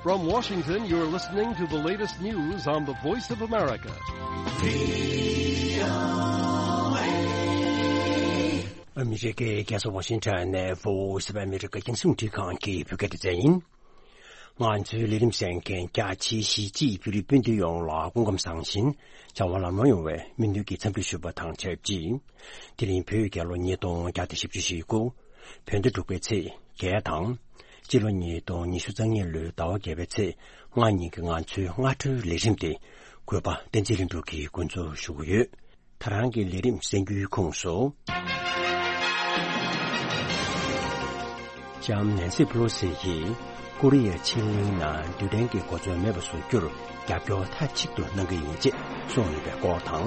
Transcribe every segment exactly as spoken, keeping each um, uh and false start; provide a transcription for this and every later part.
From Washington, you're listening to the latest news on the Voice of America. ཨ་མི་རི་ཀའི་རྒྱལ་ས་ཝ་ཤིང་ཊོན་ནས་Voice of America རྒྱང་སྲིང་རླུང་འཕྲིན་ཁང་གི་བོད་སྐད་སྡེ་ཚན་ཡིན། ང་ཚོའི་ལས་རིམ་གསན་མཁན་རྒྱ་ཆེའི་གཞིས་བྱེས་བོད་རིགས་སྤུན་ཟླ་ཡོངས་ལ་སྐུ་ཁམས་བཟང་ཞིང་བྱ་བ་ལམ་ལྷོང་ཡོང་བའི་སྨོན་འདུན་གྱི་འཚམས་འདྲི་ཞུ་བ་དང་ཆབས་ཅིག་དེ་རིང་བོད་རྒྱལ་ལོ་ཉིས་སྟོང་བརྒྱ་དང་བཞི་བཅུ་ཞེ་དགུ། བོད་ཟླ་དྲུག་པའི་ཚེས་བརྒྱད་དང་། སྤྱི་ལོ་ཉིས་སྟོང་ཉི་ཤུ་རྩ་གཉིས་ལོའི་ཟླ་བ་བརྒྱད་པའི་ཚེས་ལྔ་ཉིན་གྱི་ང་ཚོའི་སྔ་དྲོའི་ལས་རིམ་དེ་གུས་པ་བསྟན་འཛིན་ལྷུན་གྲུབ་ཀྱིས་འགོ་འཛུགས་ཞུ་གི་ཡོད། ད་རང་གི་ལས་རིམ་གསན་རྒྱུའི་ཁོངས་སུ། ལྕམ་ནན་སི་ཕུ་ལོ་སི་ཡིས་ཀོ་རི་ཡའི་ཕྱེད་གླིང་ནང་རྡུལ་ཕྲན་གྱི་གོ་མཚོན་མེད་པ་བཟོ་རྒྱུར་རྒྱབ་སྐྱོར་མཐའ་གཅིག་ཏུ་གནང་གི་ཡིན་ཅེས་གསུངས་ཡོད་པའི་སྐོར་དང་།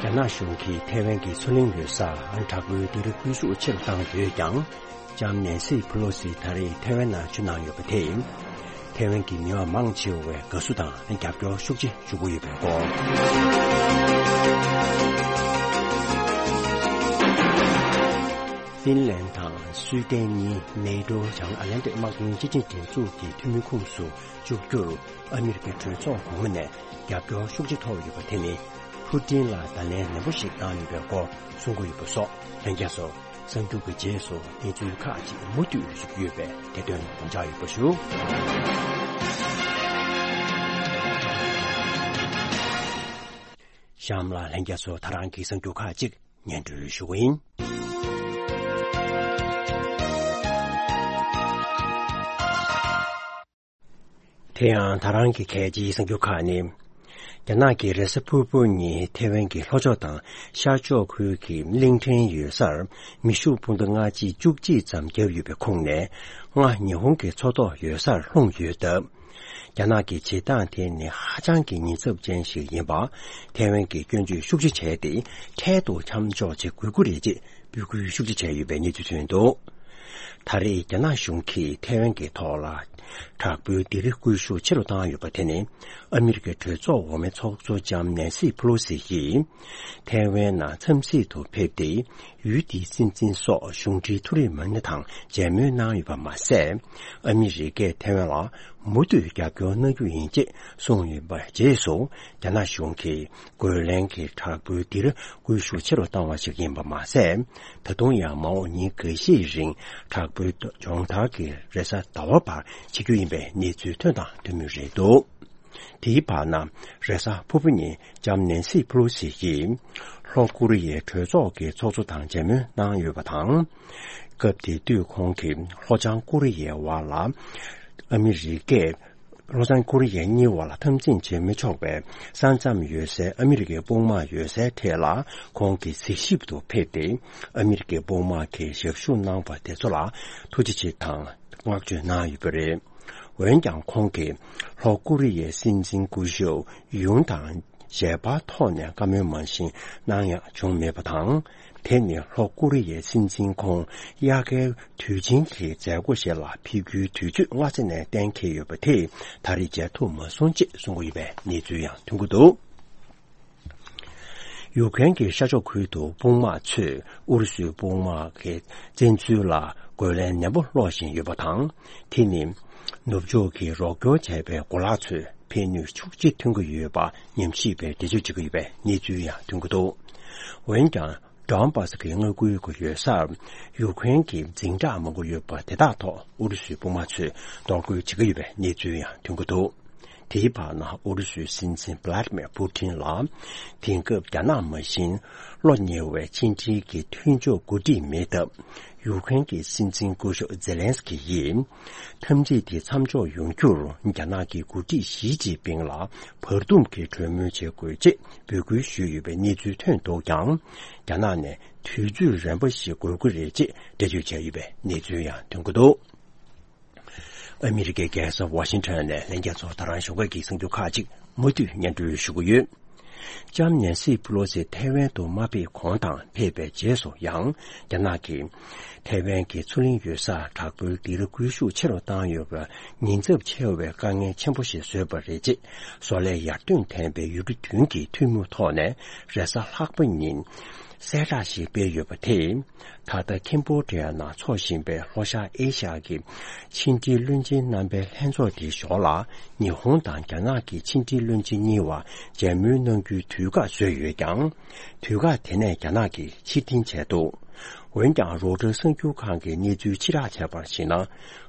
རྒྱ་ནག་གཞུང་གིས་ཐའེ་ཝན་གྱི་མཚོ་གླིང་ཡོད་སར་དྲག་པོའི་སྡེ་ར་སྐུལ་ཤུགས་ཆེ་རུ་བཏང་ཡོད་ཀྱང་། ལྕམ་ནན་སི་ཕུ་ལོ་སི་ད་རེས་ཐའེ་ཝན་ནང་བཞུགས་གནང་ཡོད་པ་དེས། ཐའེ་ཝན་གྱི་མི་མང་མང་ཆེ་བས་དགའ་བསུ་དང་རྒྱབ་སྐྱོར་ཤུགས་ཆེ་ཞུ་གི་ཡོད་པའི་སྐོར། ཧྥིན་ལན་དང་སུའི་ཏན་གཉིས་ནེ་ཏོ་བྱང་ཨ་ལན་ཏིག་དམག་དོན་སྤྱི་ཆིངས་སྒྲིག་འཛུགས་ཀྱི་འཐུས་མི་ཁོངས་སུ་བཅུག་རྒྱུར་ཨ་མི་རི་ཀའི་གྲོས་ཚོགས་གོང་མ་ནས་རྒྱབ་སྐྱོར་ཤུགས་ཆེ་ཐོབ་ཡོད་པ་དེ་ནི་ཕུ་ཏིན་ལ་བརྡ་ལན་ནན་པོ་ཞིག་བཏང་ཡོད་པའི་སྐོར་གསུང་གི་ཡོད་པ་སོགས་ལྷན་རྒྱས་ཚོ། གསར་འགྱུར་གྱི་རྗེས་སུ་གནས་ཚུལ་ཁག་ཅིག་མུ་མཐུད་ཞུ་རྒྱུ་ཡོད་པས་དེ་དོན་དགོངས་འཇགས་ཡོད་པ་ཞུ། གཤམ་ལ་ལྷན་རྒྱས་ཚོ་ད་རང་གི་གསར་འགྱུར་ཁག་ཅིག་སྙན་སྒྲོན་ཞུ་གི་ཡིན། དེ་ཡང་ད་རང་གི་གལ་ཆེའི་གསར་འགྱུར་ཁག་ནི། རྒྱ་ནག་གི་རེས་གཟའ་ཕུར་བུ་ཉིན་ཐེ་ཝན་གྱི་ལྷོ་ཕྱོགས་དང་ཤར་ཕྱོགས་ཁུལ་གྱི་གླིང་ཕྲན་ཡོད་སར་མེ་ཤུགས་འཕུར་མདའ་སྔ་ཕྱི་བཅུ་གཅིག་ཙམ་བརྒྱབ་ཡོད་པའི་ཁོངས་ནས་ལྔ་ཉི་ཧོང་གི་མཚོ་ཐོག་ཡོད་སར་ལྷུང་ཡོད་སྟབས། རྒྱ་ནག་གི་བྱེད་སྟངས་དེ་ནི་ཧ་ཅང་གི་ཉེན་ཚབས་ཅན་ཞིག་ཡིན་པ། ཐེ་ཝན་གྱིས་སྐྱོན་བརྗོད་ཤུགས་ཆེ་བྱས་ཏེ་འཕྲལ་དུ་མཚམས་འཇོག་བྱེད་དགོས་ཀྱི་རེད་ཅེས་འབོད་སྐུལ་ཤུགས་ཆེ་བྱས་ཡོད་པའི་གནས་ཚུལ་ཐོན་འདུག་ད་རེས་རྒྱ་ནག་གཞུང་གིས་ཐའེ་ཝན་གྱི་ཐོག་ལ་དྲག་པོའི་སྡེ་ར་སྐུལ་ཤུགས་ཆེ་རུ་བཏང་ཡོད་པ་དེ་ནི་ཨ་མི་རི་ཀའི་གྲོས་ཚོགས་འོག་མའི་ཚོགས་གཙོ་ལྕམ་ནན་སི་ཕུ་ལོ་སི་ཡིས་ཐའེ་ཝན་ནང་འཚམས་གཟིགས་དུ་ཕེབས་ཏེ་ཡུལ་དེའི་སྲིད་འཛིན་སོགས་གཞུང་འབྲེལ་མཐོ་རིམ་མི་སྣ་དང་མཇལ་མོལ་གནང་ཡོད་པ་མ་ཟད། ཨ་མི་རི་ཀས་ཐའེ་ཝན་ལ་མུ་མཐུད་རྒྱབ་སྐྱོར་གནང་རྒྱུ་ཡིན་ཅེས་གསུངས་ཡོད་པའི་རྗེས་སུ་རྒྱ་ནག་གཞུང་གིས་རྒོལ་ལན་གྱི་དྲག་པོའི་སྡེ་ར་སྐུལ་ཤུགས་ཆེ་རུ་བཏང་བ་ཞིག་ཡིན་པ་མ་ཟད། ད་དུང་ཡང་མ་འོངས་ཉིན་འགའ་ཤས་རིང་དྲག་པོའི་སྦྱོང་བརྡར་གྱི་རེས་གཟའ་ཟླ་བ་བར་བྱེད་རྒྱུ་ཡིན་པའི་གནས་ཚུལ་ཐོན་དང་ཐོན་མུས་རེད་འདུག་དེའི་བར་ན་རེས་གཟའ་ཕུར་བུ་ཉིན་ལྕམ་ནན་སི་ཕུ་ལོ་སི་ཡིས་ལྷོ་ཀོ་རི་ཡའི་གྲོས་ཚོགས་ཀྱི་ཚོགས་གཙོ་དང་མཇལ་མོལ་གནང་ཡོད་པ་དང་། སྐབས་དེ་དུས་ཁོང་གིས་ལྷོ་བྱང་ཀོ་རི་ཡའི་བར་ལ་ཨ་མི་རི་ཀས། ལྷོ་བྱང་ཀོ་རི་ཡ་གཉིས་བར་ལ་འཐབ་འཛིང་བྱེད་མི་ཆོག་པའི་ས་མཚམས་ཡོད་སའི་ཨ་མི་རི་ཀའི་དཔུང་དམག་ཡོད་སའི་ཐད་ལ་ཁོང་གིས་གཟིགས་ཞིབ་ཏུ་ཕེབས་ཏེ་ཨ་མི་རི་ཀའི་དཔུང་དམག་གིས་ཞབས་ཞུ་གནང་བ་དེ་ཚོ་ལ་ཐུགས་རྗེ་ཆེ་དང་བསྔགས་བརྗོད་གནང་ཡོད་པ་རེད། འོན་ཀྱང་ཁོང་གིས་ལྷོ་ཀོ་རི་ཡའི་སྲིད་འཛིན་སྐུ་ཞབས་ཡུན་དང་ཞལ་པར་ཐོག་ནས་བཀའ་མོལ་མང་ཞིག་གནང་ཡ་བྱུང་མེད་པ་དང་། དེ་ནི་ལྷོ་ཀོ་རི་ཡའི་སྲིད་འཛིན་ཁོང་དབྱར་ཁའི་དུས་ཆེན་གྱི་མཛད་སྒོ་ཞིག་ལ་ཕེབས་རྒྱུའི་དུས་ཚོད་སྔ་ས་ནས་གཏན་འཁེལ་ཡོད་པ་དེ་ད་རེས་མཇལ་ཐུབ་མ་སོང་ཅེས་གསུང་གི་ཡོད་པའི་གནས་ཚུལ་ཡང་ཐོན་གྱི་འདུག་ཡུ་ཀེ་རེན་གྱི་ཤར་ཕྱོགས་ཁུལ་དུ་དཔུང་དམག་ཚོས་ཨུ་རུ་སུའི་དཔུང་དམག་གི་བཙན་འཛུལ་ལ་རྒོལ་ལན་ནན་པོ་སློག་བཞིན་ཡོད་པ་དང་། དེ་ནི་ནུབ་ཕྱོགས་ཀྱི་རོགས་སྐྱོར་བྱས་པའི་གོ་ལག་ཚོས་ཕན་ནུས་ཤུགས་ཆེ་ཐོན་གྱི་ཡོད་པ་ཉམས་ཞིབ་པས་འགྲེལ་བརྗོད་བྱེད་ཀྱི་ཡོད་པའི་གནས་ཚུལ་ཡང་ཐོན་གྱི་འདུག་འོན་ཀྱང་། ཌོན་བྷ་སི་ཀྱི་མངའ་ཁུལ་གྱི་ཡོད་སར་ཡུ་ཀེ་རེན་གྱི་འཛིང་རགས་མང་པོ་ཡོད་པ་དེ་དག་ཐོག་ཨུ་རུ་སུའི་དཔུང་དམག་ཚོས་གཏོར་རྒོལ་བྱེད་ཀྱི་ཡོད་པའི་གནས་ཚུལ་ཡང་ཐོན་གྱི་འདུག་དེའི་བར་ན་ཨུ་རུ་སུའི་སྲིད་འཛིན་བྷི་ལ་ཏི་མེར་པུ་ཏིན་ལ་དེང་སྐབས་རྒྱ་ནག་མ་བཞིན་བློ་ཉེ་བའི་ཕྱི་འབྲེལ་གྱི་མཐུན་ཕྱོགས་འགོ་ཁྲིད་མེད་སྟབས། ཡུ་ཀེ་རེན་གྱི་སྲིད་འཛིན་སྐུ་ཞབས་ཛེ་ལན་སི་ཀི་ཡིས། འཐབ་འཛིང་དེ་མཚམས་འཇོག་ཡོང་རྒྱུར་རྒྱ་ནག་གི་འགོ་ཁྲིད་ཞི་ཅིན་ཕིང་ལ་བར་འདུམ་གྱི་གྲོས་མོལ་བྱེད་དགོས་ཅེས་འབོད་སྐུལ་ཞུས་ཡོད་པའི་གནས་ཚུལ་ཐོན་འདུག་ཀྱང་། རྒྱ་ནག་ནས་དུས་ཚོད་རན་པ་ཞིག་དགོས་ཀྱི་རེད་ཅེས་འགྲེལ་བརྗོད་བྱས་ཡོད་པའི་གནས་ཚུལ་ཡང་ཐོན་གྱི་འདུག་ཨ་མི་རི་ཀའི་རྒྱལ་ས་ཝ་ཤིང་ཊོན་ནས་ལྷན་རྒྱས་ཚོར་ད་རང་ཞོགས་ཀས་ཀྱི་གསར་འགྱུར་ཁག་ཅིག་མུ་མཐུད་སྙན་སྒྲོན་ཞུ་གི་ཡོད། ལྕམ་ནན་སི་པི་ལོ་སི་ཐའེ་ཝན་དུ་མ་ཕེབས་གོང་དང་ཕེབས་པའི་རྗེས་སུ་ཡང་། རྒྱ་ནག་གིས་ཐའེ་ཝན་གྱི་མཚོ་གླིང་ཡུལ་སར་དྲག་པོའི་སྡིགས་ར་སྐུལ་ཤུགས་ཆེ་རུ་བཏང་ཡོད་པར་ཉེན་ཚབས་ཆེ་བའི་དཀའ་ངལ་ཆེན་པོ་ཞིག་བཟོས་པ་རེད། ཅེས་བཟོ་ལས་ཡར་ཐོན་ལྡན་པའི་ཡུལ་གྲུ་བདུན་གྱི་ཐུན་མོང་ཐོག་ནས་རེས་གཟའ་ལྷག་པ་ཉིན་གསལ་བསྒྲགས་ཤིག་སྤེལ་ཡོད་པ་དེས། ད་ལྟ་ཁེམ་བྷོ་ཌི་ཡ་ནང་འཚོགས་བཞིན་པའི་ལྷོ་ཤར་ཨེ་ཤ་ཡ་གི་ཕྱི་འབྲེལ་བློན་ཆེན་རྣམ་པའི་ལྷན་ཚོགས་དེའི་ཞོར་ལ། ཉི་ཧོང་དང་རྒྱ་ནག་གི་ཕྱི་འབྲེལ་བློན་ཆེན་གཉིས་བར་མཇལ་མོལ་གནང་རྒྱུའི་དུས་བཀག་བཟོས་ཡོད་ཀྱང་། དུས་བཀག་དེ་ནས་རྒྱ་ནག་གིས་ཕྱིར་འཐེན་བྱས་འདུག་འོན་ཀྱང་། རོའི་ཊར་གསར་འགྱུར་ཁང་གིས་གནས་ཚུལ་ཕྱིར་བསྒྲགས་བྱས་པར་གཞིགས་ན།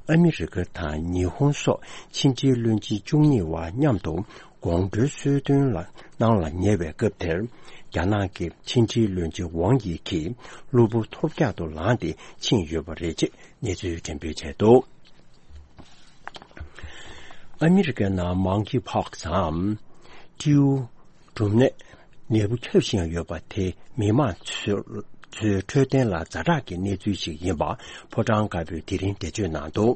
ཨ་མི་རི་ཀ་དང་ཉི་ཧོང་སོགས་ཕྱི་འབྲེལ་བློན་ཆེན་བཅུ་གཉིས་བར་མཉམ་དུ་དགོང་དྲོའི་གསོལ་སྟོན་ལ་གནང་ལ་ཉེ་བའི་སྐབས་དེར། རྒྱ་ནག་གི་ཕྱི་འབྲེལ་བློན་ཆེན་ཝང་ཡི་གིས་གློ་བུར་ཐོལ་རྒྱག་ཏུ་ལངས་ཏེ་ཕྱིན་ཡོད་པ་རེད། ཅེས་གནས་ཚུལ་འགྲེམས་སྤེལ་བྱས་འདུག་ཨ་མི་རི་ཀའི་ནང་མང་ཀི་ཕོག་སི་འམ། སྤྲེའུ་འབྲུམ་ནད་ནད་འབུ་ཁྱབ་བཞིན་ཡོད་པ་དེ། མི་མང་ཚོའི་འཕྲོད་བསྟེན་ལ་ཛ་དྲག་གི་གནས་ཚུལ་ཞིག་ཡིན་པ། ཕོ་བྲང་དཀར་པོས་དེ་རིང་འགྲེལ་བརྗོད་གནང་འདུག་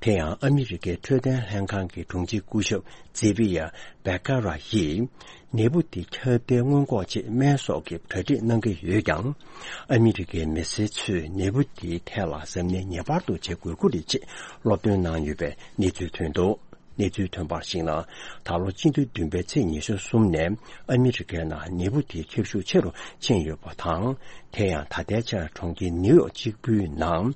དེ་ཡང་། ཨ་མི་རི་ཀའི་འཕྲོད་བསྟེན་ལྷན་ཁང་གི་དྲུང་ཆེ་སྐུ་ཞབས་ཛེ་བི་ཡ་བེ་ཀ་ར་ཡིས། ནད་འབུ་དེ་ཁྱབ་གདལ་སྔོན་འགོག་ཆེད་སྨན་གསོག་གི་གྲ་སྒྲིག་གནང་གི་ཡོད་ཀྱང་། ཨ་མི་རི་ཀའི་མི་སེར་ཚོས་ནད་འབུ་དེའི་ཐད་ལ་གཟབ་ནན་ངེས་པར་དུ་བྱེད་དགོས་ཀྱི་རེད། ཅེས་སློབ་སྟོན་གནང་ཡོད་པའི་གནས་ཚུལ་ཐོན་འདུག་གནས་ཚུལ་ཐོན་པར་གཞིགས་ན། ད་ལོ་སྤྱི་ཟླ་བདུན་པའི་ཚེས་ཉི་ཤུ་གསུམ་ནས་ཨ་མི་རི་ཀའི་ནང་ནད་འབུ་དེ་ཁྱབ་ཤུགས་ཆེ་རུ་ཕྱིན་ཡོད་པ་དང་། དེ་ཡང་ད་ལྟའི་ཆར་གྲོང་ཁྱེར་ནིའུ་ཡོག་གཅིག་པུའི་ནང་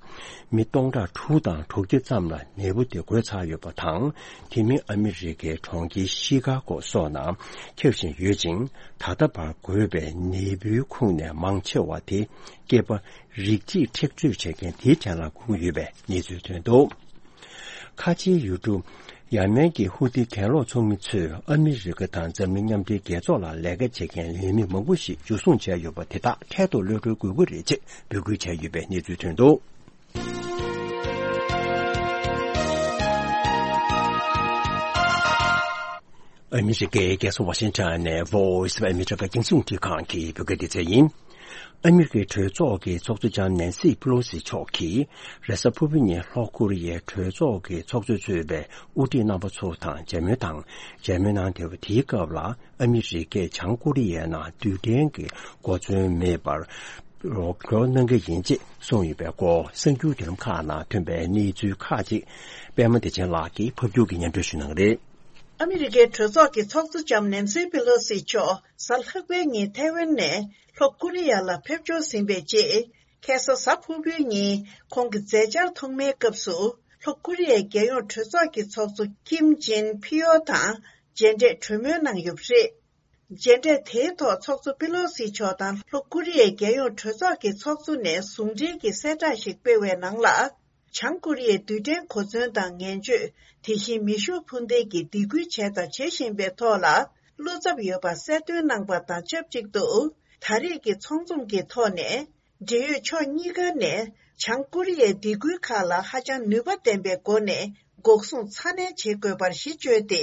མི་སྟོང་ཕྲག་དྲུག་དང་དྲུག་བརྒྱ་ཙམ་ལ་ནད་འབུ་དེ་འགོས་ཚར་ཡོད་པ་དང་། དེ་མིན་ཨ་མི་རི་ཀའི་གྲོང་ཁྱེར་ཤི་ཀ་གོ་སོགས་ནང་ཁྱབ་བཞིན་ཡོད་ཅིང་། ད་ལྟ་བར་འགོས་པའི་ནད་འབུའི་ཁོངས་ནས་མང་ཆེ་བ་དེ་སྐྱེས་པ་རིགས་གཅིག་མཁྲེགས་འཚོལ་བྱེད་མཁན་དེའི་གྲས་ལ་གྱུར་ཡོད་པའི་གནས་ཚུལ་ཐོན་འདུག་ཁ་ཆེའི་ཡུལ་གྲུ་ཡ་མན་གྱི་ཧུ་ཐི་གྱེན་ལོག་ཚོགས་མི་ཚོས་ཨ་མི་རི་ཀ་དང་འཛམ་གླིང་མཉམ་འབྲེལ་རྒྱལ་ཚོགས་ལ་ལས་ཀ་བྱེད་མཁན་ལས་མི་མང་པོ་ཞིག་འཇུ་བཟུང་བྱས་ཡོད་པ་དེ་དག་འཕྲལ་དུ་གློད་བཀྲོལ་དགོས་ཀྱི་རེད། ཅེས་འབོད་སྐུལ་བྱས་ཡོད་པའི་གནས་ཚུལ་ཐོན་འདུག་ཨ་མི་རི་ཀའི་རྒྱལ་ས་ཝ་ཤིང་ཊོན་ནས་Voice of America རྒྱང་སྲིང་རླུང་འཕྲིན་ཁང་གི་བོད་སྐད་སྡེ་ཚན་ཡིན། ཨ་མི་རི་ཀའི་གྲོས་ཚོགས་ཀྱི་ཚོགས་གཙོ་ལྕམ་ནན་སི་པི་ལོ་སི་མཆོག་གིས་རེས་གཟའ་ཕུར་བུ་ཉིན་ལྷོ་ཀོ་རི་ཡའི་གྲོས་ཚོགས་ཀྱི་ཚོགས་གཙོས་གཙོས་པའི་དབུ་ཁྲིད་རྣམ་པ་ཚོ་དང་མཇལ་མོལ་དང་། མཇལ་མོལ་གནང་བསྡད་པ་དེའི་སྐབས་ལ། ཨ་མི་རི་ཀས་བྱང་ཀོ་རི་ཡའི་ནང་རྡུལ་ཕྲན་གྱི་གོ་མཚོན་མེད་པར་རོགས་སྐྱོར་གནང་གི་ཡིན་ཅེས་གསུངས་ཡོད་པའི་སྐོར། གསར་འགྱུར་བརྒྱུད་ལམ་ཁག་ནང་ཐོན་པའི་གནས་ཚུལ་ཁག་ཅིག་པད་མ་བདེ་ཆེན་ལགས་ཀྱིས་ཕབ་སྒྱུར་གྱིས་སྙན་སྒྲོན་ཞུ་གནང་གི་རེད། ཨ་མི་རི་ཀའི་གྲོས་ཚོགས་ཀྱི་ཚོགས་གཙོ་ལྕམ་ནན་སི་པི་ལོ་སི་མཆོག་གཟའ་ལྷག་པའི་ཉིན་ཐའེ་ཝན་ནས་ལྷོ་ཀོ་རི་ཡ་ལ་ཕེབས་འབྱོར་ཟིན་པའི་རྗེས། ཁ་སང་གཟའ་ཕུར་བུའི་ཉིན་ཁོང་གི་མཛད་འཆར་ཐོག་མའི་སྐབས་སུ། ལྷོ་ཀོ་རི་ཡའི་རྒྱལ་ཡོངས་གྲོས་ཚོགས་ཀྱི་ཚོགས་གཙོ་ཀིམ་ཅིན་ཕིའོ་དང་མཇལ་འཕྲད་གྲོས་མོལ་གནང་ཡོད་པ་རེད། མཇལ་འཕྲད་དེའི་ཐོག་ཚོགས་གཙོ་པེ་ལོ་སི་མཆོག་དང་ལྷོ་ཀོ་རི་ཡའི་རྒྱལ་ཡོངས་གྲོས་ཚོགས་ཀྱི་ཚོགས་གཙོ་ནས་ཟུང་འབྲེལ་གྱི་གསལ་བསྒྲགས་ཤིག་སྤེལ་བའི་ནང་ལ། བྱང་ཀོ་རི་ཡའི་རྡུལ་ཕྲན་གོ་མཚོན་དང་ངན་སྤྱོད། དེ་བཞིན་མེ་ཤུགས་འཕུར་མདེལ་གྱི་སྡིགས་སྐུལ་བྱས་དང་བྱེད་བཞིན་པའི་ཐོག་ལ་བློ་འཚབ་ཡོད་པ་གསལ་སྟོན་གནང་པ་དང་ཆབས་ཅིག་ཏུ། ད་རེས་ཀྱི་ཚོགས་འཛོམས་ཀྱི་ཐོག་ནས། འབྲེལ་ཡོད་ཕྱོགས་གཉིས་ཀ་ནས་བྱང་ཀོ་རི་ཡའི་སྡིགས་སྐུལ་ཁག་ལ་ཧ་ཅང་ནུས་པ་ལྡན་པའི་སྒོ་ནས་འགོག་སྲུང་ཚ་ནན་བྱེད་དགོས་པར་གཞི་བཅོལ་ཏེ།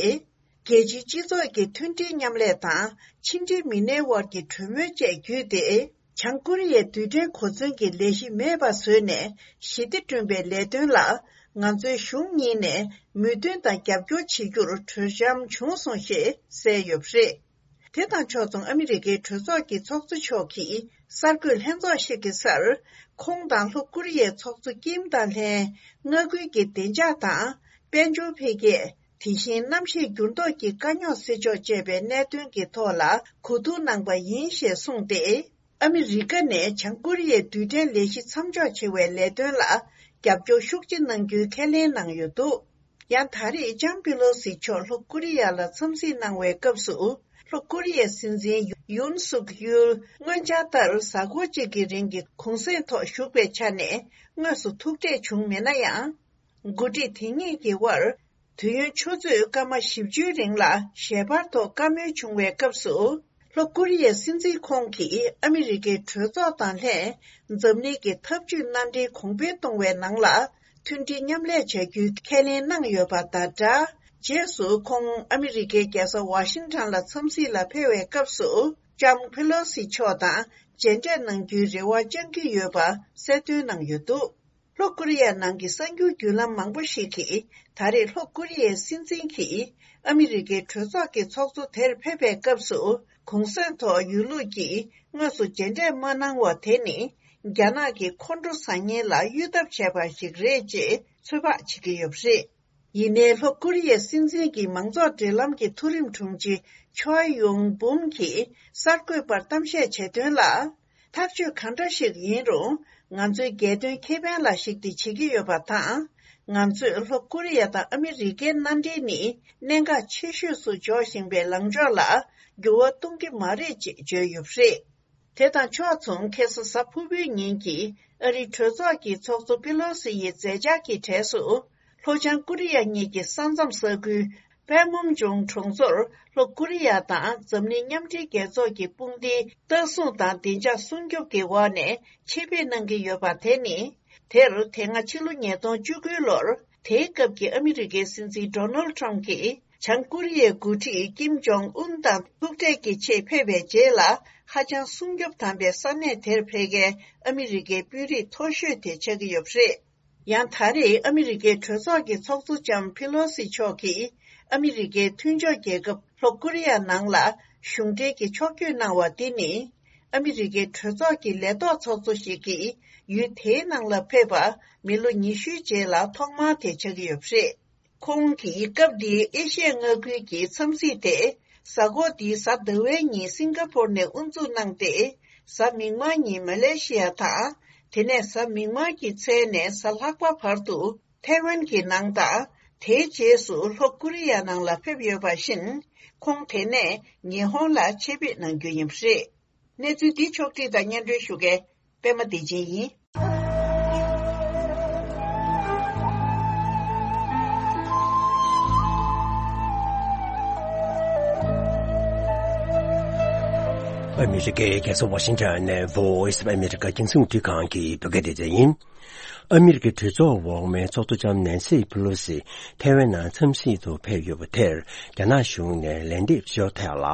རྒྱལ་སྤྱིའི་སྤྱི་ཚོགས་ཀྱི་མཐུན་སྒྲིལ་མཉམ་ལས་དང་ཕྱི་འབྲེལ་མི་སྣའི་དབར་གྱི་གྲོས་མོལ་བཅས་བརྒྱུད་དེ། བྱང་ཀོ་རི་ཡའི་རྡུལ་ཕྲན་གོ་མཚོན་གྱི་ལས་གཞི་མེད་པ་བཟོས་ནས་ཞི་བདེ་བསྐྲུན་པའི་ལས་དོན་ལ། ང་ཚོའི་གཞུང་གཉིས་ནས་མོས་མཐུན་དང་རྒྱབ་སྐྱོར་བྱེད་རྒྱུར་གྲོས་འཆམ་བྱུང་སོང་ཞེས་གསལ་ཡོད་པ་རེད། དེ་དང་ཕྱོགས་མཚུངས། ཨ་མི་རི་ཀའི་གྲོས་ཚོགས་ཀྱི་ཚོགས་གཙོ་མཆོག་གིས་གསར་འགོད་ལྷན་ཚོགས་ཤིག་གི་སར། ཁོང་དང་ལྷོ་ཀོ་རི་ཡའི་ཚོགས་གཙོ་ཀིམ་དང་ལྷན། མངའ་ཁུལ་གྱི་བདེ་འཇགས་དང་། དཔལ་འབྱོར་འཕེལ་རྒྱས། དེ་བཞིན་གནམ་གཤིས་འགྱུར་ལྡོག་གི་དཀའ་རྙོག་སེལ་ཕྱོགས་བཅས་པའི་གནད་དོན་གྱི་ཐོག་ལ་གོ་བསྡུར་གནང་པ་ཡིན་ཞེས་གསུངས་ཏེ། ཨ་མི་རི་ཀ་ནས་བྱང་ཀོ་རི་ཡའི་རྡུལ་ཕྲན་ལས་གཞི་མཚམས་འཇོག་བྱེད་པའི་ལས་དོན་ལ་རྒྱབ་སྐྱོར་ཤུགས་ཆེ་གནང་རྒྱུའི་ཁས་ལེན་གནང་ཡོད་འདུག་ཡང་ད་རེས་ལྕམ་པེ་ལོ་སི་མཆོག་ལྷོ་ཀོ་རི་ཡ་ལ་འཚམས་གཟིགས་གནང་བའི་སྐབས་སུ། ལྷོ་ཀོ་རི་ཡའི་སྲིད་འཛིན་ཡུན་སུག་ཡུལ་སྔོན་འཆར་ལྟར་གཟའ་འཁོར་གཅིག་གི་རིང་གི་གུང་སེང་ཐོག་བཞུགས་པའི་ཆ་ནས་དངོས་སུ་ཐུག་འཕྲད་བྱུང་མེད་ན་ཡང་། འགོ་ཁྲིད་དེ་གཉིས་ཀྱི་དབར། དུས་ཡུན་ཆུ་ཚོད་སྐར་མ་བཞི་བཅུའི་རིང་ལ་ཞལ་པར་ཐོག་བཀའ་མོལ་བྱུང་བའི་སྐབས་སུ། ལྷོ་ཀོ་རི་ཡའི་སྲིད་འཛིན་ཁོང་གིས་ཨ་མི་རི་ཀའི་གྲོས་ཚོགས་དང་ལྷན། འཛམ་གླིང་གི་འཐབ་ཇུས་མནའ་འབྲེལ་གོང་འཕེལ་གཏོང་བའི་ནང་ལ། མཐུན་སྒྲིལ་མཉམ་ལས་བྱ་རྒྱུའི་ཁས་ལེན་གནང་ཡོད་པ་དང་སྦྲགས། རྗེས་སུ་ཁོང་ཨ་མི་རི་ཀའི་རྒྱལ་ས་ཝ་ཤིང་ཊོན་ལ་འཚམས་གཟིགས་ལ་ཕེབས་པའི་སྐབས་སུ། ལྕམ་ཕེ་ལོ་སི་མཆོག་དང་མཇལ་འཕྲད་གནང་རྒྱུའི་རེ་བ་བཅང་གི་ཡོད་པ་གསལ་སྟོན་གནང་ཡོད་འདུག་ལྷོ་ཀོ་རི་ཡ་ནང་གི་གསར་འགྱུར་བརྒྱུད་ལམ་མང་པོ་ཞིག་གིས། ད་རེས་ལྷོ་ཀོ་རི་ཡའི་སྲིད་འཛིན་གྱིས་ཨ་མི་རི་ཀའི་གྲོས་ཚོགས་ཀྱི་ཚོགས་གཙོ་དེར་ཕེབས་པའི་སྐབས་སུ། གུང་སེང་ཐོག་ཡུལ་ལུགས་ཀྱིས་དངོས་སུ་མཇལ་འཕྲད་མ་གནང་བ་དེ་ནི། རྒྱ་ནག་གིས་ཁོང་ཁྲོ་ཟ་མཁན་ལ་གཡོལ་ཐབས་བྱས་པ་ཞིག་རེད་ཅེས་ཚོད་དཔག་བྱེད་ཀྱི་ཡོད་པ་རེད། ཡིན་ནའི་ལྷོ་ཀོ་རི་ཡའི་སྲིད་འཛིན་གྱི་མང་ཚོགས་འབྲེལ་ལམ་གྱི་མཐོ་རིམ་དྲུང་ཆེ་ཆོའེ་ཡུང་འབུམ་གྱིས་གསར་འགོད་པར་གཏམ་བཤད་བྱས་དོན་ལ། ཐག་གཅོད་གང་འདྲ་ཞིག་ཡིན་རུང་། ང་ཚོའི་རྒྱལ་དོན་ཁེ་ཕན་ལ་གཞིགས་ཏེ་བྱེད་ཀྱི་ཡོད་པ་དང་། ང་ཚོས་ལྷོ་ཀོ་རི་ཡ་དང་ཨ་མི་རི་ཀའི་མནའ་འབྲེལ་ནི་གནད་འགག་ཆེ་ཤོས་སུ་འཇོག་བཞིན་པའི་ལངས་ཕྱོགས་ལ་འགྱུར་བ་གཏོང་གི་མ་རེད་ཅེས་བརྗོད་ཡོད་པ་རེད། དེ་དང་ཕྱོགས་མཚུངས། ཁ་སང་གཟའ་ཕུར་བུའི་ཉིན་གྱི་ཨ་རིའི་གྲོས་ཚོགས་ཀྱི་ཚོགས་གཙོ་པེ་ལོ་སི་ཡི་མཛད་འཆར་གྱི་གྲས་སུ། ལྷོ་བྱང་ཀོ་རི་ཡ་གཉིས་ཀྱི་ས་མཚམས་ས་ཁུལ་པན་མུན་ཇོང་གྲོང་ཚོར་ལྷོ་ཀོ་རི་ཡ་དང་འཛམ་གླིང་མཉམ་འབྲེལ་རྒྱལ་ཚོགས་ཀྱི་དཔུང་སྡེའི་ལྟ་སྲུང་དང་བདེ་འཇགས་སྲུང་སྐྱོབ་ཀྱི་འོག་ནས་ཆེད་ཕེབས་གནང་གི་ཡོད་པ་དེ་ནི། དེར་དེ་སྔ་ཕྱི་ལོ་ཉིས་སྟོང་བཅུ་དགུ་ལོར་དེའི་སྐབས་ཀྱི་ཨ་མི་རི་ཀའི་སྲིད་འཛིན་ཌོ་ནལ་ཊམ་གྱིས་བྱང་ཀོ་རི་ཡའི་འགོ་ཁྲིད་ཀིམ་ཇོང་ཨུན་དང་ཐུག་འཕྲད་ཀྱི་ཆེད་ཕེབས་པའི་རྗེས་ལ། ཧ་ཅང་སྲུང་སྐྱོབ་དམ་པའི་ས་གནས་དེར་ཕེབས་མཁན་ཨ་མི་རི་ཀའི་དཔོན་རིགས་མཐོ་ཤོས་དེ་ཆགས་ཀྱི་ཡོད་པ་རེད། ཡང་ད་རེས་ཨ་མི་རི་ཀའི་གྲོས་ཚོགས་ཀྱི་ཚོགས་གཙོ་ལྕམ་ཕི་ལོ་སི་མཆོག་གིས་ཨ་མི་རི་ཀའི་མཐུན་ཕྱོགས་རྒྱལ་ཁབ་ལྷོ་ཀོ་རི་ཡ་ནང་ལ་གཞུང་འབྲེལ་གྱི་ཕྱོགས་བསྐྱོད་གནང་བ་འདི་ནི། ཨ་མི་རི་ཀའི་གྲོས་ཚོགས་ཀྱི་ལས་ཐོག་ཚོགས་གཙོ་ཞིག་གིས་ཡུལ་དེའི་ནང་ལ་ཕེབས་པ་མི་ལོ་ཉི་ཤུའི་རྗེས་ལ་ཐོག་མ་དེ་ཆགས་ཀྱི་ཡོད་པ་རེད། ཁོང་གིས་སྐབས་འདིའི་ཨེ་ཤི་ཡ་མངའ་ཁུལ་གྱི་འཚམས་གཟིགས་དེ། གཟའ་འཁོར་འདིའི་གཟའ་ཟླ་བའི་ཉིན་སིང་ག་ཕོར་ནས་དབུ་འཛུགས་གནང་སྟེ། གཟའ་མིག་དམར་ཉིན་མ་ལེ་ཤི་ཡ་དང་། དེ་ནས་གཟའ་མིག་དམར་གྱི་མཚན་ནས་གཟའ་ལྷག་པ་བར་དུ་ཐའེ་ཝན་གྱི་ནང་དང་། དེའི་རྗེས་སུ་ལྷོ་ཀོ་རི་ཡ་ནང་ལ་ཕེབས་ཡོད་པ་བཞིན། ཁོང་དེ་ནས་ཉི་ཧོང་ལ་ཆེད་ཕེབས་གནང་རྒྱུ་ཡིན་པ་རེད། གནས་ཚུལ་འདི་ཕྱོགས་བསྒྲིགས་དང་སྙན་སྒྲོན་ཞུ་མཁན་པད་མ་བདེ་ཆེན་ཡིན། ཨ་མི་རི་ཀའི་རྒྱལ་ས་ཝ་ཤིང་ཊོན་ནས་Voice of America རྒྱང་སྲིང་རླུང་འཕྲིན་ཁང་གི་བོད་སྐད་སྡེ་ཚན་ཡིན། ཨ་མི་རི་ཀའི་གྲོས་ཚོགས་འོག་མའི་ཚོགས་གཙོ་ལྕམ་ནན་སི་པེ་ལོ་སི་ཐའེ་ཝན་ནང་འཚམས་གཟིགས་དུ་ཕེབས་ཡོད་པ་དེར། རྒྱ་ནག་གཞུང་ནས་ལན་འདེབས་ཞུ་ཐད་ལ།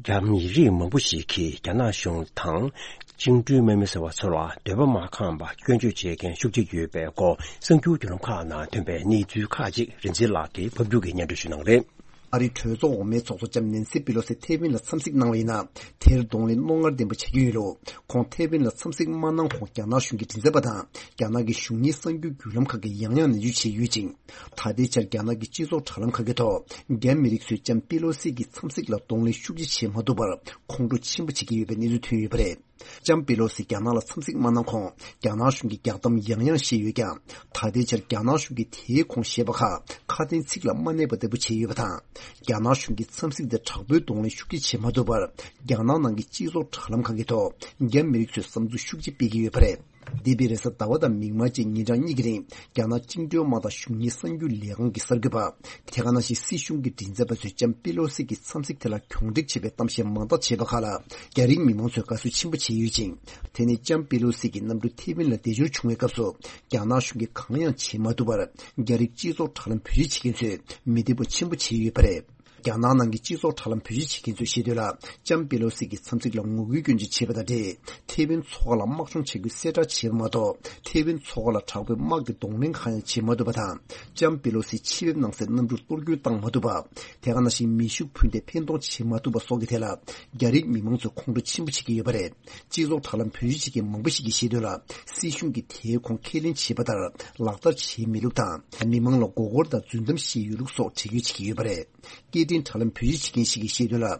རྒྱ་མི་རིགས་མང་པོ་ཞིག་གིས་རྒྱ་ནག་གཞུང་དང་། བཅིངས་འགྲོལ་དམག་མི་ཟེར་བ་ཚོ་ལ་འདོད་པ་མ་ཁེངས་པར་སྐྱོན་བརྗོད་བྱེད་མཁན་ཤུགས་ཆེ་ཡོད་པའི་སྐོར། གསར་འགྱུར་བརྒྱུད་ལམ་ཁག་ནང་ཐོན་པའི་གནས་ཚུལ་ཁག་ཅིག་རིག་འཛིན་ལགས་ཀྱིས་ཕབ་སྒྱུར་གྱིས་སྙན་སྒྲོན་ཞུ་གནང་རེད། ཨ་རིའི་གྲོས་ཚོགས་འོག་མའི་ཚོགས་གཙོ་ལྕམ་ནན་སི་པེ་ལོ་སི་ཐའེ་ཝན་ལ་འཚམས་གཟིགས་གནང་བ་ཡིན་ན། དེར་གདོང་ལེན་རྣོ་ངར་ལྡན་པ་བྱ་རྒྱུ་ཡིན་ལུགས། ཁོང་ཐའེ་ཝན་ལ་འཚམས་གཟིགས་མ་གནང་གོང་རྒྱ་ནག་གཞུང་གི་མགྲིན་ཚབ་པ་དང་། རྒྱ་ནག་གི་གཞུང་གཉེར་གསར་འགྱུར་བརྒྱུད་ལམ་ཁག་གིས་ཡང་ཡང་ནན་བརྗོད་བྱས་ཡོད་ཅིང་། ད་ལྟའི་ཆར་རྒྱ་ནག་གི་སྤྱི་ཚོགས་དྲ་ལམ་ཁག་གི་ཐོག་རྒྱ་མི་རིགས་ཚོས་ལྕམ་པེ་ལོ་སི་གི་འཚམས་གཟིགས་ལ་གདོང་ལེན་ཤུགས་ཆེ་བྱེད་མ་ཐུབ་པར་ཁོང་ཁྲོ་ཆེན་པོ་བྱེད་ཀྱི་ཡོད་པའི་གནས་ཚུལ་ཐོན་ཡོད་པ་རེད། ལྕམ་པེ་ལོ་སི་རྒྱ་ནག་ལ་འཚམས་གཟིགས་མ་གནང་གོང་། རྒྱ་ནག་གཞུང་གིས་རྒྱག་གཏམ་ཡང་ཡང་བཤད་ཡོད་ཀྱང་། ད་ལྟའི་ཆར་རྒྱ་ནག་གཞུང་གིས་དེའི་གོང་བཤད་པ་ཁག་ཁ་དན་ཚིག་ལ་མ་གནས་པ་ལྟ་བུ་བྱས་ཡོད་པ་དང་། རྒྱ་ནག་གཞུང་གི་འཚམས་གཟིགས་དེ་དྲག་པོའི་གདོང་ལེན་ཤུགས་ཆེ་བྱེད་མ་ཐུབ་པར། རྒྱ་ནག་ནང་གི་སྤྱི་ཚོགས་དྲ་ལམ་ཁག་གི་ཐོག་རྒྱ་མི་རིགས་ཚོས་བསམ་ཚུལ་ཤུགས་ཆེ་སྤེལ་གྱི་ཡོད་པ་རེད། འདས་པའི་རེས་གཟའ་ཟླ་བ་དང་མིག་དམར་བཅས་ཉིན་གྲངས་གཉིས་ཀྱི་རིང་། རྒྱ་ནག་བཅིངས་འགྲོལ་དམག་དང་གཞུང་གཉེར་གསར་འགྱུར་ལས་ཁང་གི་གསར་འགོད་པ། དེ་ག་ནང་བཞིན་སྲིད་གཞུང་གི་མགྲིན་ཚབ་པ་ཚོས་ལྕམ་པེ་ལོ་སི་གི་འཚམས་གཟིགས་དེ་ལ་གྱོང་འབྲེག་བྱས་པའི་གཏམ་བཤད་མང་དག་བྱས་པ་ཁག་ལ། རྒྱ་རིགས་མི་མང་ཚོས་དགའ་བསུ་ཆེན་པོ་བྱས་ཡོད་ཅིང་། དེ་ནི་ལྕམ་པེ་ལོ་སི་གིས་གནམ་གྲུ་ཐའེ་ཝན་ལ་བདེ་འབྱོར་བྱུང་བའི་སྐབས་སུ། རྒྱ་ནག་གཞུང་གིས་གང་ཡང་བྱེད་མ་ཐུབ་པར། རྒྱ་རིགས་སྤྱི་ཚོགས་དྲ་ལམ་བེད་སྤྱོད་བྱེད་མཁན་ཚོས་མི་བདེ་པོ་ཆེན་པོ་བྱས་ཡོད་པ་རེད། རྒྱ་ནག་ནང་གི་སྤྱི་ཚོགས་དྲ་ལམ་བེད་སྤྱོད་བྱེད་མཁན་ཚོས་བཤད་དོན་ལ། ལྕམ་པེ་ལོ་སི་གི་འཚམས་གཟིགས་ལ་ངོ་རྒོལ་སྐྱོན་བརྗོད་བྱས་པ་དང་འབྲེལ། ཐའེ་ཝན་མཚོ་ཁ་ལ་དམག་སྦྱོང་བྱེད་རྒྱུའི་གསལ་བསྒྲགས་བྱས་པ་མ་གཏོགས། ཐའེ་ཝན་མཚོ་ཁ་ལ་དྲག་པོའི་དམག་གི་གདོང་ལེན་གང་ཡང་བྱེད་མ་ཐུབ་པ་དང་། ལྕམ་པེ་ལོ་སི་ཆེད་ཕེབས་གནང་སའི་གནམ་གྲུར་གཏོར་རྒོལ་བཏང་མ་ཐུབ་པ། དེ་ག་ནང་བཞིན་མེ་ཤུགས་འཕུར་མདེལ་འཕེན་གཏོང་བྱེད་མ་ཐུབ་པ་སོགས་ཀྱི་ཐད་ལ། རྒྱ་རིགས་མི་མང་ཚོས་ཁོང་ཁྲོ་ཆེན་པོ་བྱེད་ཀྱི་ཡོད་པ་རེད། སྤྱི་ཚོགས་དྲ་ལམ་བེད་སྤྱོད་བྱེད་མཁན་མང་པོ་ཞིག་གིས་བཤད་དོན་ལ། སྲིད་གཞུང་གིས་དེའི་ཁོངས་ཁས་ལེན་བྱས་པ་ལྟར་ལག་བསྟར་བྱས་མེད་ལུགས་དང་། མི་མང་ལ་མགོ་སྐོར་དང་རྫུན་གཏམ་བཤད་ཡོད་ལུགས་སོགས་འགྲེལ་བརྗོད་བྱེད་ཀྱི་ཡོད་པ་རེད། སྐད་འཕྲིན་དྲ་ལམ་བེད་སྤྱོད་བྱེད་མཁན་ཞིག་གིས་བཤད་དོན་ལ།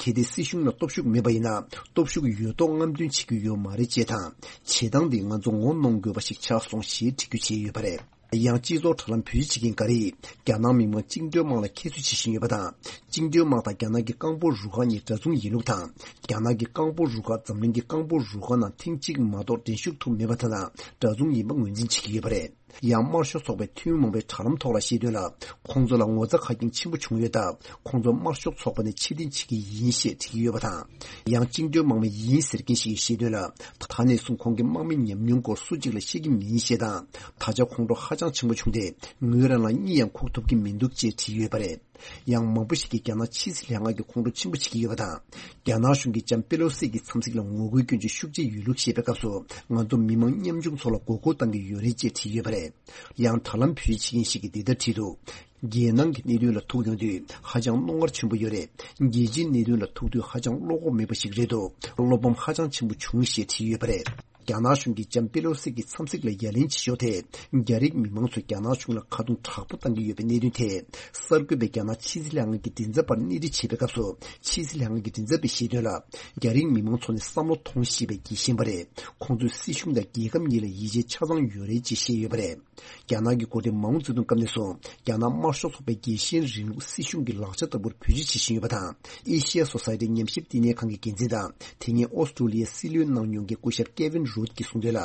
གལ་ཏེ་སྲིད་གཞུང་ལ་སྟོབས་ཤུགས་མེད་པ་ཡིན་ན། སྟོབས་ཤུགས་ཡོད་མདོག་རྔམ་སྟོན་བྱེད་རྒྱུ་ཡོད་མ་རེད་ཅེས་དང་། བྱེད་སྟངས་འདིས་ང་ཚོ་ངོ་གནོང་དགོས་པ་ཞིག་ཆགས་སོང་ཞེས་འགྲེལ་བརྗོད་བྱས་ཡོད་པ་རེད། ཡང་སྤྱི་ཚོགས་དྲ་ལམ་བེད་སྤྱོད་བྱེད་མཁན་འགའ་རེས། རྒྱ་ནག་མི་དམངས་བཅིངས་འགྲོལ་དམག་ལ་ཁྱད་གསོད་བྱེད་བཞིན་ཡོད་པ་དང་། བཅིངས་འགྲོལ་དམག་དང་རྒྱ་ནག་གི་རྐང་སྤོལ་རུ་ཁག་གཉིས་འདྲ་མཚུངས་ཡིན་ལུགས་དང་། རྒྱ་ནག་གི་རྐང་སྤོལ་རུ་ཁག་འཛམ་གླིང་གི་རྐང་སྤོལ་རུ་ཁག་ནང་ཐེངས་གཅིག་མ་གཏོགས་འགྲན་ཞུགས་ཐུབ་མེད་པ་དེ་དང་འདྲ་མཚུངས་ཡིན་པ་ངོས་འཛིན་བྱེད་ཀྱི་ཡོད་པ་རེད། ཡང་དམར་ཤོག་ཚོགས་པའི་འཐུས་མི་མང་པོས་དྲ་ལམ་ཐོག་ལ་བཤད་དོན་ལ། ཁོང་ཚོ་ལ་ངོ་ཚ་ཁ་སྐྱེངས་ཆེན་པོ་བྱུང་ཡོད་སྟབས། ཁོང་ཚོ་དམར་ཤོག་ཚོགས་པ་ནས་ཕྱིར་འཐེན་བྱེད་ཀྱི་ཡིན་ཞེས་བྲིས་ཀྱི་ཡོད་པ་དང་། ཡང་བཅིངས་འགྲོལ་དམག་མི་ཡིན་ཟེར་མཁན་ཞིག་གིས་བཤད་དོན་ལ། ད་ནས་བཟུང་ཁོང་གི་དམག་མི་ཉམས་མྱོང་སྐོར་སུ་གཅིག་ལ་བཤད་ཀྱི་མིན་ཞེས་དང་། ད་ཆ་ཁོང་ཁྲོ་ཧ་ཅང་ཆེན་པོ་བྱུང་སྟེ། ངོས་རང་ལ་གཉིད་ཡང་ཁུག་ཐུབ་ཀྱི་མི་འདུག་ཅེས་བྲིས་ཡོད་པ་རེད། ཡང་མང་པོ་ཞིག་གིས་རྒྱ་ནག་ཕྱི་སྲིད་ལྷན་ཁང་གི་ཁོང་ཁྲོ་ཆེན་པོ་བྱེད་ཀྱི་ཡོད་པ་དང་། རྒྱ་ནག་གཞུང་གིས་ལྕམ་པེ་ལོ་སི་གི་འཚམས་གཟིགས་ལ་ངོ་རྒོལ་སྐྱོན་བརྗོད་ཤུགས་ཆེ་ཡོད་ལུགས་བཤད་པའི་སྐབས་སུ། ང་ཚོ་མི་མང་ཉམ་ཆུང་ཚོ་ལ་མགོ་སྐོར་བཏང་གི་ཡོད་རེད་ཅེས་བྲིས་ཡོད་པ་རེད། ཡང་དྲ་ལམ་བེད་སྤྱོད་བྱེད་མཁན་ཞིག་གིས་འདི་ལྟར་བྲིས་འདུག་རྒྱལ་ནང་གི་གནད་དོན་ལ་ཐུག་ཡོང་དུས་ཧ་ཅང་རྣོ་ངར་ཆེན་པོ་ཡོད་རེད། རྒྱལ་སྤྱིའི་གནད་དོན་ལ་ཐུག་དུས་ཧ་ཅང་བློ་ཁོག་མེད་པ་ཞིག་རེད་འདུག་བློ་ཕམ་ཧ་ཅང་ཆེན་པོ་བྱུང་ཞེས་བྲིས་ཡོད་པ་རེད། རྒྱ་ནག་གཞུང་གིས་ལྕམ་པེ་ལོ་སི་གི་འཚམས་གཟིགས་ལ་ཡ་ལན་བྱེད་ཕྱོགས་ཐད། རྒྱ་རིགས་མི་མང་ཚོས་རྒྱ་ནག་གཞུང་ལ་ཁ་རྡུང་དྲག་པོ་བཏང་གི་ཡོད་པའི་གནད་དོན་ཐད། གསར་འགོད་པས་རྒྱ་ནག་ཕྱི་སྲིད་ལྷན་ཁང་གི་མགྲིན་ཚབ་པར་སྣེ་ཁྲིད་བྱས་པའི་སྐབས་སུ། ཕྱི་སྲིད་ལྷན་ཁང་གི་མགྲིན་ཚབ་པས་བཤད་དོན་ལ། རྒྱ་རིགས་མི་མང་ཚོ་ནི་བསམ་བློ་ཐོངས་ཤེས་པའི་རྒྱལ་ཞེན་པ་རེད། ཁོང་ཚོས་སྲིད་གཞུང་དང་རྒྱལ་ཁབ་གཉིས་ལ་ཡིད་ཆེས་ཆ་ཚང་ཡོད་རེད་ཅེས་བཤད་ཡོད་པ་རེད། རྒྱ་ནག་གི་འགོ་ཁྲིད་མའོ་ཙེ་ཏུང་སྐབས་ནས་བཟུང་རྒྱ་ནག་དམར་ཤོག་ཚོགས་པའི་རྒྱལ་ཞེན་རིང་ལུགས་སྲིད་གཞུང་གི་ལག་ཆ་ལྟ་བུར་བེད་སྤྱོད་བྱེད་བཞིན་ཡོད་པ་དང་། ཨེ་ཤི་ཡ་སོ་སའི་ཊི་ཉམས་ཞིབ་བསྟི་གནས་ཁང་གི་འགན་འཛིན་དང་། དེ་སྔའི་ཨོ་སི་ཀྲུ་ལི་ཡའི་སྲིད་བློན་གནང་མྱོང་མཁན་སྐུ་ཞབས་ཀེ་ཝིན་རུད་ཀྱིས་གསུངས་དོན་ལ།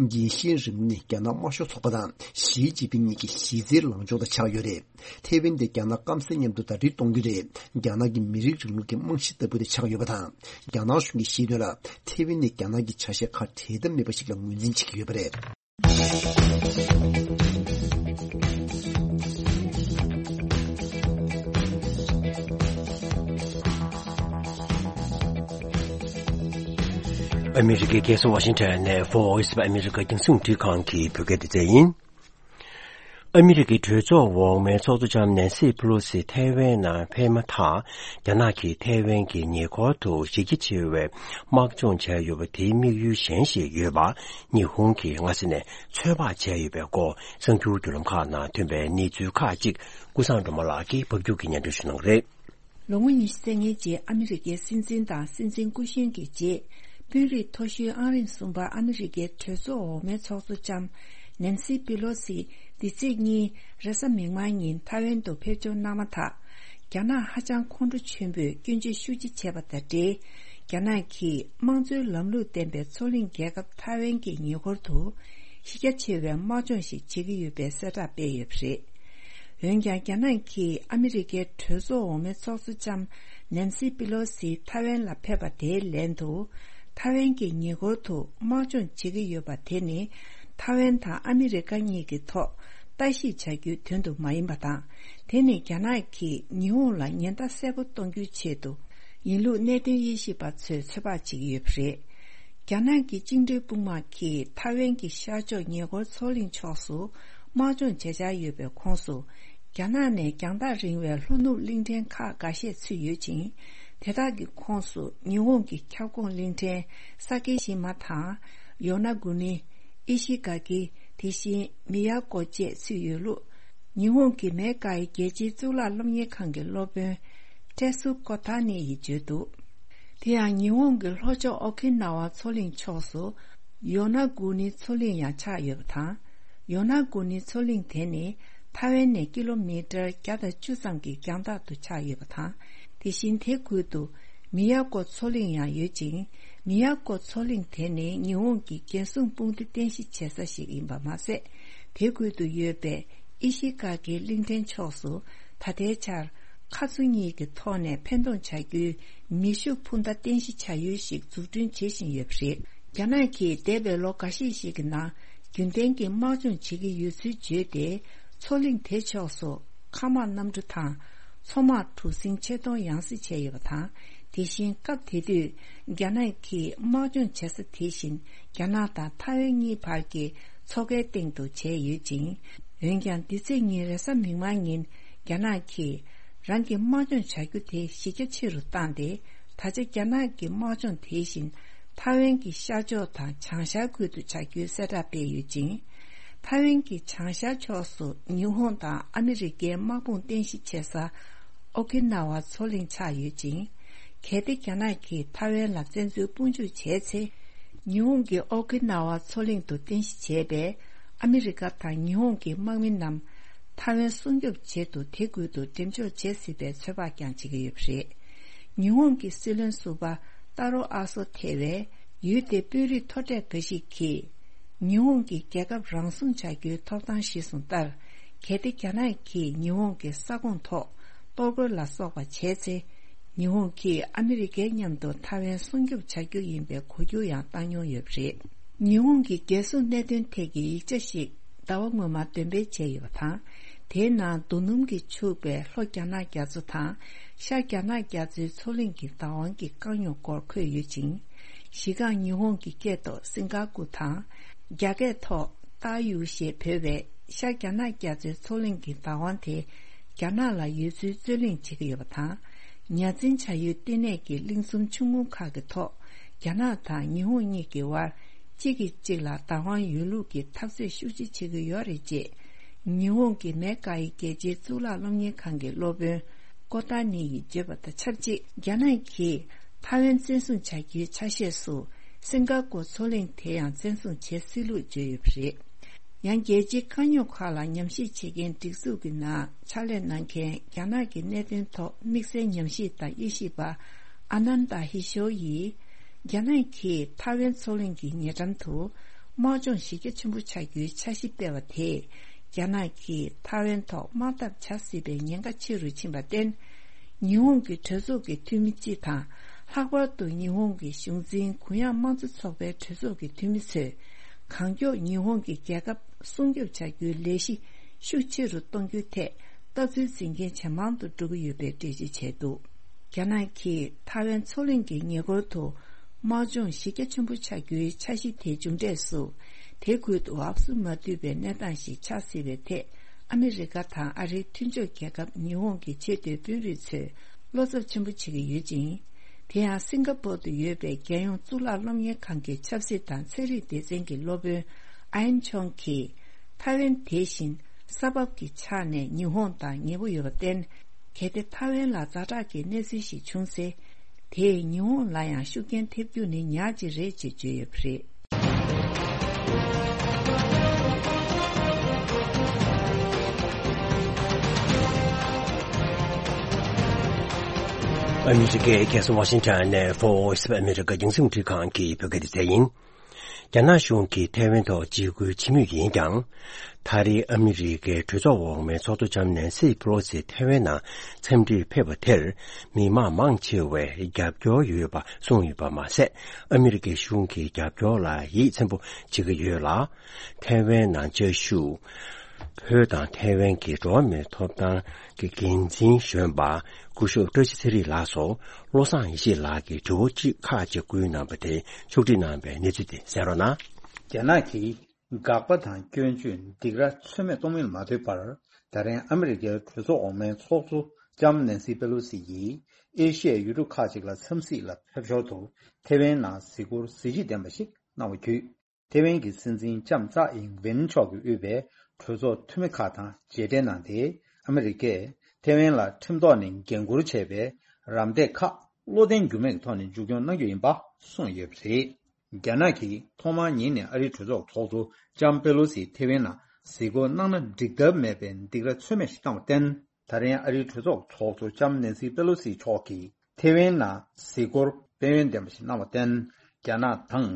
རྒྱལ་ཞེན་རིང་ལུགས་ནི་རྒྱ་ནག་དམར་ཤོག་ཚོགས་པ་དང་ཞི་ཅིན་ཕིང་གཉིས་ཀྱི་གཞི་རྩའི་ལངས་ཕྱོགས་དང་ཆགས་ཡོད་རེད། ཐེ་ཝན་དེ་རྒྱ་ནག་སྐམ་སའི་མཉམ་དུ་ཟླ་སྒྲིལ་གཏོང་རྒྱུ་རེད། རྒྱ་ནག་གི་མི་རིགས་རིང་ལུགས་ཀྱི་རྨང་གཞི་ལྟ་བུ་དེ་ཆགས་ཡོད་པ་དང་། རྒྱ་ནག་གཞུང་གིས་བཤད་དོན་ལ། ཐེ་ཝན་ནི་རྒྱ་ནག་གི་ཆ་ཤས་ཁ་བྲལ་ཐབས་མེད་པ་ཞིག་ལ་ངོས་འཛིན་བྱེད་ཀྱི་ཡོད་པ་རེད། ཨ་མི་རི་ཀའི་རྒྱལ་ས་ཝ་ཤིང་ཊོན་ནས་Voice of America རྒྱང་སྲིང་རླུང་འཕྲིན་ཁང་གི་བོད་སྐད་སྡེ་ཚན་ཡིན། ཨ་མི་རི་ཀའི་གྲོས་ཚོགས་འོག་མའི་ཚོགས་གཙོ་ལྕམ་ནན་སི་པེ་ལོ་སི་ཐའེ་ཝན་ནང་ཕེབས་མ་ཐག་རྒྱ་ནག་གིས་ཐའེ་ཝན་གྱི་ཉེ་འཁོར་དུ་གཞི་རྒྱ་ཆེ་བའི་དམག་སྦྱོང་བྱས་ཡོད་པ་དེའི་དམིགས་ཡུལ་གཞན་ཞིག་ཡོད་པ་ཉི་ཧོང་གིས་སྔ་ས་ནས་ཚོད་དཔག་བྱས་ཡོད་པའི་སྐོར་གསར་འགྱུར་བརྒྱུད་ལམ་ཁག་ནང་ཐོན་པའི་གནས་ཚུལ་ཁག་ཅིག་ཀུན་བཟང་སྒྲོལ་མ་ལགས་ཀྱིས་ཕབ་སྒྱུར་གྱིས་སྙན་སྒྲོན་ཞུ་གནང་གི་རེད། ལོ་ངོ་ཉི་ཤུ་རྩ་ལྔའི་རྗེས་ཨ་མི་རི་ཀའི་སྲིད་འཛིན་དང་སྲིད་འཛིན་སྐུ་གཞོན་གྱི་རྗེས། དཔོན་རིགས་མཐོ་ཤོས་ཨང་རིམ་གསུམ་པ་ཨ་མི་རི་ཀའི་གྲོས་ཚོགས་འོག་མའི་ཚོགས་གཙོ་ལྕམ་ནན་སི་པི་ལོ་སི་འདི་ཚེས་གཉིས་རེས་གཟའ་མིག་དམར་ཉིན་ཐའེ་ཝན་དུ་ཕེབས་འབྱོར་གནང་མ་ཐག་རྒྱ་ནག་ཧ་ཅང་ཁོང་ཁྲོ་ཆེན་པོས་སྐྱོན་བརྗོད་ཤུགས་ཆེ་བྱས་པ་དང་འབྲེལ། རྒྱ་ནག་གིས་དམངས་གཙོའི་ལམ་ལུགས་ལྡན་པའི་མཚོ་གླིང་རྒྱལ་ཁབ་ཐའེ་ཝན་གྱི་ཉེ་འཁོར་དུ་གཞི་རྒྱ་ཆེ་བའི་དམག་སྦྱོང་ཞིག་བྱེད་ཀྱི་ཡོད་པའི་གསལ་བསྒྲགས་སྤེལ་ཡོད་པ་རེད། འོན་ཀྱང་རྒྱ་ནག་གིས་ཨ་མི་རི་ཀའི་གྲོས་ཚོགས་འོག་མའི་ཚོགས་གཙོ་ལྕམ་ནན་སི་པི་ལོ་སི་ཐའེ་ཝན་ལ་ཕེབས་པ་དེའི་ལན་དུ། ཐའེ་ཝན་གྱི་ཉེ་འཁོར་དུ་དམག་སྦྱོང་བྱེད་ཀྱི་ཡོད་པ་དེ་ནི་ཐའེ་ཝན་དང་ཨ་མི་རི་ཀ་གཉིས་ཀྱི་ཐོག་ལྟ་ཞིབ་བྱ་རྒྱུའི་དོན་དུ་མ་ཡིན་པ་དང་། དེ་ནི་རྒྱ་ནག་གིས་ཉི་ཧོང་ལ་ཉེན་བརྡ་གསལ་པོ་གཏོང་རྒྱུའི་ཆེད་དུ་ཡིན་ལུགས་གནད་དོན་དབྱེ་ཞིབ་པ་ཚོས་ཚོད་དཔག་བྱེད་ཀྱི་ཡོད་པ་རེད། རྒྱ་ནག་གི་བཅིངས་འགྲོལ་དཔུང་དམག་གིས་ཐའེ་ཝན་གྱི་ཤར་ཕྱོགས་ཉེ་འཁོར་མཚོ་གླིང་ཕྱོགས་སུ་དམག་སྦྱོང་བྱེད་འཆར་ཡོད་པའི་ཁོངས་སུ། རྒྱ་ནག་ནས་རྒྱང་ཐག་རིང་བའི་ལྷོ་ནུབ་གླིང་ཕྲན་ཁག་འགའ་ཤས་ཚུད་ཡོད་ཅིང་། དེ་དག་གི་ཁོངས་སུ་ཉི་ཧོང་གི་ཁྱབ་ཁོངས་གླིང་ཕྲན་ས་ཀི་ཤི་མ་དང་། ཡོ་ན་གུ་ནི། ཨི་ཤི་ག་ཀི། དེ་བཞིན་མི་ཡ་ཀོ་བཅས་ཚུད་ཡོད་ལུགས། ཉི་ཧོང་གི་མེ་ཀའི་རྒྱལ་སྤྱིའི་གཙུག་ལག་སློབ་གཉེར་ཁང་གི་སློབ་དཔོན་ཏྲེ་སུ་ཀོ་ཐ་ནི་ཡིས་བརྗོད་འདུག་དེ་ཡང་ཉི་ཧོང་གི་ལྷོ་ཕྱོགས་ཨོ་ཁི་ན་ཝ་མཚོ་གླིང་ཕྱོགས་སུ་ཡོ་ན་གུ་ནི་མཚོ་གླིང་ཡང་ཆགས་ཡོད་པ་དང་། ཡོ་ན་གུ་ནི་མཚོ་གླིང་དེ་ནི་ཐའེ་ཝན་ནས་ཀི་ལོ་མི་ཊར་བརྒྱ་དང་བཅུ་ཙམ་གྱི་རྒྱང་ཐག་ཏུ་ཆགས་ཡོད་པ་དང་། དེ་བཞིན་དེ་ཁུལ་དུ་མི་ཡ་ཀོ་མཚོ་གླིང་ཡང་ཡོད་ཅིང་། མི་ཡ་ཀོ་མཚོ་གླིང་དེ་ནི་ཉི་ཧོང་གི་རྒྱལ་སྲུང་དཔུང་སྡེ་རྟེན་གཞི་བྱེད་ས་ཞིག་ཡིན་པ་མ་ཟད། དེ་ཁུལ་དུ་ཡོད་པའི་ཨི་ཤི་ག་གི་གླིང་ཕྲན་ཕྱོགས་སུ་ད་ལྟའི་ཆར་ཁ་མཚོ་གཉིས་ཀྱི་ཐོག་ནས་འཕེན་གཏོང་བྱ་རྒྱུའི་མེ་ཤུགས་འཕུར་མདའ་རྟེན་གཞི་བྱ་ཡུལ་ཞིག་འཛུགས་སྐྲུན་བྱེད་བཞིན་ཡོད་པ་རེད། རྒྱ་ནག་གིས་འདས་པའི་ལོ་འགའ་ཤས་ཤིག་གི་ནང་རྒྱུན་ལྡན་གྱི་དམག་སྦྱོང་བྱེད་ཀྱི་ཡོད་ཚུལ་བརྗོད་དེ། མཚོ་གླིང་དེ་ཕྱོགས་སུ་མཁའ་དམག་གནམ་གྲུ་དང་མཚོ་དམག་གྲུ་གཟིངས་ཆེད་གཏོང་ཡང་སེ་བྱས་ཡོད་པ་དང་། དེ་བཞིན་སྐབས་དེ་དུས་རྒྱ་ནག་གིས་དམག་སྦྱོང་བྱེད་ས་དེ་བཞིན་རྒྱ་ནག་དང་ཐའེ་ཝན་གཉིས་བར་གྱི་མཚོ་ཁའི་སྟེང་དུ་བྱས་ཡོད་ཅིང་། འོན་ཀྱང་འདི་ཚེས་ཉིན་རེས་གཟའ་མིག་དམར་ཉིན་རྒྱ་ནག་གིས་རང་གི་དམག་སྦྱོང་བྱ་རྒྱུ་དེ་གཞི་རྒྱ་ཆེ་རུ་བཏང་སྟེ། ད་ཆ་རྒྱ་ནག་གི་དམག་སྦྱོང་དེ་བཞིན་ཐའེ་ཝན་གྱི་ཤར་ཕྱོགས་དང་བྱང་ཤར་ཁུལ་དུ་བྱ་རྒྱུའི་གསལ་བསྒྲགས་སྤེལ་ཡོད་ཅིང་། ཐའེ་ཝན་གྱི་བྱང་ཤར་ཕྱོགས་སུ་ཉི་ཧོང་དང་ཨ་མི་རི་ཀའི་དམག་དཔུང་རྟེན་གཞི་བྱེད་ས་ཨོ་ཁི་ན་ཝ་མཚོ་གླིང་ཆགས་ཡོད་ཅིང་། གལ་ཏེ་རྒྱ་ནག་གིས་ཐའེ་ཝན་ལ་བཙན་འཛུལ་དཔུང་འཇུག་བྱས་ཚེ། ཉི་ཧོང་གི་ཨོ་ཁི་ན་ཝ་མཚོ་གླིང་དུ་རྟེན་གཞི་བྱས་པའི་ཨ་མི་རི་ཀ་དང་ཉི་ཧོང་གི་དམག་མི་རྣམས་ཐའེ་ཝན་སྲུང་སྐྱོབ་ཆེད་དུ་དེ་ཁུལ་དུ་འགྲེམས་འཇོག་བྱེད་སྲིད་པའི་ཚོད་དཔག་ཀྱང་བྱེད་ཀྱི་ཡོད་པ་རེད། ཉི་ཧོང་གི་སྲིད་བློན་ཟུར་པ་ཏཱ་རོ་ཨ་སོ་ཐེ་བས་ཡུལ་དེའི་དཔོན་རིགས་མཐོ་གྲས་འགའ་ཞིག་གིས། ཉི་ཧོང་གིས་རྒྱལ་ཁབ་རང་སྲུང་བྱ་རྒྱུའི་ཐོབ་ཐང་གཞིར་བཟུང་ལྟར། གལ་ཏེ་རྒྱ་ནག་གིས་ཉི་ཧོང་གི་ས་ཁོངས་ཐོག་གཏོར་རྒོལ་ལ་སོགས་པ་བྱས་ཚེ། ཉི་ཧོང་གིས་ཨ་མི་རི་ཀའི་མཉམ་དུ་ཐའེ་ཝན་སྲུང་སྐྱོབ་བྱ་རྒྱུ་ཡིན་པའི་གོ་རྒྱུ་ཡང་བཏང་མྱོང་ཡོད་པ་རེད། ཉི་ཧོང་གི་རྒྱལ་སྲུང་གནད་དོན་ཐད་ཀྱི་ཡིག་ཆ་ཞིག་ཟླ་བ་སྔོན་མ་འདོན་སྤེལ་བྱས་ཡོད་པ་དང་། དེའི་ནང་རྡོ་སྣུམ་གྱིས་ཕྱུག་པའི་ལྷོ་རྒྱ་ནག་རྒྱ་མཚོ་དང་། ཤར་རྒྱ་ནག་རྒྱ་མཚོའི་མཚོ་གླིང་གི་བདག་དབང་གི་དཀའ་རྙོག་སྐོར་འཁོད་ཡོད་ཅིང་། གཞི་རྐང་ཉི་ཧོང་གི་སྐད་ཐོག་སིང་ག་ཀུ་དང་། རྒྱ་སྐད་ཐོག་ཏཱ་ཡུའུ་ཞེས་འབོད་པའི་ཤར་རྒྱ་ནག་རྒྱ་མཚོའི་མཚོ་གླིང་གི་བདག་དབང་དེ་རྒྱ་ནག་ལ་ཡོད་ཚུལ་རྩོད་གླེང་བྱེད་ཀྱི་ཡོད་པ་དང་། ཉ་འཛིན་བྱ་ཡུལ་ལྟེ་གནས་ཀྱི་གླིང་ཚོམ་ཆུང་ངུ་ཁག་གི་ཐོག་རྒྱ་ནག་དང་ཉི་ཧོང་གཉིས་ཀྱི་དབར་གཅིག་གིས་གཅིག་ལ་བདག་དབང་ཡོད་ལུགས་ཀྱི་འཐབ་རྩོད་ཤུགས་ཆེ་བྱེད་ཀྱི་ཡོད་རེད་ཅེས། ཉི་ཧོང་གི་མེ་ཀ་ཡི་རྒྱལ་སྤྱིའི་གཙུག་ལག་སློབ་གཉེར་ཁང་གི་སློབ་དཔོན་ཀོ་ཏཱ་ནི་ཡིས་བརྗོད་པ་དང་ཆབས་ཅིག་རྒྱ་ནག་གིས་ཐའེ་ཝན་བཙན་བཟུང་བྱ་རྒྱུའི་ཆ་ཤས་སུ་སིང་ག་ཀོ་མཚོ་གླིང་དེ་ཡང་བཙན་བཟུང་བྱེད་སྲིད་ལུགས་བརྗོད་ཡོད་པ་རེད། ཡང་རྒྱལ་སྤྱིའི་དཀའ་རྙོག་ཁག་ལ་ཉམས་ཞིབ་བྱེད་མཁན་སྒྲིག་འཛུགས་ཀྱི་ནང་ཕྱག་ལས་གནང་མཁན་རྒྱ་ནག་གི་གནད་དོན་ཐོག་དམིགས་བསལ་ཉམས་ཞིབ་དང་དབྱེ་ཞིབ་པ་ཨ་ནན་ད་ཧི་ཤོ་ཡིས། རྒྱ་ནག་གིས་ཐའེ་ཝན་མཚོ་གླིང་གི་ཉེ་འགྲམ་དུ་དམག་སྦྱོང་གཞི་རྒྱ་ཆེན་པོ་བྱ་རྒྱུའི་འཆར་གཞི་སྤེལ་བ་དེས། རྒྱ་ནག་གིས་ཐའེ་ཝན་ཐོག་དམག་འཐབ་བྱ་སྲིད་པའི་ཉེན་ཁ་ཆེ་རུ་ཕྱིན་པར་བརྟེན། ཉི་ཧོང་གི་གྲོས་ཚོགས་ཀྱི་འཐུས་མི་སྤྱི་དང་། ལྷག་པར་དུ་ཉི་ཧོང་གི་གཞུང་འཛིན་གུ་ཡངས་དམངས་གཙོ་ཚོགས་པའི་གྲོས་ཚོགས་ཀྱི་འཐུས་མི་ཚོས། གང་མགྱོགས་ཉི་ཧོང་གི་རྒྱལ་ཁབ་སྲུང་སྐྱོབ་བྱ་རྒྱུའི་ལས་གཞི་ཤུགས་ཆེ་རུ་གཏོང་རྒྱུའི་ཐད་ལྟ་ཚུལ་འཛིན་མཁན་ཇེ་མང་དུ་འགྲོ་གི་ཡོད་པའི་འགྲེལ་བརྗོད་བྱས་འདུག་རྒྱ་ནག་གིས་ཐའེ་ཝན་མཚོ་གླིང་གི་ཉེ་འཁོར་དུ་དམག་སྦྱོང་གཞི་རྒྱ་ཆེན་པོ་བྱ་རྒྱུའི་འཆར་གཞི་དེའི་མཇུག་འབྲས་སུ། དེ་ཁུལ་དུ་འབབ་སུ་མ་འདུས་པའི་གནས་སྟངས་ཤིག་ཆགས་སྲིད་པའི་ཐད། ཨ་མི་རི་ཀ་དང་ཨ་རིའི་མཐུན་ཕྱོགས་རྒྱལ་ཁབ་ཉི་ཧོང་གི་ཆེས་མཐོའི་དཔོན་རིགས་ཚོས་བློ་འཚབ་ཆེན་པོ་བྱེད་ཀྱི་ཡོད་ཅིང་། དེ་ཡང་སིང་ག་པོར་དུ་ཡོད་པའི་རྒྱལ་ཡོངས་གཙུག་ལག་སློབ་གཉེར་ཁང་གི་ཆབ་སྲིད་དང་ཚན་རིག་སྡེ་ཚན་གྱི་སློབ་དཔོན་ཨན་ཆོང་གིས། ཐའེ་ཝན་དེ་བཞིན་ས་བབ་ཀྱི་ཆ་ནས་ཉི་ཧོང་དང་ཉེ་པོ་ཡོད་པར་བརྟེན། གལ་ཏེ་ཐའེ་ཝན་ལ་ཛ་དྲག་གི་གནས་ཚུལ་ཞིག་བྱུང་ཚེ། དེས་ཉི་ཧོང་ལ་ཡང་ཤུགས་རྐྱེན་ཐེབས་རྒྱུ་ནི་ཉག་ཅིག་རེད་ཅེས་བརྗོད་ཡོད་པ་རེད། ཨ་མི་རི་ཀའི་རྒྱལ་ས་ཝ་ཤིང་ཊོན་ནས་Voice of America རྒྱང་སྲིང་རླུང་འཕྲིན་ཁང་གི་བོད་སྐད་སྡེ་ཚན་ཡིན། རྒྱ་ནག་གཞུང་གིས་ཐའེ་ཝན་ཐོག་འཇིགས་སྐུལ་བྱེད་མུས་ཡིན་ཀྱང་། ད་རེས་ཨ་མི་རི་ཀའི་གྲོས་ཚོགས་འོག་མའི་ཚོགས་གཙོ་ལྕམ་ནན་སི་པེ་ལོ་སི་ཐའེ་ཝན་ནང་འཚམས་འདྲིར་ཕེབས་པ་དེར། མི་མང་མང་ཆེ་བས་རྒྱབ་སྐྱོར་ཡོད་པ་གསུངས་ཡོད་པ་མ་ཟད། ཨ་མི་རི་ཀའི་གཞུང་གི་རྒྱབ་སྐྱོར་ལ་ཡིད་ཚིམ་པོ་བྱེད་ཀྱི་ཡོད་ལ། ཐའེ་ཝན་ནང་བཅའ་བཞུགས། བོད་དང་ཐའེ་ཝན་གྱི་འགྲོ་བ་མིའི་ཐོབ་ཐང་གི་འགན་འཛིན་གཞོན་པ་སྐུ་ཞབས་བཀྲ་ཤིས་ཚེ་རིང་ལགས་སུ་བློ་བཟང་ཡེ་ཤེས་ལགས་ཀྱིས་དྲི་བ་གཅིག་ཁག་ཅིག་བསྐུལ་གནང་བ་དེ་ཕྱོགས་སྒྲིག་གནང་བའི་གནས་ཚུལ་དེ་གསན་རོགས་གནང་། རྒྱ་ནག་གིས་དགག་པ་དང་སྐྱོན་བརྗོད་སྡིགས་ར་ཚོད་མེད་གཏོང་མིན་མ་ལྟོས་པར། ད་རིང་ཨ་མི་རི་ཀའི་གྲོས་ཚོགས་འོག་མའི་ཚོགས་གཙོ་ལྕམ་ནན་སི་པེ་ལོ་སི་ཡིས་ཨེ་ཤི་ཡའི་ཡུལ་གྲུ་ཁག་ཅིག་ལ་འཚམས་གཟིགས་ལ་ཕེབས་ཞོར་དུ་ཐའེ་ཝན་ནང་གཟིགས་སྐོར་གཟི་བརྗིད་ལྡན་པ་ཞིག་གནང་བ་བརྒྱུད། ཐེ་ཝན་གྱི་སྲིད་འཛིན་ལྕམ་ཙའེ་ཨིང་ཝེན་མཆོག་གིས་དབུས་པའི་གྲོས་ཚོགས་འཐུས་མི་ཁག་དང་མཇལ་འཕྲད་གནང་སྟེ། ཨ་མི་རི་ཀས་ཐེ་ཝན་ལ་ཁྲིམས་ཐོག་ནས་འགན་འཁུར་བྱས་པའི་རམ་འདེགས་ཁག་བློ་བརྟན་འགྱུར་མེད་ཀྱི་ཐོག་ནས་མཇུག་སྐྱོང་གནང་རྒྱུ་ཡིན་པ་གསུངས་ཡོད་པ་རེད། རྒྱ་ནག་གིས་ཐོག་མར་ཉིད་ནས་ཨ་རིའི་གྲོས་ཚོགས་ཚོགས་གཙོ་ལྕམ་པེ་ལོ་སི་ཐེ་ཝན་ནང་གཟིགས་སྐོར་གནང་ན་འགྲིག་ཐབས་མེད་པའི་སྡིགས་ར་ཚོད་མེད་ཞིག་བཏང་བར་བརྟེན། ད་རིང་ཨ་རིའི་གྲོས་ཚོགས་ཚོགས་གཙོ་ལྕམ་ནན་སི་པེ་ལོ་སི་མཆོག་གིས་ཐེ་ཝན་ནང་གཟིགས་སྐོར་ཕན་ཡོན་ལྡན་པ་ཞིག་གནང་བར་བརྟེན། རྒྱ་ནག་དང་།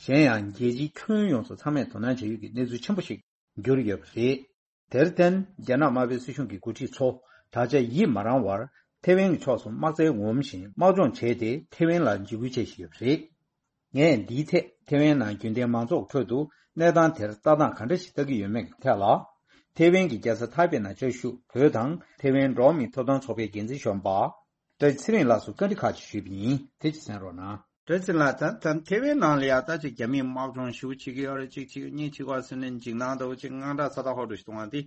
གཞན་ཡང་རྒྱལ་སྤྱིའི་ཁྱོན་ཡོངས་སུ་ཚང་མས་དོ་སྣང་བྱ་ཡུལ་གྱི་གནས་ཚུལ་ཆེན་པོ་ཞིག་གྱུར་ཡོད་པ་རེད། དེར་བརྟེན། རྒྱ་ནག་དམར་པོའི་སྲིད་གཞུང་གི་འགོ་ཁྲིད་ཚོ་ད་ཆ་ཡིད་མ་རངས་བར་ཐེ་ཝན་གྱི་ཕྱོགས་སུ་དམག་རྩལ་ངོམ་བཞིན་དམག་སྦྱོང་བྱས་ཏེ་ཐེ་ཝན་ལ་འཇིགས་སྐུལ་བྱེད་བཞིན་ཡོད་པ་རེད། ངས་འདིའི་ཐད་ཐེ་ཝན་ནང་རྒྱུན་ལྡན་མང་ཚོགས་ཁྲོད་དུ་གནས་སྟངས་དེར་ལྟ་སྟངས་ག་འདྲ་ཞིག་ལྟ་གི་ཡོད་མེད་ཀྱི་ཐད་ལ། ཐེ་ཝན་གྱི་རྒྱལ་ས་ཐའེ་པེ་ནང་བཅའ་བཞུགས་བོད་དང་ཐེ་ཝན་འགྲོ་བ་མིའི་ཐོབ་ཐང་ཚོགས་པའི་འགན་འཛིན་གཞོན་པ་བཀྲ་ཤིས་ཚེ་རིང་ལགས་སུ་བཀའ་འདྲི་ཁག་ཅིག་ཞུས་པ་ཡིན། དེ་ཅིག་གསན་རོགས་གནང་། བཀྲ་ཤིས་ལགས། ད་ད་ཐེ་ཝན་ནང་ལ་ཡ་ད་ཅིག་རྒྱ་མིས་དམག་སྦྱོང་ཞེ་པོ་བྱེད་ཀྱི་ཡོད་རེད། གཅིག་བྱེད་གཉིས་བྱེད་པ་ཟེར་ནས་འཇིགས་སྣང་འདྲ་བོ་ཅིག་དངངས་སྐྲག་ཚ་ཐག་ཧོ་འདྲ་ཞིག་གཏོང་བ་དེ་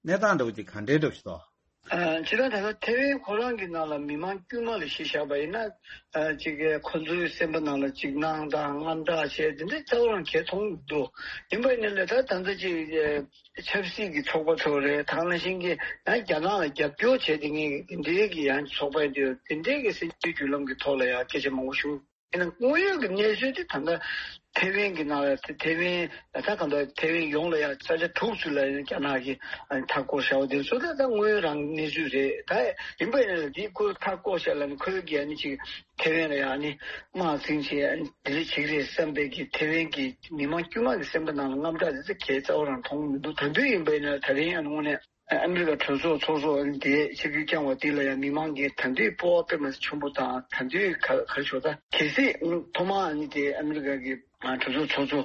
གནས་སྟངས་འདྲ་བོ་ཅིག་ག་འདྲའི་འདྲ་བོ་ཞིག་འདུག་ཨ། སྤྱིར་བཏང་ད་ལྟ་ཐེ་ཝན་ཁོ་རང་གི་ནང་ལ་མི་མང་དཀྱུས་མ་ལ་གཞི་བཞག་པ་ཡིན་ན། ཨ། ཅིག་གིས་ཁོ་ཚོའི་སེམས་པ་ནང་ལ་འཇིགས་སྣང་དང་དངངས་སྐྲག་བྱས་དེ་འདྲའི་རྩ་བ་རང་གས་མཐོང་མི་འདུག་ཡིན་པ་ཡིན་ན་ལས་ད་ད་ལྟ་ཅིག་ཨ། ཆབ་སྲིད་ཀྱི་ཚོགས་པ་ཚོ་རེད། ད་ག་ནང་བཞིན་གྱི་ཡང་རྒྱ་ནག་ལ་རྒྱབ་སྐྱོར་བྱས་དེ་ངས་དེ་འདྲའི་གི་ཡང་ཚོགས་པ་ཡིན་དུས་དེ་འདྲའི་གི་སྲིད་འཛིན་བརྒྱུད་ལམ་གྱི་ཐོག་ལ་ཡང་སྐད་ཆ་མང་པོ་ཞུ། ཡིན་ན་དངོས་ཡོད་ཀྱི་གནས་ཚུལ་དེ་ད་ལྟ་ཐེ་ཝན་གྱི་ནང་ལ་ཐེ་ཝན་ད་གང་ལྟར་ཐེ་ཝན་ཡོངས་ལ་ཡང་ས་ཆ་དྲུག་ཙམ་ལ་ཡང་རྒྱ་ནག་གིས་མཐའ་བསྐོར་བཞག་པ་དེ་ཚོ་ད་ལྟ་དངོས་ཡོད་རང་གནས་ཚུལ་རེད། ད་ཡིན་པ་ཡིན་ན་འདི་ཁོས་མཐའ་བསྐོར་བཞག་ལ་ནི་ཁོའི་གི་ཨ་ནི་ཅིག་ཐེ་ཝན་ལ་ཡང་ཨ་ནི་དམག་འཛིང་བྱས་ཨ་ནི་དེ་འདྲ་བྱེད་ཀྱི་རེད་བསམ་པའི་གི་ཐེ་ཝན་གྱི་མི་མང་དཀྱུས་མ་གི་སེམས་པ་ནང་ལ་དངངས་སྐྲག་དེ་ཚོ་གས་རྩ་བ་རང་མཐོང་མི་འདུག་ད་དུང་ཡིན་པ་ཡིན་ན་ད་རིང་ཨ་ནི་དངོས་གནས། ཨ་མི་རི་ཀ་གྲོས་ཚོགས་ཚོགས་གཙོ་དེ་ཆིབས་བསྒྱུར་བསྐྱངས་པ་དེ་ལ་ཡང་མི་མང་གིས་ད་དུང་སྤོབས་པ་དཔེ་མ་སྲིད་ཆེན་པོ་དང་ད་དུང་ག་ག་རེ་ཞུ་ད་གལ་སྲིད་ཐོག་མར་ཨ་ནི་དེ་ཨ་མི་རི་ཀ་གི་གྲོས་ཚོགས་ཚོགས་གཙོ་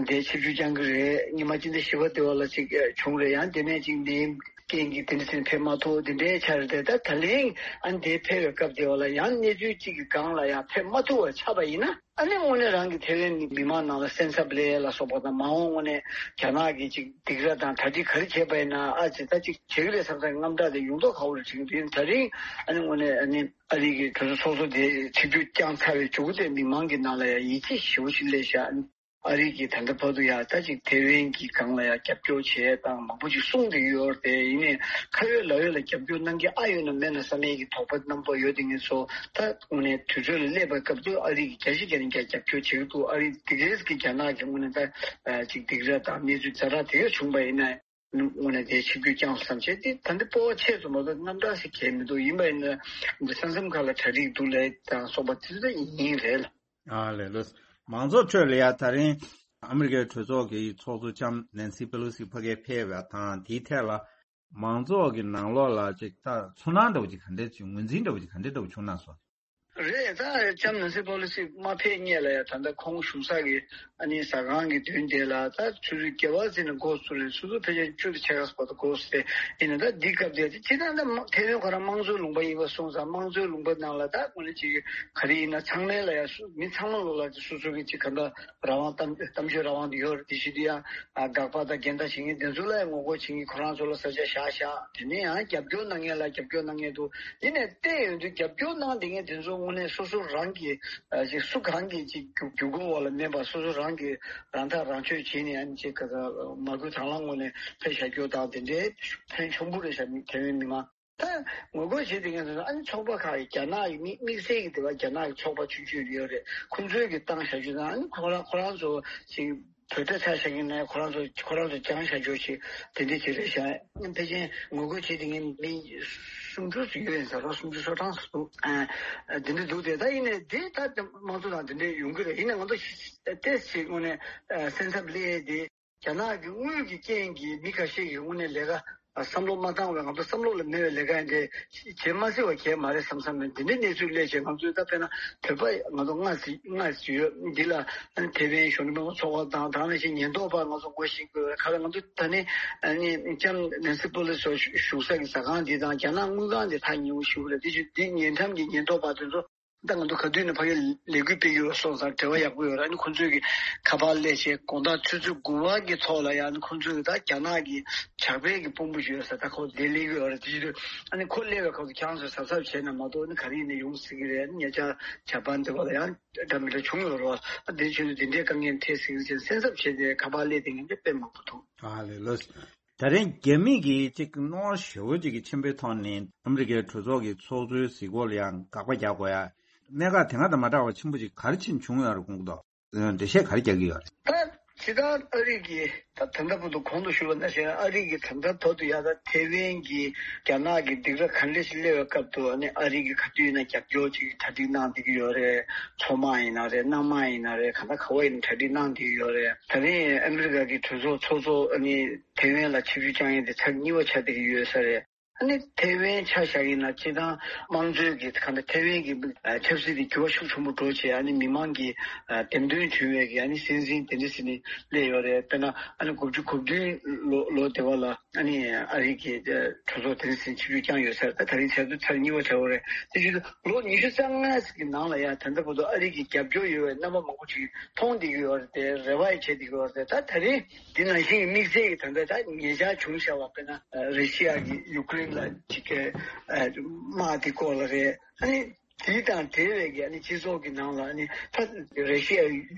དེ་ཆིབས་བསྒྱུར་བསྐྱང་གི་རེད། ཉི་མ་སྤྱི་ཟླ་བཞི་པ་དེ་བ་ལ་ཅིག་བྱུང་རེད། ཡང་དེ་ནས་ཅིག་ནད་ཡམས་ རྐྱེན་གྱིས་དེ་འདྲ་ཟེར་ཕེབས་མ་ཐུབ་དེ་འདྲའི་ཆ་རེད་དེ། ད་ད་ལན་ཨ་ནི་དེ་ཕེབས་པའི་སྐབས་དེ་བ་ལ་ཡང་གནས་ཚུལ་གཅིག་གི་སྒང་ལ་ཡང་ཕེབས་མ་ཐུབ་པ་ཆགས་པ་ཡིན་ན། ཨ་ནི་དངོས་གནས་རང་གི་ཐེ་ཝན་མི་མང་ནང་ལ་སེམས་འཚབ་ལས་ལ་སོགས་པ་དང་། མ་འོངས་དངོས་གནས་རྒྱ་ནག་གིས་ཅིག་སྡིགས་ར་དང་གྲ་སྒྲིག་ག་རེ་བྱས་པ་ཡིན་ན། ཨ་ཅེ་ད་ཅིག་བྱེད་ཀྱི་རེད་བསམ་ས་དངངས་སྐྲག་དེ་ཡོང་མདོག་ཁ་པོ་རེད་དྲན་གྱི་འདུག། ཡིན་ད་རིང་ཨ་ནི་དངོས་གནས་ཨ་ནི་ཨ་རི་གི་གྲོས་ཚོགས་ཚོགས་གཙོ་དེ་ཆིབས་བསྒྱུར་བསྐྱངས་ཚར་བའི་མཇུག་དེ་མི་མང་གི་ནང་ལ་ཡང་ཡིད་ཆེས་ཞེ་པོ་ཞིག་སླེབས་ཤག། ཨ་རི་གིས་ད་ལྟ་བར་དུ་ཡང་ད་ཅིག་ཐེ་ཝན་གྱི་སྒང་ལ་ཡང་རྒྱབ་སྐྱོར་བྱས་དང་མང་པོ་ཅིག་གསུངས་བསྡད་ཡོད་རེད་དེ། ཡིན་ནའི་ཁ་ཡོད་ལག་ཡོད་ལ་རྒྱབ་སྐྱོར་གནང་མཁན་ཨ་ཡོད་ན་མེད་ན་བསམ་ཡས་ཀྱི་དོགས་པ་རྣམ་པ་ཡོད་དེ། ངེད་ཚོ་ད་དངོས་གནས་དུས་ཚོད་ལ་སླེབས་པའི་སྐབས་དུ་ཨ་རི་གིས་རྒྱ་ཆེ་རྒྱ་ནས་རྒྱ་རྒྱབ་སྐྱོར་བྱེད་ཀྱི་འདུག། ཨ་རི་དེ་གས་ཀྱི་རྒྱ་ནག་གི་དངོས་གནས་ད་ཅིག་སྡིགས་ར་དང་གནས་ཚུལ་ཛ་དྲག་དེ་གས་བྱུང་པ་ཡིན་ན། དངོས་གནས་དེ་ཆིབས་བསྒྱུར་བསྐྱངས་སོང་བསམ་བྱས་ཏེ། ད་འདི་སྤོབས་པ་ཆེ་ཙམ་མ་གཏོགས་རྣམ་གྲངས་ཤིག་གས་མི་འདུག། ཡིན་པ་ཡིན་ན་འདི་ས་མཚམས་ཁག་ལ་གྲ་སྒྲིག་འདུག་ལབ་དང་སོགས་པ་དེ་ཚོ་ཡིན་རེད་ལ། ཨ་ལས་ལགས། མང་ཚོགས་ཁྲོད་ལ་ཡ་ད་རིང་ཨ་མི་རི་ཀའི་གྲོས་ཚོགས་ཀྱི་ཚོགས་གཙོ་ལྕམ་ནན་སི་པེ་ལོ་སི་ཕ་གིར་ཕེབས་པ་དང་དེའི་ཐད་ལ་མང་ཚོགས་ཀྱི་ནང་ལོགས་ལ་ཅིག་ད་ཚོར་སྣང་འདྲ་བོ་ཅིག་ག་འདྲ་ཅིག་ངོས་འཛིན་འདྲ་བོ་ཅིག་ག་འདྲ་འདྲ་བོ་བྱུང་ན་སོང་། རེད། ད་ལྕམ་ནན་སི་པེ་ལོ་སི་མ་ཕེབས་སྔོན་ལ་ཡ་ད་ལྟ་ཁོང་བཞུགས་ས་གི་ཨ་ནི་ཟ་ཁང་གི་མདུན་དེ་ལ་ད་ཆུ་ཚོད་བརྒྱད་པ་ཙམ་ནས་འགོ་ཚུགས་རེད། ཆུ་ཚོད་ཕལ་ཆེར་བཅུ་དང་ཕྱེད་ཀ་ཙམ་བར་དུ་འགོ་ཚུགས་ཏེ། ཡིན་ན་ད་འདི་སྐབས་དེ་སྤྱིར་བཏང་ད་མ་ཐེ་ཝན་ཁོ་རང་དམངས་གཙོའི་ལུང་པ་ཡིན་པ་སོང་ཙང་། དམངས་གཙོའི་ལུང་པ་ནང་ལ་ད་དངོས་གནས་ཅིག་ག་རེ་ཡིན་ན་ཚང་མའི་ལ་ཡ་སུ་མི་ཚང་མ་ལོ་ལ་སོ་སོ་གི་ཅིག་ག་འདྲ་རང་དབང་གཏམ་གཏམ་བརྗོད་རང་དབང་དེ་ཡོད་རེད། དེ་བཞིན་དུ་ཡང་ཨ་དགག་པ་དང་འགལ་ཟླ་བྱེད་མཁན་དེ་ཚོ་ལ་ཡང་ངོ་རྒོལ་བྱེད་མཁན་ཁོ་རང་ཚོ་ལ་ས་ཆ་བཞག་བཞག། དེ་ནས་ཡང་རྒྱབ་སྐྱོར་གནང་མཁན་ལ་རྒྱབ་སྐྱོར་གནང་མཁན་འདུག། ཡིན་ནའི་བལྟས་ཡོང་དུས་རྒྱབ་སྐྱོར་གནང་བསྡད་མཁན་དེ་ཚོ་དངོས་གནས་སོ་སོ་རང་གི་ཨ་ཅིག་སུ་གང་གི་ཅིག་བརྒྱུད་བརྒྱུད་སྐུལ་འོག་ལ་མེད་པར་སོ་སོ་རང་གི་རང་ཐག་རང་གཅོད་བྱས་ནས་ཨ་ནི་ཅིག་ག་ས་མ་བསྐུལ་དང་བླངས་ངོས་ནས་ཕེབས་བཞག་རྒྱུ་དང་དེ་འདྲའི་ཕན་ཆེན་པོ་རེད་ཤག། མི་ཐེ་ཝན་མི་མང་ད་ངོ་རྒོལ་བྱེད་དེ་མཁན་ཚོ་ཨ་ནི་ཚོགས་པ་ཁག་གིས་རྒྱ་ནག་གི་དམིགས་དམིགས་བསལ་གྱི་དེ་བ་རྒྱ་ནག་གི་ཚོགས་པ་ཆུང་ཆུང་ཡོད་རེད། ཁོང་ཚོའི་གི་བཏང་བཞག་རྒྱུ་དང་། ཨ་ནི་ཁོ་རང་ཁོ་རང་ཚོ་ཅིག་བོད་ད་ཆ་བཞག་གི་ན་ཁོ་རང་ཚོ་ཁོ་རང་ཚོ་སྦྱང་བཞག་རྒྱུ་ཞིག་དེ་འདྲ་ཅིག་རེད་ཤག། ཕལ་ཆེར་ངོ་རྒོལ་བྱེད་དེ་མཁན་མི་སུམ་ཅུ་ཙམ་ཡོད་ཡིན་ས་རེད། སུམ་ཅུ་སོ་གྲངས་སུ་འདུག། ཨ་དེ་འདྲ་འདུག་སྟེ། ད་ཡིན་ནའི་དེ་ད་དམངས་གཙོ་དང་དེ་འདྲ་ཡོང་གི་རེད། ཡིན་ནའི་ང་ཚོ་ཏོག་ཙམ་དངོས་གནས་སེམས་འཚབ་སླེབས་དེ། རྒྱ་ནག་གི་དངུལ་གྱི་རྐྱེན་གྱིས་མི་ཁ་ཤས་ཀྱིས་དངོས་གནས་ལས་ཀ་བསམ་བློ་མ་བཏང་བས། ང་ཚོ་བསམ་བློ་ལ་མེད་པའི་ལས་ཀ་འདི་བྱེད་མ་སྲིད་པ་གལ་མ་རེད་བསམ་བསམ་ནས། འདི་འདྲའི་གནས་ཚུལ་སླེབས་བྱས། ང་ཚོས་ད་དཔེར་ན་བོད་པ་ང་ཚོ་ལྔ་ཙམ་ལྔ་ཙམ་ཡོད། འདི་ལ་ཐེ་ཝན་གཞོན་ནུ་མི་མང་ཚོགས་པ་དང་། དེ་ནང་བཞིན་ཉེན་རྟོག་པ་ང་ཚོ་ངོ་ཤེས་དགོས། ག་ལ་ང་ཚོ་ད་ནི་ཨ་ནི་ལྕམ་ནན་སི་པེ་ལོ་སི་བཞུགས་ས་གི་ཟ་ཁང་འདི་དང་རྒྱ་ནག་དངུལ་ཁང་འདི་ཐག་ཉེ་བོ་ཞིག་རེད། དེ་བཞིན་འདི་ཉེ་འགྲམ་གྱི་ཉེན་རྟོག་པ་དེ་ཚོ། ད་ང་ཚོ་ག་དུས་ནས་ཕ་གིར་ལས་འགུལ་སྤེལ་གྱི་ཡོད་སོང་ཙང་འབྲེལ་བ་ཡག་པོ་ཡོད་རེད། ཨ་ནི་ཁོང་ཚོས་ཀྱི་ཁ་པར་སླེབས་བྱས་དགོང་དག་ཆུ་ཚོད་དགུ་པ་གི་ཐོག་ལ་ཡང་ཨ་ནི་ཁོང་ཚོས་ཀྱི་ད་རྒྱ་ནག་གི་ཇག་པའི་གི་དཔོན་པོ་ཞིག་ཡོད་ས། ད་ཁོ་དེ་སླེབས་ཀྱི་ཡོད་རེད། དེ་བཞིན་དུ་ཨ་ནི་ཁོ་སླེབས་པའི་སྐབས་སུ་ཁྱེད་རང་ཚོས་གཟབ་གཟབ་བྱས་ན་མ་གཏོགས་ཨ་ནི་ག་རེ་ཡིན་ན་ཡོང་སྲིད་ཀྱི་རེད། ཨ་ནི་ཉེ་ཆར་ཇ་པན་དེ་བ་ལ་ཡང་འདྲ་མི་འདྲ་བྱུང་ཡོད་རེད་བ། ཨ་དེ་བཞིན་དུ་དེ་འདྲའི་དཀའ་ངལ་འཕྲད་སྲིད་ཀྱི་རེད་ཅེས་སེམས་འཚབ་བྱས་ཏེ་ཁ་པར་སླེབས་བསྡད་མཁན་དེ་དཔེ་མང་པོ་འདུག། ཨ་ལས་ལགས། ད་རིང་རྒྱ་མི་གིས་ཅིག་གནོན་ཤུགས་ཅིག་གི་ཆེན་པོའི་ཐོག་ནས་ཨ་མི་རི་ཀའི་གྲོས་ཚོགས་ཀྱི་ཚོགས་གཙོའི་གཟིགས་སྐོར་ལ་ཡང་དགག་པ་རྒྱག་དགོས་ཡ། གནད་འགག་དེ་སྔ་དང་མ་འདྲ་བ་ཆེན་པོ་ཅིག་ག་རེ་ཕྱིན་བྱུང་ཡོད་རེད། ཁོང་ཚོས་འགྲེལ་བཤད་ག་རེ་རྒྱག་གི་ཡོད་རེད། ད་ཇི་ལྟར་ཨ་རི་གིས་ད་ད་ལྟ་བར་དུ་གོང་དུ་ཞུས་པ་ནང་བཞིན་ཨ་རི་གིས་ད་ལྟ་བར་དུ་ཡ་ད་ཐེ་ཝན་གྱི་རྒྱ་ནག་གི་སྡིགས་ར་ག་འདྲ་ཞིག་སླེབས་པའི་སྐབས་དུ་ཨ་ནི་ཨ་རི་གིས་ག་དུས་ཡིན་ན་རྒྱབ་སྐྱོར་ཅིག་གྲ་སྒྲིག་གནང་བསྡད་ཀྱི་ཡོད་རེད། མཚོ་དམག་ཡིན་ན་རེད། གནམ་དམག་ཡིན་ན་རེད། གང་ལྟར་ག་བ་ཡིན་ན་གྲ་སྒྲིག་གནང་བསྡད་ཀྱི་ཡོད་རེད། ད་རིང་ཨ་མི་རི་ཀ་གི་གྲོས་ཚོགས་ཚོགས་གཙོ་ཨ་ནི་ཐེ་ཝན་ལ་ཆིབས་བསྒྱུར་བསྐྱངས་ཡས་དེ་ཚར་གཉིས་པ་ཆགས་བསྡད་ཀྱི་ཡོད་ས་རེད། ཨ་ནི་ཐེ་ཝན་ཆ་བཞག་ཡིན་ན་སྤྱིར་བཏང་དམངས་གཙོའི་གི་གང་ལྟར་ཐེ་ཝན་གི་ཨ་ཆབ་སྲིད་དེ་འགྱུར་བ་ཤུགས་ཆེན་པོ་འགྲོ་བྱས། ཨ་ནི་མི་མང་གི་ཨ་འདེམས་ཐོན་བྱུང་བའི་གི་ཨ་ནི་སྲིད་འཛིན་དེ་འདྲ་ཟེར་ནས་སླེབས་ཡོད་རེད། དཔེར་ན་ཨ་ནི་དགུ་བཅུ་གོ་བདུན་ལོ་ལོ་དེ་བ་ལ་ཨ་ནི་ཨ་རི་གི་ཨ་གྲོས་ཚོགས་དེ་འདྲ་ཟེར་ནས་ཆིབས་བསྒྱུར་བསྐྱངས་ཡོད་ས་རེད། ད་ད་རིང་ཆར་དུ་ཚར་གཉིས་པ་ཆགས་ཡོད་རེད། དེ་བཞིན་དུ་ལོ་ཉི་ཤུ་རྩ་ལྔ་ཟེར་གི་ནང་ལ་ཡ་ད་ལྟ་བར་དུ་ཨ་རི་གི་རྒྱབ་སྐྱོར་ཡོད་པའི་རྣམ་པ་མང་པོ་ཅིག་མཐོང་བསྡད་ཀྱི་ཡོད་རེད་དེ། རེ་བ་ཡང་བྱེད་བསྡད་ཀྱི་ཡོད་རེད་དེ། ད་ད་རིང་འདི་ནང་བཞིན་གྱི་དམིགས་བསལ་གྱི་ད་ལྟ་ད་ཉེ་ཆར་བྱུང་བཞག་པ་དཔེར་ན་རེ་ཤི་ཡ་གིས་ཡུ་ཀེ་རེན་ལ་ཅིག་གི་དམག་དེ་སྐོར་ལ་རེད། ཨ་ནི་དེ་དང་འབྲེལ་བའི་གི་ཨ་ནི་སྤྱི་ཚོགས་ཀྱི་ནང་ལ་ཨ་ནི་ད་རེ་ཤི་ཡ་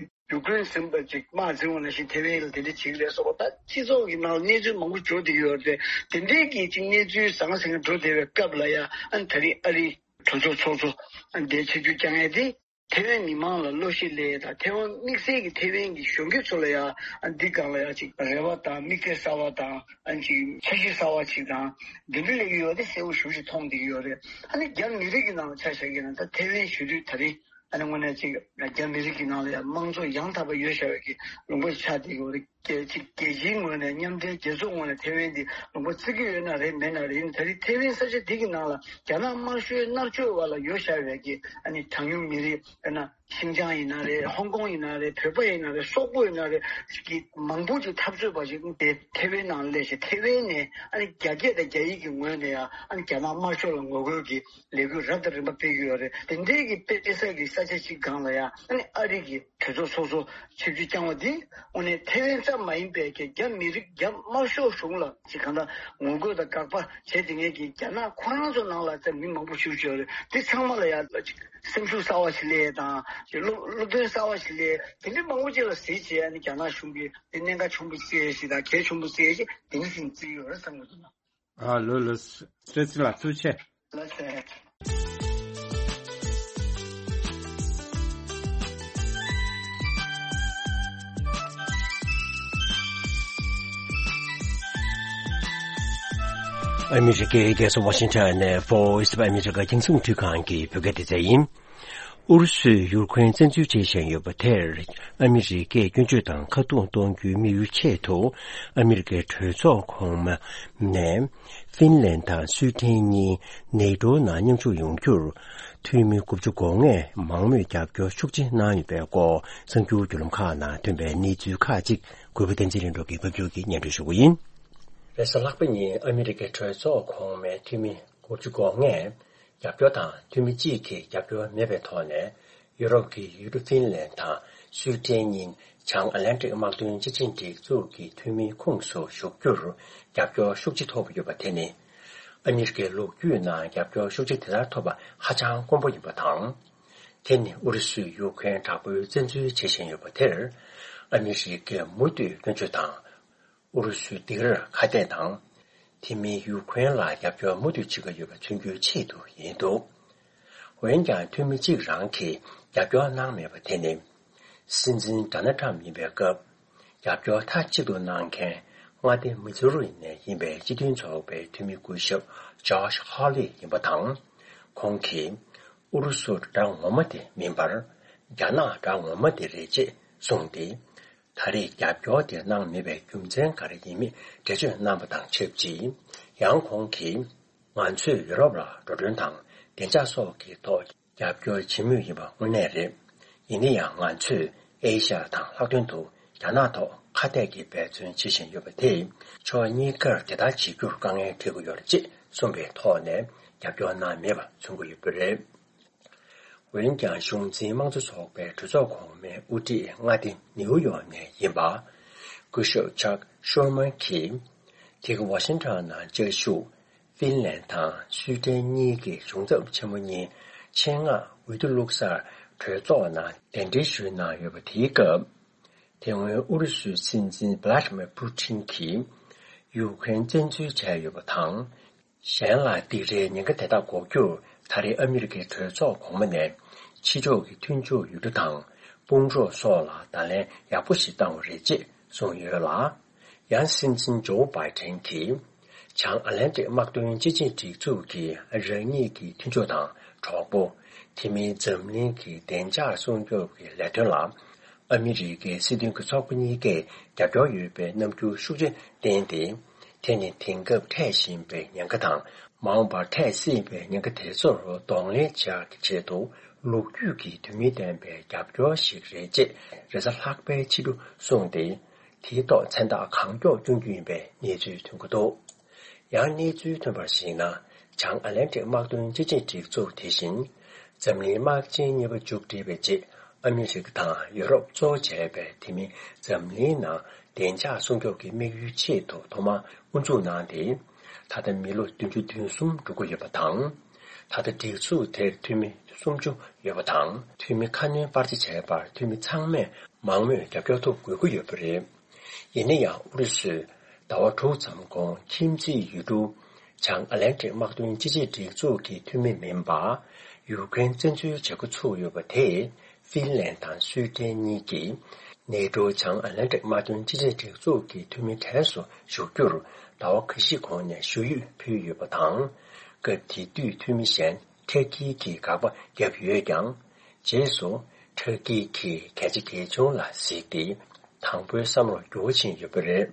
ཡུ་ཀེ་རེན་ཟིན་པ་ཅིག་དམག་འཛིང་བ་ནང་བཞིན་ཐེ་ཝན་ལ་དེ་འདྲ་བྱེད་ཀྱི་རེད་སོགས་པ། ད་སྤྱི་ཚོགས་ཀྱི་ནང་ལ་གནས་ཚུལ་མང་པོ་འགྲོ་བསྡད་ཀྱི་ཡོད་རེད་དེ། དེ་འདྲའི་གི་ཅིག་གནས་ཚུལ་ཟང་ཟིང་འགྲོ་བསྡད་པའི་སྐབས་ལ་ཡ་ཨ་ནི་ད་རིང་ཨ་རི་གྲོས་ཚོགས་ཚོགས་གཙོ་ཨ་ནི་དེ་ཆིབས་བསྒྱུར་བསྐྱངས་ཡས་དེ། ཐེ་ཝན་མི་མང་ལ་བློ་ཤེད་སླེབས་དང་། ཐེ་ཝན་དམིགས་བསལ་གྱི་ཐེ་ཝན་གྱི་གཞོན་སྐྱེས་ཚོ་ལ་ཡང་འདི་སྒང་ལ་ཡང་ཅིག་རེ་བ་དང་། དམིགས་གཏད་གསར་བ་དང་། ཨ་ཅིག་འཆར་གཞི་གསར་བ་ཅིག་དང་འདི་འདྲ་སླེབས་ཀྱི་ཡོད་དེ་གསལ་པོ་ཞེ་པོ་ཅིག་མཐོང་བསྡད་ཀྱི་ཡོད་རེད། ཨ་ནི་རྒྱ་མི་རིགས་ཀྱི་ནང་ལ་ཆ་བཞག་གི་ན་ད་ཐེ་ཝན་གཞོན་དུས་ད་རེས་ཨ་ནི་དངོས་གནས་ཅིག་ རྒྱ་མི་རིགས་ཀྱི་ནང་ལ་ཡང་དམངས་གཙོ་ཡང་དག་པ་ཡོད་བཞག་པའི་གི་ལུང་པ་ཆགས་བསྡད་ཀྱི་ཡོད་རེད། རྒྱལ་སྤྱི་རྒྱལ་སྤྱིའི་ངོས་ནས་མཉམ་འབྲེལ་རྒྱལ་ཚོགས་ངོས་ནས་ཐེ་ཝན་འདི་ལུང་པ་བརྩི་གི་ཡོད་ན་རེད། མེད་ན་རེད། ད་རེས་ཐེ་ཝན་ས་ཆ་འདི་གི་ནང་ལ་རྒྱ་ནག་དམར་ཤོག་མནར་གཅོད་འོག་ལ་ཡོད་བཞག་པའི་གི་ཨ་ནི་གྲངས་ཉུང་མི་རིགས། དཔེར་ན་ཤིན་ཅང་ཡིན་ན་རེད། ཧོང་ཀོང་ཡིན་ན་རེད། བོད་པ་ཡིན་ན་རེད། སོག་པོ་ཡིན་ན་རེད། གི་མང་པོ་ཅིག་འཐབ་རྩོད་པ་ཞིག་དེ་ཐེ་ཝན་ནང་སླེབས་ཤིང་། ཐེ་ཝན་ནས་ཨ་ནི་རྒྱ་སྐད་དང་རྒྱ་ཡིག་གི་ངོས་ནས་ཡང་ཨ་ནི་རྒྱ་ནག་དམར་ཤོག་ལ་ངོ་རྒོལ་གྱི་ལས་འགུལ་རབ་དང་རིམ་པ་སྤེལ་གྱི་ཡོད་རེད། དེ་འདྲའི་གི་སྤེལ་ས་གི་ས་ཆ་ཅིག་སྒང་ལ་ཡང་ཨ་ནི་ཨ་རི་གི་གྲོས་ཚོགས་སོ་སོ་ཆིབས་བསྒྱུར་བསྐྱངས་པ་འདི་དངོས་གནས་ཐེ་ཝན་ཙམ་མ་ཡིན་པའི་གི་རྒྱ་མི་རིགས། རྒྱ་དམར་ཤོག་གཞུང་ལ་ཅིག་གང་ལྟར་ངོ་རྒོལ་དང་དགག་པ་བྱས་དེ་ངེད་ཀྱི་རྒྱ་ནག་ཁོ་རང་ཚོ་ནང་ལ་ཙམ་མི་མང་པོ་ཞིག་ཡོད་རེད། དེ་ཚང་མ་ལ་ཡང་ཅིག་སེམས་ཤུགས་གསར་བ་ཞིག་སླེབས་དང་། ཅིག་བློ་བློ་འདོན་གསར་བ་ཞིག་སླེབས། དེ་འདྲའི་མང་པོ་ཅིག་ལ་གཟིགས་བྱས་ཨ་ནི་རྒྱ་ནག་གཞུང་གིས་དེ་གནད་འགག་ཆེན་པོ་བརྩི་ཡས་ཤིག་དང་གལ་ཆེན་པོ་བརྩི་ཡས་ཤིག་དེ་འདྲ་ཞིག་བརྩི་གི་ཡོད་རེད་བསམ་གྱི་འདུག་ན། ཨ་ལོ་ལོ། བཀྲ་ཤིས་ལགས་ཐུགས་རྗེ་ཆེ། ལགས་སོ། ཨ་མི་རི་ཀའི་རྒྱལ་ས་ཝ་ཤིང་ཊོན་ནས་Voice of America རྒྱང་སྲིང་མཐུད་ཁང་གི་བོད་སྐད་སྡེ་ཚན་ཡིན། ཨུ་རུ་སུས་ཡུ་ཁུ་རེན་བཙན་འཛུལ་བྱེད་བཞིན་ཡོད་པ་དེར་ཨ་མི་རི་ཀས་སྐྱོན་བརྗོད་དང་ཁ་རྡུང་གཏོང་རྒྱུའི་དམིགས་ཡུལ་ཆེད་དུ་ཨ་མི་རི་ཀའི་གྲོས་ཚོགས་གོང་མ་ནས་ཧྥིན་ལན་དང་སུའི་ཏན་གཉིས་ནེ་ཏོའི་ནང་མཉམ་ཞུགས་ཡོང་རྒྱུར་འཐུས་མི་དགུ་བཅུ་གོ་ལྔས་མང་མོས་རྒྱབ་སྐྱོར་ཤུགས་ཆེ་གནང་ཡོད་པའི་སྐོར་གསར་འགྱུར་བརྒྱུད་ལམ་ཁག་ནང་ཐོན་པའི་གནས་ཚུལ་ཁག་ཅིག་གུས་པ་བསྟན་འཛིན་ལྷུན་གྲུབ་ཀྱིས་ཕབ་སྒྱུར་གྱིས་སྙན་སྒྲོན་ཞུ་གི་ཡིན། རེས་གཟའ་ལྷག་པ་ཉིན་ཨ་མི་རི་ཀའི་གྲོས་ཚོགས་གོང་མའི་འཐུས་མི་དགུ་བཅུ་གོ་ལྔས་རྒྱབ་སྐྱོར་དང་། འཐུས་མི་གཅིག་གིས་རྒྱབ་སྐྱོར་མེད་པའི་ཐོག་ནས་ཡུ་རོབ་ཀྱི་ཡུལ་གྲུ་ཧྥིན་ལན་དང་སུའི་ཏན་གཉིས་བྱང་ཨ་ལན་ཀྲིག་དམག་དོན་སྤྱི་ཆིངས་སྒྲིག་འཛུགས་ཀྱི་འཐུས་མིའི་ཁོངས་སུ་ཞུགས་རྒྱུར་རྒྱབ་སྐྱོར་ཤུགས་ཆེ་ཐོབ་ཡོད་པ་དེ་ནི། ཨ་མི་རི་ཀའི་ལོ་རྒྱུས་ནང་རྒྱབ་སྐྱོར་ཤུགས་ཆེ་དེ་ལྟར་ཐོབ་པ་ཧ་ཅང་དཀོན་པོ་ཡིན་པ་དང་། དེ་ནི་ཨུ་རུ་སུས་ཡུ་ཁུ་རེན་དྲག་པོའི་བཙན་འཛུལ་བྱེད་བཞིན་ཡོད་པ་དེར། ཨ་མི་རི་ཀས་མུ་མཐུད་སྐྱོན་བརྗོད་དང་། ཨུ་རུ་སུའི་སྡིགས་རར་ཁ་གཏད་དང་། དེ་མིན་ཡུ་ཁུ་རེན་ལ་རྒྱབ་སྐྱོར་མུ་མཐུད་བྱེད་ཀྱི་ཡོད་པ་མཚོན་རྒྱུའི་ཆེད་དུ་ཡིན་འདུག་འོན་ཀྱང་འཐུས་མི་གཅིག་རང་གིས་རྒྱབ་སྐྱོར་གནང་མེད་པ་དེ་ནི། སྲིད་འཛིན་ཌོ་ནལ་ཊམ་ཡིན་པའི་སྐབས། རྒྱབ་སྐྱོར་མཐའ་གཅིག་ཏུ་གནང་མཁན་མངའ་སྡེ་མི་ཛུ་རི་ནས་ཡིན་པའི་སྤྱི་མཐུན་ཚོགས་པའི་འཐུས་མི་སྐུ་ཞབས་ཇོ་ཤ་ཧོ་ལི་ཡིན་པ་དང་། ཁོང་གིས་ཨུ་རུ་སུ་དགྲ་ངོ་མ་དེ་མིན་པར། རྒྱ་ནག་དགྲ་ངོ་མ་དེ་རེད་ཅེས་གསུངས་ཏེ། ད་རེས་རྒྱབ་སྐྱོར་དེ་གནང་མེད་པའི་རྒྱུ་མཚན་ག་རེ་ཡིན་མིན་འགྲེལ་བརྗོད་གནང་པ་དང་ཆབས་ཅིག་ཡང་ཁོང་གིས། ང་ཚོས་ཡུ་རོབ་ལ་འགྲོ་གྲོན་དང་བདེ་འཇགས་སོགས་ཀྱི་ཐོག་རྒྱབ་སྐྱོར་བྱེད་མུས་ཡིན་པ་དངོས་གནས་རེད། ཡིན་ན་ཡང་ང་ཚོས་ཨེ་ཤ་ཡ་དང་ལྷག་དོན་དུ་རྒྱ་ནག་ཐོག་ཁ་གཏད་ཀྱི་འབད་བརྩོན་བྱེད་བཞིན་ཡོད་པ་དེས་ཕྱོགས་གཉིས་ཀར་དེ་ལྟར་བྱེད་རྒྱུར་དཀའ་ངལ་འཕྲད་ཀྱི་ཡོད་རེད་ཅེས་གསུངས་པའི་ཐོག་ནས་རྒྱབ་སྐྱོར་གནང་མེད་པ་མཚོན་གྱི་ཡོད་པ་རེད། འོན་ཀྱང་གཞུང་འཛིན་དམངས་གཙོ་ཚོགས་པའི་གྲོས་ཚོགས་གོང་མའི་དབུ་ཁྲིད་མངའ་སྡེ་ནིའུ་ཡོག་ནས་ཡིན་པ། སྐུ་ཞབས་ཅག་ཤུར་མན་གྱིས། དེ་གི་ཝ་ཤིང་ཊོན་ནང་བཅའ་བཞུགས་ཧྥིན་ལན་དང་སུའི་ཏན་གཉིས་ཀྱི་གཞུང་ཚབ་ཆེན་མོ་གཉིས་ཆེད་མངགས་འོས་བསྡུ་བླུགས་སར་གྲོས་ཚོགས་ནང་གདན་འདྲེན་ཞུས་གནང་ཡོད་པ་དེའི་སྐབས། དེ་སྔོན་ཨུ་རུ་སུའི་སྲིད་འཛིན་བྷ་ལ་ཏི་མིར་པུ་ཏིན་གྱིས་ཡུ་ཁུ་རེན་བཙན་འཛུལ་བྱས་ཡོད་པ་དང་། གཞན་ལ་སྡིགས་རའི་ཉེན་ཁ་དེ་དག་འགོག་རྒྱུར་ད་རེས་ཨ་མི་རི་ཀའི་གྲོས་ཚོགས་གོང་མ་ནས་ཕྱི་ཕྱོགས་ཀྱི་མཐུན་ཕྱོགས་ཡུལ་གྲུ་དང་དཔུང་ཚོགས་སོགས་ལ་བརྡ་ལན་ཡག་པོ་ཞིག་བཏང་བ་རེད་ཅེས་གསུངས་ཡོད་ལ། ཡང་སྲིད་འཛིན་ཇོ་བྷའི་ཏན་གྱིས་བྱང་ཨ་ལན་ཏིག་དམག་དོན་སྤྱི་ཆིངས་སྒྲིག་འཛུགས་ཀྱི་རང་ཉིད་ཀྱི་མཐུན་ཕྱོགས་དང་གྲོགས་པོ། དེ་མིན་འཛམ་གླིང་གི་བདེ་འཇགས་སྲུང་སྐྱོབ་ཀྱི་ལས་དོན་ལ། ཨ་མི་རི་ཀའི་སྲིད་དོན་གྱི་ཚོགས་པ་གཉིས་ཀས་རྒྱབ་སྐྱོར་ཡོད་པའི་རྣམ་འགྱུར་ཤུགས་ཆེ་བསྟན་ཏེ། དེ་ནི་དེང་སྐབས་འཕྲད་བཞིན་པའི་ཉེན་ཁ་དང་། མ་འོངས་པར་འཕྲད་སྲིད་པའི་ཉེན་ཁ་དེ་ཚོར་གདོང་ལེན་བྱ་ཡག་གི་ཆེད་དུ། ལོ་རྒྱུས་ཀྱི་དོན་སྙིང་ལྡན་པའི་རྒྱབ་སྐྱོར་ཞིག་རེད་ཅེས་རེས་གཟའ་ལྷག་པའི་ཕྱི་དྲོ་གསུངས་ཏེ། དེའི་ཐོག་མཚན་རྟགས་གང་མགྱོགས་བསྐྱོན་རྒྱུ་ཡིན་པའི་གནས་ཚུལ་ཐོན་གྱི་འདུག་ཡང་གནས་ཚུལ་ཐོན་པར་གཞིགས་ན། བྱང་ཨ་ལན་ཏིག་དམག་དོན་སྤྱི་ཆིངས་སྒྲིག་འཛུགས་དེ་བཞིན། འཛམ་གླིང་དམག་ཆེན་གཉིས་པ་མཇུག་སྒྲིལ་བའི་རྗེས། ཨ་མི་རི་ཀ་དང་ཡུ་རོབ་གཙོ་བོ་བྱས་པའི་དེ་མིན་འཛམ་གླིང་ནང་བདེ་འཇགས་སྲུང་སྐྱོབ་ཀྱི་དམིགས་ཡུལ་ཆེད་དུ་ཐོག་མར་དབུ་འཛུགས་གནང་སྟེ། ད་ལྟ་མི་ལོ་བདུན་ཅུ་དོན་གསུམ་འགྲོ་གི་ཡོད་པ་དང་། ད་ལྟ་སྒྲིག་འཛུགས་དེར་འཐུས་མི་སུམ་ཅུ་ཡོད་པ་དང་། འཐུས་མི་ཁ་སྣོན་སྤར་ཆ་བྱས་པར་འཐུས་མི་ཚང་མས་མང་མོས་རྒྱབ་སྐྱོར་ཐོབ་དགོས་ཀྱི་ཡོད་པ་རེད། ཡིན་ན་ཡང་ཨུ་རུ་སུས་ཟླ་བ་དྲུག་ཙམ་གོང་ཁྱིམ་མཚེས་ཡུལ་གྲུ་བྱང་ཨ་ལན་ཀྲིག་དམག་དོན་སྤྱི་ཆིངས་སྒྲིག་འཛུགས་ཀྱི་འཐུས་མི་མིན་པ། ཡུ་ཀེ་རེན་བཙན་འཛུལ་བྱེད་འགོ་ཚུགས་ཡོད་པ་དེས་ཧྥིན་ལན་དང་སུའེ་ཏེན་གཉིས་ཀྱིས་ནེ་ཏྲོ་བྱང་ཨ་ལན་ཀྲིག་དམག་དོན་སྤྱི་ཆིངས་སྒྲིག་འཛུགས་ཀྱི་འཐུས་མི་གྲས་སུ་ཞུགས་རྒྱུར་ཟླ་བ་ཁ་ཤས་གོང་ནས་ཞུ་ཡིག་ཕུལ་ཡོད་པ་དང་། སྐབས་དེ་དུས་འཐུས་མི་གཞན་ཐེ་གི་གིས་དགག་པ་བརྒྱབ་ཡོད་ཀྱང་། རྗེས་སུ་ དྲག་སྐྱེད་ཀྱི་གལ་ཆེ་གལ་ཆུང་ལ་གཟིགས་ཏེ། དང་པོའི་བསམ་བློ་འགྱུར་བ་ཕྱིན་ཡོད་པ་རེད།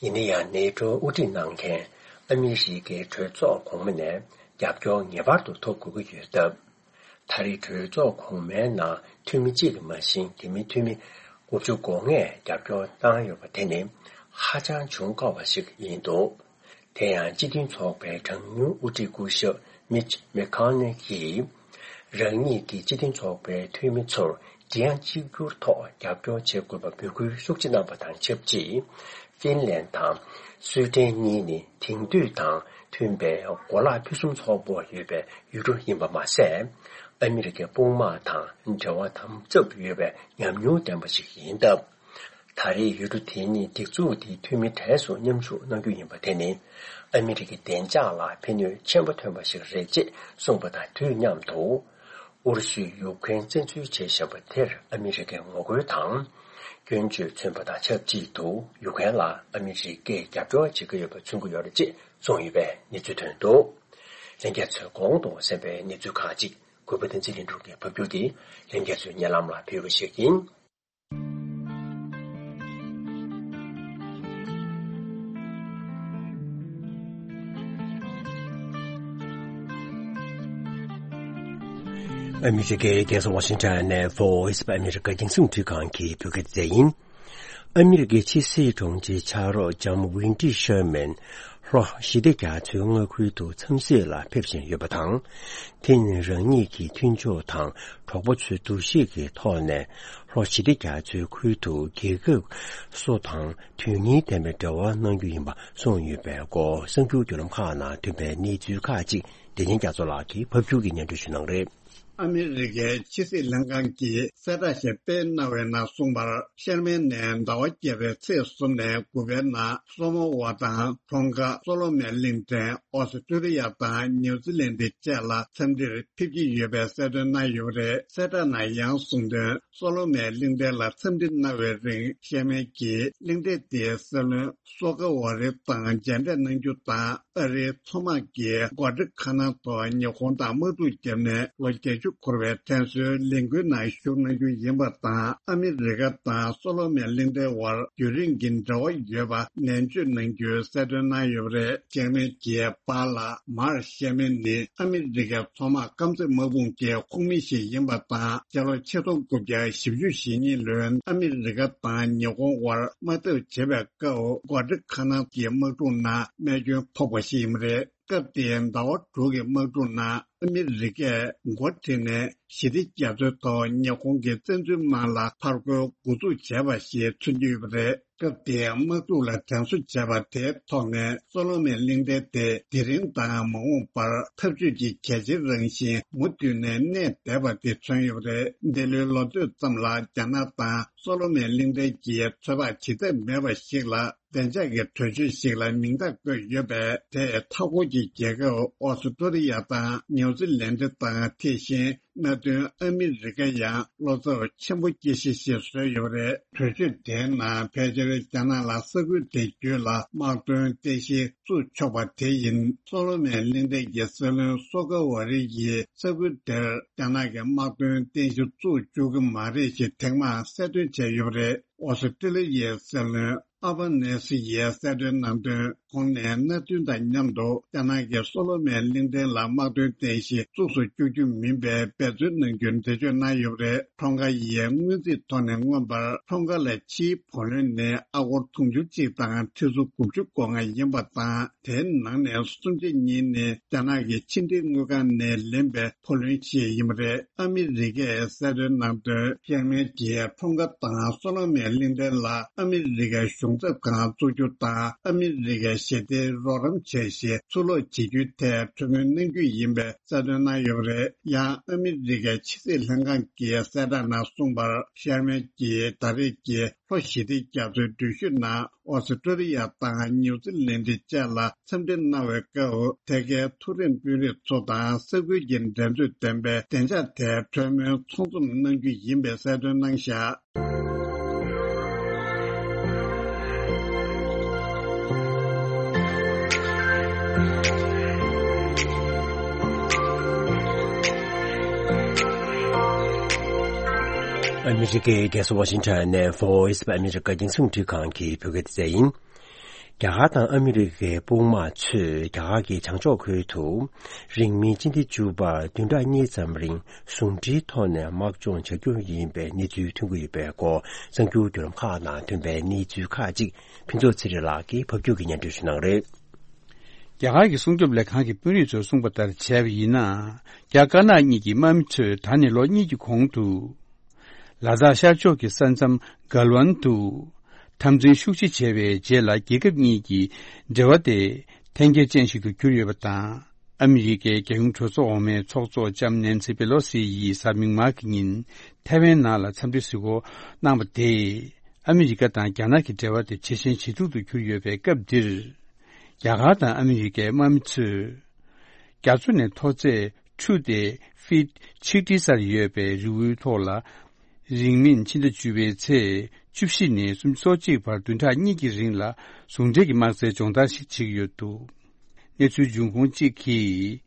ཡིན་ན་ཡང་ནེ་ཊོ་དབུ་ཁྲིད་གནང་མཁན་ཨ་མི་རི་ཀའི་གྲོས་ཚོགས་གོང་མ་ནས་རྒྱབ་སྐྱོར་ངེས་པར་དུ་ཐོབ་དགོས་ཀྱི་ཡོད་སྟབས། ད་རེས་གྲོས་ཚོགས་གོང་མའི་ནང་འཐུས་མི་གཅིག་ལས་མ་ཞན་དེ་མིན་འཐུས་མི་དགུ་བཅུ་གོ་ལྔས་རྒྱབ་སྐྱོར་བཏང་ཡོད་པ་དེ་ནི་ཧ་ཅང་བྱུང་དཀའ་བ་ཞིག་ཡིན་འདུག་དེ་ཡང་སྤྱི་མཐུན་ཚོགས་པའི་གྲངས་ཉུང་དབུ་ཁྲིད་སྐུ་ཞབས་མིཆ་མེ་ཁོ་ནེལ་གྱིས། རང་ཉིད་ཀྱི་སྤྱི་མཐུན་ཚོགས་པའི་འཐུས་མི་ཚོར་སྒྲིག་ཡ་གཅིག་གྱུར་ཐོག་རྒྱབ་སྐྱོར་བྱེད་དགོས་པ་འབོད་སྐུལ་ཤུགས་ཆེ་གནང་བ་དང་ཆབས་ཅིག་ཧྥིན་ལན་དང་སུའེ་ཏེན་གཉིས་ནི་དེང་དུས་དང་མཐུན་པའི་གོ་ལག་ཕུན་སུམ་ཚོགས་པོ་ཡོད་པའི་ཡུལ་གྲུ་ཡིན་པ་མ་ཟད། ཨ་མི་རི་ཀའི་དཔུང་དམག་དང་འབྲེལ་བ་དམ་ཟབ་ཡོད་པའི་ཉམས་མྱོང་ལྡན་པ་ཞིག་ཡིན་སྟབས། ད་རེས་ཡུལ་གྲུ་དེ་གཉིས་སྒྲིག་འཛུགས་དེའི་འཐུས་མི་གྲས་སུ་མཉམ་ཞུགས་གནང་རྒྱུ་ཡིན་པ་དེ་ནི་ཨ་མི་རི་ཀའི་བདེ་འཇགས་ལ་ཕན་ནུས་ཆེན་པོ་ཐོན་པ་ཞིག་རེད་ཅེས་གསུངས་པ་དང་དུས་མཉམ་དུ། ཨུ་རུ་སུས་ཡུཀ་རེན་བཙན་འཛུལ་བྱས་བཞིན་པ་དེར་ཨ་མི་རི་ཀས་ངོ་རྒོལ་དང་། སྐྱོན་བརྗོད་མཚོན་པ་དང་ཆབས་ཅིག་ཏུ་ཡུཀ་རེན་ལ་ཨ་མི་རི་ཀས་རྒྱབ་སྐྱོར་བྱེད་ཀྱི་ཡོད་པ་མཚོན་གྱི་ཡོད་རེད་ཅེས་གསུངས་ཡོད་པའི་གནས་ཚུལ་ཐོན་འདུག་ལྷན་རྒྱས་ཚོས་གོང་དུ་གསན་པའི་གནས་ཚུལ་ཁག་ཅིག་གུས་པ་བསྟན་འཛིན་ལྷུན་གྲུབ་ཀྱིས་ཕབ་སྒྱུར་གྱིས་ལྷན་རྒྱས་ཚོའི་སྙན་ལམ་ལ་ཕུལ་བ་ཞིག་ཡིན། ཨ་མི་རི་ཀའི་རྒྱལ་ས་ཝ་ཤིང་ཊོན་ནས་Voice of America་རྒྱང་སྲིང་འཕྲིན་ཁང་གི་བོད་སྐད་སྡེ་ཚན་ཡིན། ཨ་མི་རི་ཀའི་ཕྱི་སྲིད་དྲུང་ཆེ་ཕྱག་རོགས་ལྕམ་ཝིན་ཏི་ཤར་མན་ལྷོ་ཞི་བདེ་རྒྱ་མཚོའི་མངའ་ཁུལ་དུ་འཚམས་གཟིགས་ལ་ཕེབས་བཞིན་ཡོད་པ་དང་། དེ་ནི་རང་ཉིད་ཀྱི་མཐུན་ཕྱོགས་དང་གྲོགས་པོ་ཚོའི་འདུ་ཤེས་ཀྱི་ཐོག་ནས་ལྷོ་ཞི་བདེ་རྒྱ་མཚོའི་ཁུལ་དུ་རྒྱལ་ཁབ་སུ་དང་དོན་སྙིང་ལྡན་པའི་འབྲེལ་བ་གནང་རྒྱུ་ཡིན་པ་གསུངས་ཡོད་པའི་སྐོར་གསར་འགྱུར་བརྒྱུད་ལམ་ཁག་ནང་ཐོན་པའི་གནས་ཚུལ་ཁག་ཅིག་བདེ་ཆེན་རྒྱ་མཚོ་ལགས་ཀྱིས་ཕབ་སྒྱུར་གྱིས་སྙན་སྒྲོན་ཞུ་གནང་རེད། ཨ་མི་རི་ཀའི་ཕྱི་སྲིད་ལྷན་ཁང་གིས་གསལ་བསྒྲགས་ཤིག་སྤེལ་གནང་བའི་ནང་གསུངས་པར། ཤར་མན་ནས་ཟླ་བ་བརྒྱད་པའི་ཚེས་གསུམ་ནས་དགུ་པའི་ནང་སོ་མོ་ཝ་དང་ཁྲོང་ཀ་སོ་ལོ་མོན་གླིང་ཕྲན། ཨོ་སི་ཀྲོ་ལི་ཡ་དང་ནིའུ་ཛི་ལན་ཏི་བཅས་ལ་འཚམས་འདྲིར་ཕེབས་ཀྱི་ཡོད་པའི་གསལ་སྟོན་གནང་ཡོད་པ་རེད། གསལ་བསྒྲགས་ནང་ཡང་གསུངས་དོན། སོ་ལོ་མོན་གླིང་ཕྲན་ལ་འཚམས་འདྲི་གནང་བའི་རིང་ཤར་མན་གྱིས་གླིང་ཕྲན་དེའི་སྲིད་བློན་སོ་ཀ་ཝ་རི་དང་མཇལ་འཕྲད་གནང་རྒྱུ་དང་། ཨ་རིའི་མཚོ་དམག་གིས་གྷོ་ཊི་ཁ་ན་ཐོ་ཉི་ཧོང་དང་དམག་འཁྲུག་བརྒྱབ་ནས་ལོ་བརྒྱད་ཅུ་འཁོར་བའི་དྲན་གསོའི་ལས་འགུལ་ནང་ཞུགས་གནང་རྒྱུ་ཡིན་པ་དང་། ཨ་མི་རི་ཀ་དང་སོ་ལོ་མོན་གླིང་ཕྲན་དབར་རྒྱུན་རིང་གི་འབྲེལ་བ་ཡོད་པ་ནན་བརྗོད་གནང་རྒྱུའི་གསལ་སྟོན་གནང་ཡོད་པ་རེད། ཤར་མན་གྱིས་པཱ་ལགས་མར་ཤར་མན་ནི་ཨ་མི་རི་ཀའི་མཚོ་དམག་རྐང་རྩེད་དམག་དཔུང་གི་ཁོངས་མི་ཞིག་ཡིན་པ་དང་། སྤྱི་ལོ་ཆིག་སྟོང་དགུ་བརྒྱ་བཞི་བཅུ་ཞེ་གཉིས་ལོའི་ཨ་མི་རི་ཀ་དང་ཉི་ཧོང་དབར་དམག་འཐབ་བྱེད་པའི་སྐབས་གྷོ་ཊི་ཁ་ན་གྱི་དམག་འཁྲུག་ནང་རྨས་སྐྱོན་ཕོག་པ་ཞིག་ཡིན་པ་རེད། སྐབས་དེའི་ཟླ་བ་དྲུག་གི་དམག་འཁྲུག་ནང་ཨ་མི་རི་ཀས་འགོ་ཁྲིད་ནས་ཞི་བདེ་རྒྱ་མཚོའི་ཐོག་ཉི་ཧོང་གི་བཙན་འཛུལ་དམག་ལ་ཕར་རྒོལ་འགོ་འཛུགས་བྱས་པ་ཞིག་མཚོན་གྱི་ཡོད་པ་རེད། སྐབས་དེའི་དམག་འཁྲུག་ལ་དྲན་གསོ་བྱས་པ་དེའི་ཐོག་ནས་སོ་ལོ་མོན་གླིང་ཕྲན་དེ་དེ་རིང་དང་མ་འོངས་པར་འཐབ་ཇུས་ཀྱི་གལ་ཆེའི་རང་བཞིན་མུ་མཐུད་ནས་གནས་བསྡད་པ་དེ་མཚོན་ཡོད་པ་རེད། འདི་ལོའི་ལོ་སྟོད་ཙམ་ལ་རྒྱ་ནག་དང་སོ་ལོ་མོན་གླིང་ཕྲན་གྱིས་ཚོད་དཔག་བྱེད་ཐབས་མེད་པ་ཞིག་ལ། བདེ་འཇགས་ཀྱི་གྲོས་ཆོད་ཞིག་ལ་མིང་རྟགས་བཀོད་ཡོད་པས། དེས་མཐའ་འཁོར་གྱི་རྒྱལ་ཁབ་ཨོ་སི་ཀྲོ་ལི་ཡ་དང་ནིའུ་ཛི་ལན་ཏི་དང་། དེ་བཞིན་མནའ་མཐུན་ཨ་མི་རི་ཀ་ཡང་བློ་འཚབ་ཆེན་པོ་སྐྱེ་གཞི་ཞིག་བཟོས་ཡོད་པ་རེད། གྲོས་ཆོད་དེའི་ནང་ཕལ་ཆེར་རྒྱ་ནག་ལ་ས་ཁུལ་དེ་བརྒྱུད་ལ་དམག་དོན་རྟེན་གཞི་བཙུགས་ཆོག་པ་དེ་ཡིན། སོ་ལོ་མོན་གླིང་ཕྲན་གྱི་སྲིད་བློན་སོ་ཀ་ཝ་རི་ཡིས་ས་ཁུལ་དེར་རྒྱ་ནག་གི་དམག་དོན་རྟེན་གཞི་བཙུགས་བཅུག་གི་མ་རེད་ཞེས་ཐེངས་མང་གསལ་སྟོན་བྱས་ཡོད་པ་རེད། ཨོ་སི་ཀྲི་ལི་ཡའི་སྲིད་བློན་ཨ་བྷ་ནེ་སི་ཡིས་གསལ་སྟོན་གནང་དོན། ཁོང་ནས་མནའ་མཐུན་དང་མཉམ་དུ་རྒྱ་ནག་གིས་སོ་ལོ་མོན་གླིང་ཕྲན་ལ་དམག་དོན་རྟེན་གཞི་བཙུགས་སུ་བཅུག་རྒྱུ་མིན་པའི་འབད་བརྩོན་གནང་རྒྱུར་འགྲེལ་བརྗོད་གནང་ཡོད་པ་རེད། ཁྲོང་ཀ་ཡིས་སྔོན་རྩིས་ཐོག་ནས་མངོན་པར་ཁྲོང་ཀ་ལ་ཕྱིའི་བུ་ལོན་ནི་ཨ་སྒོར་དུང་ཕྱུར་གཅིག་དང་ཁྲི་ཚོ་དགུ་བཅུ་གོ་ལྔ་ཡིན་པ་དང་། དེའི་ནང་ནས་སུམ་ཆ་གཉིས་ནི་རྒྱ་ནག་གི་ཕྱི་འབྲེལ་དངུལ་ཁང་ནས་ལེན་པའི་བུ་ལོན་ཞིག་ཡིན་པ་རེད། ཨ་མི་རི་ཀས་གསལ་སྟོན་གནང་དོན། ཤར་མན་གྱིས་ཁྲོང་ཀ་དང་སོ་ལོ་མོན་གླིང་ཕྲན་ལ་ཨ་མི་རི་ཀའི་གཞུང་ཚབ་ཁང་བཙུགས་རྒྱུ་དང་། ཨ་མི་རི་ཀའི་ཞི་བདེའི་རོགས་རམ་བྱས་ཤིང་ཚུར་སློག་བྱེད་རྒྱུའི་ཐད་གྲོས་མོལ་གནང་རྒྱུ་ཡིན་པའི་གསལ་སྟོན་གནང་ཡོད་པ་རེད། ཡང་ཨ་མི་རི་ཀའི་ཕྱི་སྲིད་ལྷན་ཁང་གི་གསལ་བསྒྲགས་ནང་གསུངས་པར། ཤར་མན་གྱིས་ད་རེས་ཀྱི་ལྷོ་ཞི་བདེ་རྒྱ་མཚོའི་འགྲུལ་བཞུད་ནང་ཨོ་སི་ཀྲོ་ལི་ཡ་དང་ནིའུ་ཛི་ལན་ཏི་བཅས་ལ་འཚམས་འདྲི་གནང་བའི་སྐབས། དེ་གའི་མཐོ་རིམ་དཔོན་རིགས་ཚོ་དང་ས་ཁུལ་གྱི་འགྲན་རྩོད་ལྡན་པའི་བདེ་འཇགས་ཐད་གྲོས་མོལ་ཚང་འཛོམས་གནང་རྒྱུ་ཡིན་པའི་གསལ་སྟོན་གནང་བཞག་ཨ་མི་རི་ཀའི་རྒྱལ་ས་ཝ་ཤིང་ཊོན་ནས་Voice of America་རྒྱང་སྲིང་རླུང་འཕྲིན་ཁང་གི་བོད་སྐད་སྡེ་ཚན་ཡིན། རྒྱ་གར་དང་ཨ་མི་རི་ཀའི་དཔུང་དམག་ཚོས་རྒྱ་གར་གྱི་བྱང་ཕྱོགས་ཁུལ་དུ་རིང་མིན་སྤྱི་ཟླ་བཅུ་པར་བདུན་ཕྲག་གཉིས་ཙམ་རིང་ཟུང་འབྲེལ་ཐོག་ནས་དམག་སྦྱོང་བྱ་རྒྱུ་ཡིན་པའི་གནས་ཚུལ་ཐོན་གྱི་ཡོད་པའི་སྐོར་གསར་འགྱུར་བརྒྱུད་ལམ་ཁག་ནང་ཐོན་པའི་གནས་ཚུལ་ཁག་ཅིག་ཕུན་ཚོགས་ཚེ་རིང་ལགས་ཀྱིས་ཕབ་སྒྱུར་གྱིས་སྙན་སྒྲོན་ཞུ་གནང་རེད། རྒྱ་གར་གྱི་སྲུང་སྐྱོབ་ལས་ཁང་གི་དཔོན་རིགས་ཚོས་གསུངས་པ་ལྟར་བྱས་པ་ཡིན་ན། རྒྱ་དཀར་ནག་གཉིས་ཀྱི་དམག་མི་ཚོས་ད་ནས་ལོ་གཉིས་ཀྱི་གོང་དུ། ལ་དྭགས་ཤར་ཕྱོགས་ཀྱི་ས་མཚམས་གལ་ཝན་དུ། འཐབ་འཛིང་ཤུགས་ཆེ་བྱས་པའི་རྗེས་ལ་རྒྱལ་ཁབ་གཉིས་ཀྱི་འབྲེལ་བ་དེ་འཐེན་འཁྱེར་ཅན་ཞིག་ཏུ་གྱུར་ཡོད་པ་དང་། ཨ་མི་རི་ཀའི་རྒྱལ་ཡོངས་གྲོས་ཚོགས་འོག་མའི་ཚོགས་གཙོ་ལྕམ་ནན་སི་པེ་ལོ་སི་ཡིས་གཟའ་མིག་དམར་གྱི་ཉིན་ཐའེ་ཝན་ནང་ལ་འཚམས་འདྲི་གཟིགས་སྐོར་གནང་བ་དེས། ཨ་མི་རི་ཀ་དང་རྒྱ་ནག་གི་འབྲེལ་བ་དེ་ཇེ་ཞན་ཇེ་སྡུག་ཏུ་གྱུར་ཡོད་པའི་སྐབས་འདིར། རྒྱ་གར་དང་ཨ་མི་རི་ཀའི་དམག་མི་ཚོས། རྒྱ་མཚོ་ནས་མཐོ་ཚད་ཁྲུ་དེ་ཕིཊ་ཆིག་ཁྲིའི་སར་ཡོད་པའི་རི་བོའི་ཐོག་ལ། རིང་མིན་ཕྱི་ཟླ་བཅུ་པའི་ཚེས་བཅུ་བཞི་ནས་སུམ་ཅུ་སོ་གཅིག་བར་བདུན་ཕྲག་གཉིས་ཀྱི་རིང་ལ་ཟུང་འབྲེལ་གྱི་དམག་རྩལ་སྦྱོང་བརྡར་ཞིག་བྱེད་ཀྱི་ཡོད་འདུག་གནས་ཚུལ་འབྱུང་ཁུངས་གཅིག་གིས།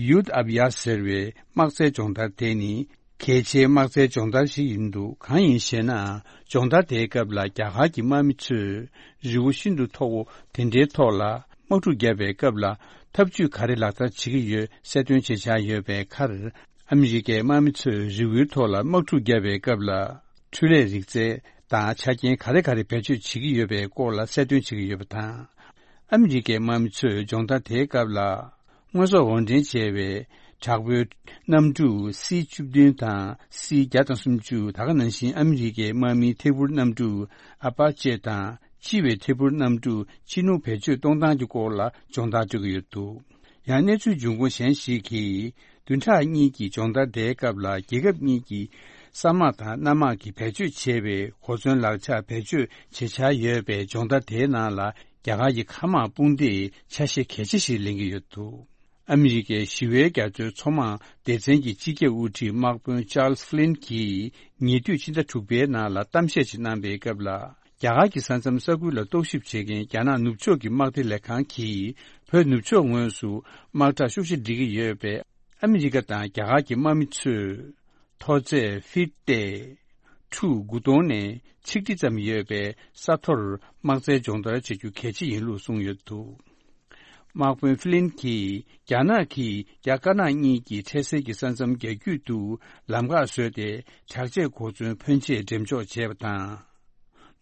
ཡུད་ཨབ་ཡ་ཟེར་བའི་དམག་རྩལ་སྦྱོང་བརྡར་དེ་ནི། གལ་ཆེའི་དམག་རྩལ་སྦྱོང་བརྡར་ཞིག་ཡིན་འདུག་གང་ཡིན་ཞེ་ན། སྦྱོང་བརྡར་དེའི་སྐབས་ལ་རྒྱ་གར་གྱི་དམག་མི་ཚོས་རི་བོ་ཤིན་ཏུ་མཐོ་བོ་དེ་འདྲའི་ཐོག་ལ་དམག་འཁྲུག་བརྒྱབ་པའི་སྐབས་ལ་ཐབས་ཇུས་ག་རེ་ལག་བསྟར་བྱེད་ཀྱི་ཡོད་གསལ་སྟོན་བྱེད་འཆར་ཡོད་པའི་ཁར། ཨ་མི་རི་ཀའི་དམག་མི་ཚོས་རི་བོའི་ཐོག་ལ་དམག་འཁྲུག་བརྒྱབ་པའི་སྐབས་ལ་འཕྲུལ་ལས་རིག་རྩལ་དང་ཆ་རྐྱེན་ག་རེ་ག་རེ་བེད་སྤྱོད་བྱེད་ཀྱི་ཡོད་པའི་སྐོར་ལ་གསལ་སྟོན་བྱེད་ཀྱི་ཡོད་པ་དང་། ཨ་མི་རི་ཀའི་དམག་མི་ཚོས་སྦྱོང་བརྡར་དེའི་སྐབས་ལ། དངོས་ཟོག་དབོར་འདྲེན་བྱས་པའི་དྲག་པོའི་གནམ་གྲུ་སི་བཅུ་བདུན་དང་སི་བརྒྱ་དང་སུམ་ཅུ། ད་ག་ནང་བཞིན་ཨ་མི་རི་ཀའི་དམག་མིའི་ཐད་འཕུར་གནམ་གྲུ་ཨ་པ་ཅེ་དང་ལྕི་བའི་ཐད་འཕུར་གནམ་གྲུ་ཅི་ནུག་བེད་སྤྱོད་གཏོང་སྟངས་ཀྱི་སྐོར་ལ་སྦྱོང་བརྡར་སྤྲོད་ཀྱི་ཡོད་འདུག་ཡང་གནས་ཚུལ་འབྱུང་ཁུངས་གཞན་ཞིག་གིས་བདུན་ཕྲག་གཉིས་ཀྱི་སྦྱོང་བརྡར་དེའི་སྐབས་ལ་རྒྱལ་ཁབ་གཉིས་ཀྱི་ས་དམག་དང་གནམ་དམག་གིས་བེད་སྤྱོད་བྱས་པའི་གོ་མཚོན་ལག་ཆ་བེད་སྤྱོད་བྱེད་འཆར་ཡོད་པའི་སྦྱོང་བརྡར་དེའི་ནང་ལ། རྒྱ་གར་གྱི་མཁའ་དམག་དཔུང་སྡེས་ཆ་ཤས་གལ་ཆེ་ཞིག་ལེན་གྱི་ཡོད་འདུག་ཨ་མི་རི་ཀའི་ཞི་བའི་རྒྱ་མཚོའི་མཚོ་དམག་སྡེ་ཚན་གྱི་སྤྱི་ཁྱབ་དབུ་ཁྲིད་དམག་དཔོན་ཅཱལ་ཕླིན་གྱིས་ཉེ་དུས་ཕྱི་ཟླ་དྲུག་པའི་ནང་ལ་གཏམ་བཤད་ཅིག་གནང་པའི་སྐབས་ལ། རྒྱ་གར་གྱི་ས་མཚམས་ས་ཁུལ་ལ་རྟོག་ཞིབ་བྱེད་མཁན་རྒྱ་ནག་ནུབ་ཕྱོགས་ཀྱི་དམག་སྡེ་ལས་ཁང་གིས་བོད་ནུབ་ཕྱོགས་ངོས་སུ་དམག་དྲག་ཤུགས་ཆེ་སྒྲིལ་གྱི་ཡོད་པས། ཨ་མི་རི་ཀ་དང་རྒྱ་གར་གྱི་དམག་མི་ཚོས། མཐོ་ཚད་ཕིཊ་ཏེ་ཁྲུ་དགུ་སྟོང་ནས་ཆིག་ཁྲི་ཙམ་ཡོད་པའི་ས་མཐོར་དམག་རྩལ་སྦྱོང་བརྡར་བྱེད་རྒྱུ་གལ་ཆེ་ཡིན་ལུགས་གསུངས་ཡོད་འདུག་དམག་དཔོན་ཕི་ལིན་གྱིས་རྒྱ་ནག་གིས་རྒྱ་དཀར་ནག་གཉིས་ཀྱི་འཕྲལ་སེལ་གྱི་ས་མཚམས་རྒྱ་རྒྱུད་དུ་ལམ་ཁ་བཟོས་ཏེ། དྲག་ཆས་གོ་མཚོན་ཕོན་ཆེ་འགྲེམས་འཇོག་བྱས་པ་དང་།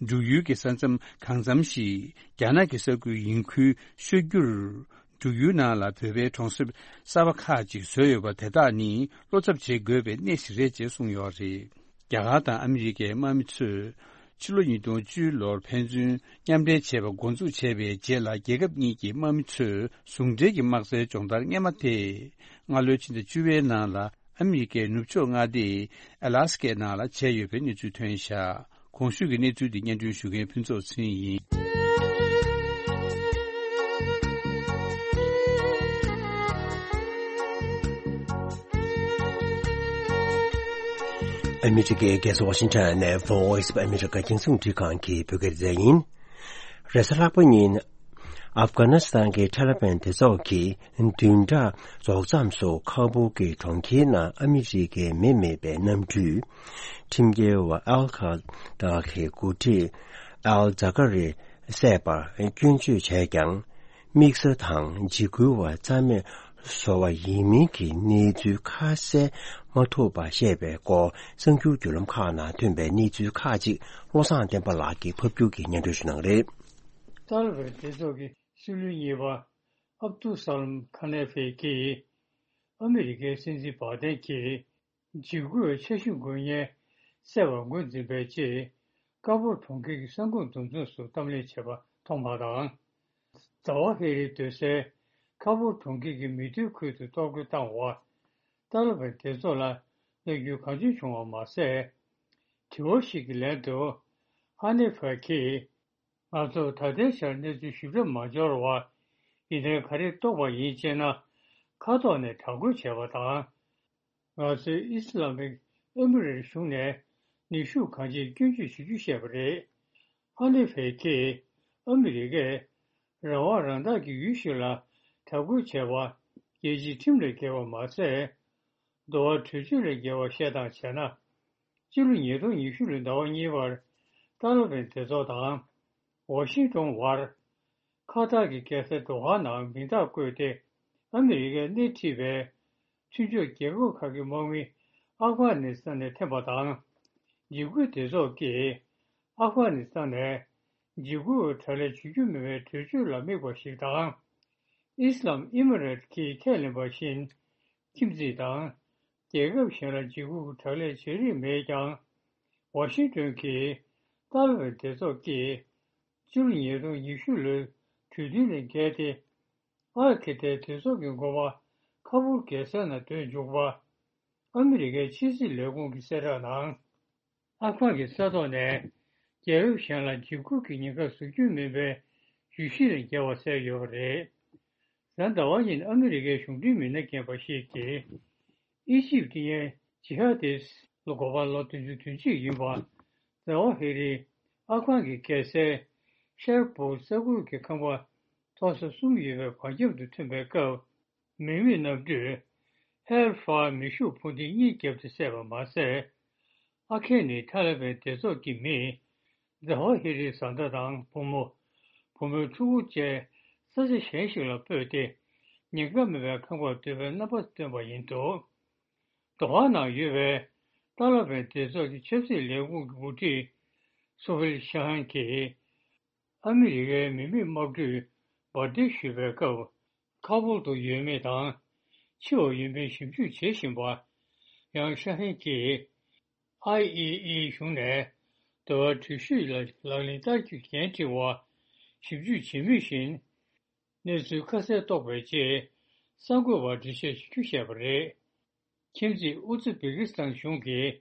འབྲུག་ཡུལ་གྱི་ས་མཚམས་གང་འཚམ་ཞིག་རྒྱ་ནག་གི་ས་ཁུལ་ཡིན་ཁུལ་ཤོད་རྒྱུར། འབྲུག་ཡུལ་ནང་ལ་བོད་པའི་གྲོང་གསེབ་གསར་པ་ཁག་ཅིག་བཟོས་ཡོད་པ་དེ་དག་ནི་བློ་འཚབ་བྱེད་དགོས་པའི་གནས་ཤིག་རེད་ཅེས་གསུངས་ཡོད་རེད། རྒྱ་གར་དང་ཨ་མི་རི་ཀའི་དམག་མི་ཚོས་ཕྱི་ལོ་ཉིས་སྟོང་བཅུ་ལོར་ཕན་ཚུན་མཉམ་འབྲེལ་བྱས་པ་འགོ་འཛུགས་བྱས་པའི་རྗེས་ལ། རྒྱལ་ཁབ་གཉིས་ཀྱི་དམག་མི་ཚོས་ཟུང་འབྲེལ་གྱི་དམག་རྩལ་སྦྱོང་བརྡར་སྔ་མ་དེ། སྔ་ལོའི་ཕྱི་ཟླ་བཅུ་པའི་ནང་ལ་ཨ་མི་རི་ཀའི་ནུབ་ཕྱོགས་མངའ་སྡེ་ཨ་ལ་སི་ཀའི་ནང་ལ་བྱས་ཡོད་པའི་གནས་ཚུལ་ཐོན་བཞག་གོང་ཞུས་ཀྱི་གནས་ཚུལ་འདི་སྙན་སྒྲོན་ཞུ་མཁན་ཕུན་ཚོགས་ཚེ་རིང་ཡིན། ཨ་མི་རི་ཀའི་རྒྱལ་ས་ཝ་ཤིང་ཊོན་ནས་Voice of America་རྒྱང་སྲིང་རླུང་འཕྲིན་ཁང་གི་བོད་སྐད་སྡེ་ཚན་ཡིན། རེས་གཟའ་ལྷག་པ་ཉིན། ཨབ་གྷ་ནི་སི་ཐན་གྱི་ཐ་ལི་བན་སྡེ་ཚོགས་ཀྱིས་བདུན་ཕྲག་རྫོགས་མཚམས་སུ་ཁ་བུར་གྱི་གྲོང་ཁྱེར་ནང་ཨ་མི་རི་ཀའི་མི་མེད་པའི་གནམ་གྲུས། ཁྲིམས་འགལ་བ་ཨལ་ཁ་ད་གི་འགོ་ཁྲིད་ཨལ་ཛ་ཀ་རི་བསད་པར་སྐྱོན་བརྗོད་བྱས་ཀྱང་། དམིགས་བསལ་དང་འཇིགས་སྐུལ་བ་རྩ་མེད་བཟོ་བ་ཡིན་མིན་གྱི་གནས་ཚུལ་ཁ་གསལ་མ་ཐོབ་པ་བཤད་པའི་སྐོར་གསར་འགྱུར་བརྒྱུད་ལམ་ཁག་ནང་ཐོན་པའི་གནས་ཚུལ་ཁག་ཅིག་བློ་བཟང་བསྟན་པ་ལགས་ཀྱིས་ཕབ་སྒྱུར་གྱིས་སྙན་སྒྲོན་ཞུ་གནང་གི་རེད། ཏཱ་ལི་བན་སྡེ་ཚོགས་ཀྱི་སྲིད་བློན་གཉིས་པ་ཨབ་ཏུ་ས་ལམ་ཁ་ནེ་ཧྥེ་གྱིས་ཨ་མི་རི་ཀའི་སྲིད་འཛིན་བྷ་དན་གྱིས་འཇིགས་སྐུལ་འཆར་གཞི་འགོད་མཁན་བསད་པར་ངོས་འཛིན་པའི་རྗེས། ཀ་པུར་གྲོང་ཁྱེར་གྱི་ས་ཁོངས་འདུ་འཛོམས་སུ་གཏམ་གླེང་བྱས་པ་མཐོང་བ་དང་། ཟླ་བ་ཧེ་རིའི་སྡོད་སའི་ཁ་པུར་གྲོང་ཁྱེར་གྱི་མི་སྡོད་ཁུལ་དུ་གཏོར་རྒོལ་བཏང་བར། ཏཱ་ལི་བན་སྡེ་ཚོགས་ལ་བརྙས་བཅོས་གང་བྱུང་བྱུང་བ་མ་ཟད། དྲི་བ་ཞིག་གི་ལན་དུ། ཧ་ནེ་ཧྥེ་གྱིས། ང་ཚོར་ད་ལྟའི་ཆར་གནས་ཚུལ་ཞིབ་ཕྲ་མ་འབྱོར་བར། ཡིན་ནའི་ག་རེ་རྟོགས་པ་ཡིན་ཅེ་ན། མཁའ་ཐོག་ནས་དྲག་རྒོལ་བྱས་པ་དང་། ང་ཚོས་ཨི་སི་ལ་མིག་ཨེ་མི་རེ་གཞུང་ནས་ནུས་ཤུགས་གང་ཆེ་སྐྱོན་བརྗོད་བྱེད་རྒྱུ་བཤད་པ་རེད། ཧ་ནེ་ཧྥེ་གྱིས་ཨ་མི་རི་ཀས་རང་དབང་རང་བདག་གི་ཡུལ་ཞིག་ལ་དྲག་རྒོལ་བྱས་པ་རྒྱལ་སྤྱིའི་ཁྲིམས་ལས་འགལ་བ་མ་ཟད། འགྲོ་བ་གྲོས་ཆོད་ལས་འགལ་བ་བཤད་སྟངས་བྱས་ན། ཕྱི་ལོ་ཉིས་སྟོང་ཉི་ཤུ་ལོའི་ཟླ་བ་གཉིས་པར་ཏཱ་ལི་བན་སྡེ་ཚོགས་དང་ཝ་ཤིང་ཏོན་བར། ཁ་ཐར་གྱི་རྒྱལ་ས་དོ་ཧ་ནང་མིང་རྟགས་བཀོད་དེ། ཨ་མི་རི་ཀས་སྣེ་ཁྲིད་པའི་མཐུན་ཕྱོགས་རྒྱལ་ཁབ་ཁག་གི་དམག་མི་ཨབ་གྷ་ནི་སི་ཐན་ནས་འཐེན་པ་དང་། འཇིགས་སྐུལ་སྡེ་ཚོགས་ཀྱིས་ཨབ་གྷ་ནི་སི་ཐན་ནས་འཇིགས་སྐུལ་བའི་དྲག་ལས་བྱེད་རྒྱུ་མིན་པའི་གྲོས་ཆོད་ལ་དམིགས་པ་ཞིག་དང་། ཨི་སི་ལམ་ཨི་མི་རེད་ཀྱིས་ཁས་ལེན་པ་བཞིན། ཁྱིམ་མཚེས་དང་རྒྱལ་ཁབ་གཞན་ལ་འཇིགས་སྐུལ་གྱི་དྲག་ལས་བྱེད་རིན་མེད་ཀྱང་། ཝ་ཤིང་ཏོན་གྱིས་ཏཱ་ལི་བན་སྡེ་ཚོགས་ཀྱིས་ཕྱི་ལོ་ཉིས་སྟོང་ཉི་ཤུ་ལོའི་གྲོས་མཐུན་ལས་འགལ་ཏེ། ཨལ་ཁེ་ཏའི་སྡེ་ཚོགས་ཀྱི་འགོ་པ་ཁ་པུར་རྒྱལ་སའི་ནང་སྡོད་འཇུག་པ། ཨ་མི་རི་ཀའི་ཕྱི་སྲིད་ལས་ཁུངས་ཀྱི་གསལ་བསྒྲགས་ནང་། ཨབ་གྷན་གྱི་ས་ཐོག་ནས་རྒྱལ་ཁབ་གཞན་ལ་འཇིགས་སྐུལ་གྱི་ཉེན་ཁ་བཟོ་རྒྱུ་མིན་པའི་བརྗོད་གཞི་ལས་འགལ་བ་གསལ་ཡོད་པ་རེད། གཟའ་ཟླ་བ་ཉིན་ཨ་མི་རི་ཀའི་གཞུང་འབྲེལ་མི་སྣ་རྒན་པ་ཞིག་གིས། ཨི་ཇིབ་ཀྱི་ཇི་ཧ་དིས་ལ་འགོ་པ་ལོ་བདུན་ཅུ་དོན་གཅིག་ཡིན་པ། ཛ་ཝ་ཧི་རི་ཨབ་གྷན་གྱི་རྒྱལ་སའི་ཤར་བུ་ས་ཁུལ་གྱི་ཁང་པ་མཐོ་ས་གསུམ་ཡོད་པའི་བར་ཁྱམས་སུ་ཐོན་པའི་སྐབས། མི་མེད་གནམ་གྲུས་ཧེལ་ཧྥ་མེ་ཤུགས་འཕུར་མདེལ་གཉིས་བརྒྱབ་སྟེ་བསད་པ་མ་ཟད། ཨ་ཁེ་ནི་ཐ་ལི་བན་སྡེ་ཚོགས་ཀྱི་མི་ཛ་ཧོ་ཧི་རིའི་བཟའ་ཟླ་དང་བུ་མོ། བུ་མོའི་ཕྲུ་གུ་བཅས་ས་ཆ་གཞན་ཞིག་ལ་སྤོས་ཏེ། ཉེན་ཁ་མེད་པའི་ཁང་པར་སྡོད་པའི་རྣམ་པ་སྟོན་པ་ཡིན་འདུག་དོ་ཧ་ནང་ཡོད་པའི་ཏཱ་ལ་བན་སྡེ་ཚོགས་ཀྱི་ཆབ་སྲིད་ལས་ཁུངས་ཀྱི་འགོ་ཁྲིད་སོ་ཧེལ་ཤ་ཧན་གྱིས། ཨ་མི་རི་ཀའི་མི་མེད་དམག་གྲུས་འབར་མདེལ་གཞུས་པའི་སྐབས། ཁ་བོར་དུ་ཡོད་མེད་དང་། འཆི་བ་ཡོད་མེད་ཞིབ་འཇུག་བྱེད་བཞིན་པ། ཡང་ཤ་ཧན་གྱིས། ཨའི་ཨི་ཨི་གཞུང་ནས་འདི་བར་འགྲུལ་བཞུད་ལ་ལག་ལེན་བསྟར་རྒྱུའི་འགན་འཁྲི་བ། ཞིབ་འཇུག་བྱེད་མུས་བཞིན། གནས་ཚུལ་ཁ་གསལ་རྟོགས་པའི་རྗེས། གསར་འགོད་པར་འགྲེལ་བཤད་ཞུ་རྒྱུ་བཤད་པ་རེད། ཁྱིམ་མཚེས་ཨུ་ཛི་བེ་ཀི་སི་ཐན་གཞུང་གིས་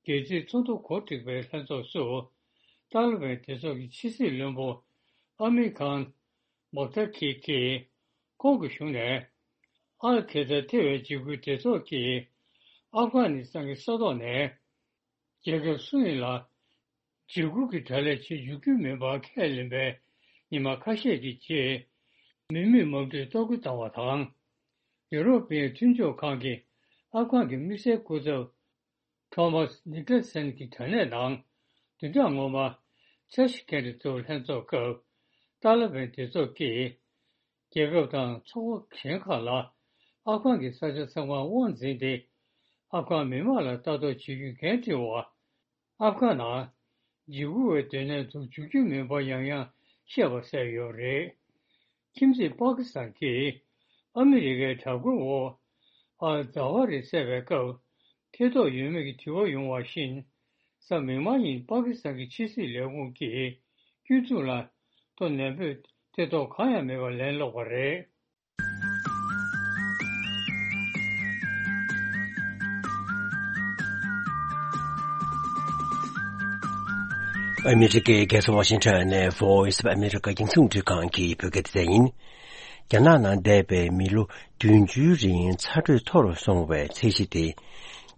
རྒྱལ་སྤྱིའི་ཚོགས་འདུ་གོ་སྒྲིག་པའི་ལྷན་ཚོགས་སུ། ཏཱ་ལི་བན་སྡེ་ཚོགས་ཀྱི་ཕྱི་སྲིད་བློན་པོ་ཨ་མིར་ཁཱན་མོག་ཐར་ཁི་གིས། ཁོང་གི་གཞུང་ནས་ཨལ་ཁེ་ཏ་ཐེ་བའི་འཇིགས་སྐུལ་སྡེ་ཚོགས་ཀྱིས་ཨབ་གྷ་ནི་སི་ཐན་གྱི་ས་ཐོག་ནས། རྒྱལ་ཁབ་སུ་ཡིན་ལ་འཇིགས་སྐུལ་གྱི་དྲག་ལས་བྱེད་འཇུག་རྒྱུ་མིན་པར་ཁས་ལེན་པའི་ཉི་མ་ཁ་ཤས་ཀྱི་རྗེས། མི་མེད་དམག་གྲུས་གཏོར་རྒོལ་བཏང་བ་དང་། ཡུ་རོབ་པའི་མཐུན་ཕྱོགས་ཁང་གིས་ཨབ་གྷན་གྱི་དམིགས་བསལ་སྐུ་ཚབ་ཐོ་མཱས་ནིག་ལ་སན་གྱི་དྲ་གནས་ནང་། བདུན་ཕྲག་སྔོན་མ་འཆར་གཞི་གལ་ཆེ་ཚོའི་ལྷན་ཚོགས་སྐབས། ཏཱ་ལི་བན་སྡེ་ཚོགས་ཀྱིས། རྒྱལ་ཁབ་དང་ཚོགས་པ་གཞན་ཁག་ལ་ཨབ་གྷན་གྱི་ས་ཆ་ཚང་མར་དབང་འཛིན་ཏེ། ཨབ་གྷན་མི་དམངས་ལ་ལྟ་རྟོག་བྱེད་རྒྱུའི་འགན་འཁྲི་བ། ཨབ་གྷན་ནང་འཇིགས་སྐུལ་བའི་སྡོད་གནས་འཛུགས་འཇུག་རྒྱུ་མིན་པ་ཡང་ཡང་བཤད་པ་གསལ་ཡོད་རེད། ཁྱིམ་མཚེས་པ་ཀི་སི་ཐན་གྱིས་ཨ་མི་རི་ཀའི་དྲག་རྒོལ་འོག་ཨལ་ཛ་ཝ་རི་བསད་པའི་སྐབས། ཐེ་གཏོགས་ཡོད་མེད་ཀྱི་དྲི་བ་ཡོང་བ་བཞིན། གཟའ་མིག་དམར་ཉིན་པ་ཀི་སི་ཐན་གྱི་ཕྱི་སྲིད་ལས་ཁུངས་ཀྱིས་སྐྱོན་འཛུགས་ལ་ཏོག་ནན་པོས་ཐེ་གཏོགས་གང་ཡང་མེད་པར་ལན་སློག་པ་རེད། ཨ་མི་རི་ཀའི་རྒྱལ་ས་ཝ་ཤིང་ཊོན་ནས་Voice of America རྒྱང་སྲིང་རླུང་འཕྲིན་ཁང་གི་བོད་སྐད་སྡེ་ཚན་ཡིན། རྒྱ་ནག་ནང་འདས་པའི་མི་ལོ་བདུན་ཅུའི་རིང་ཚ་དྲོད་མཐོ་རུ་སོང་བའི་ཚད་གཞི་དེ།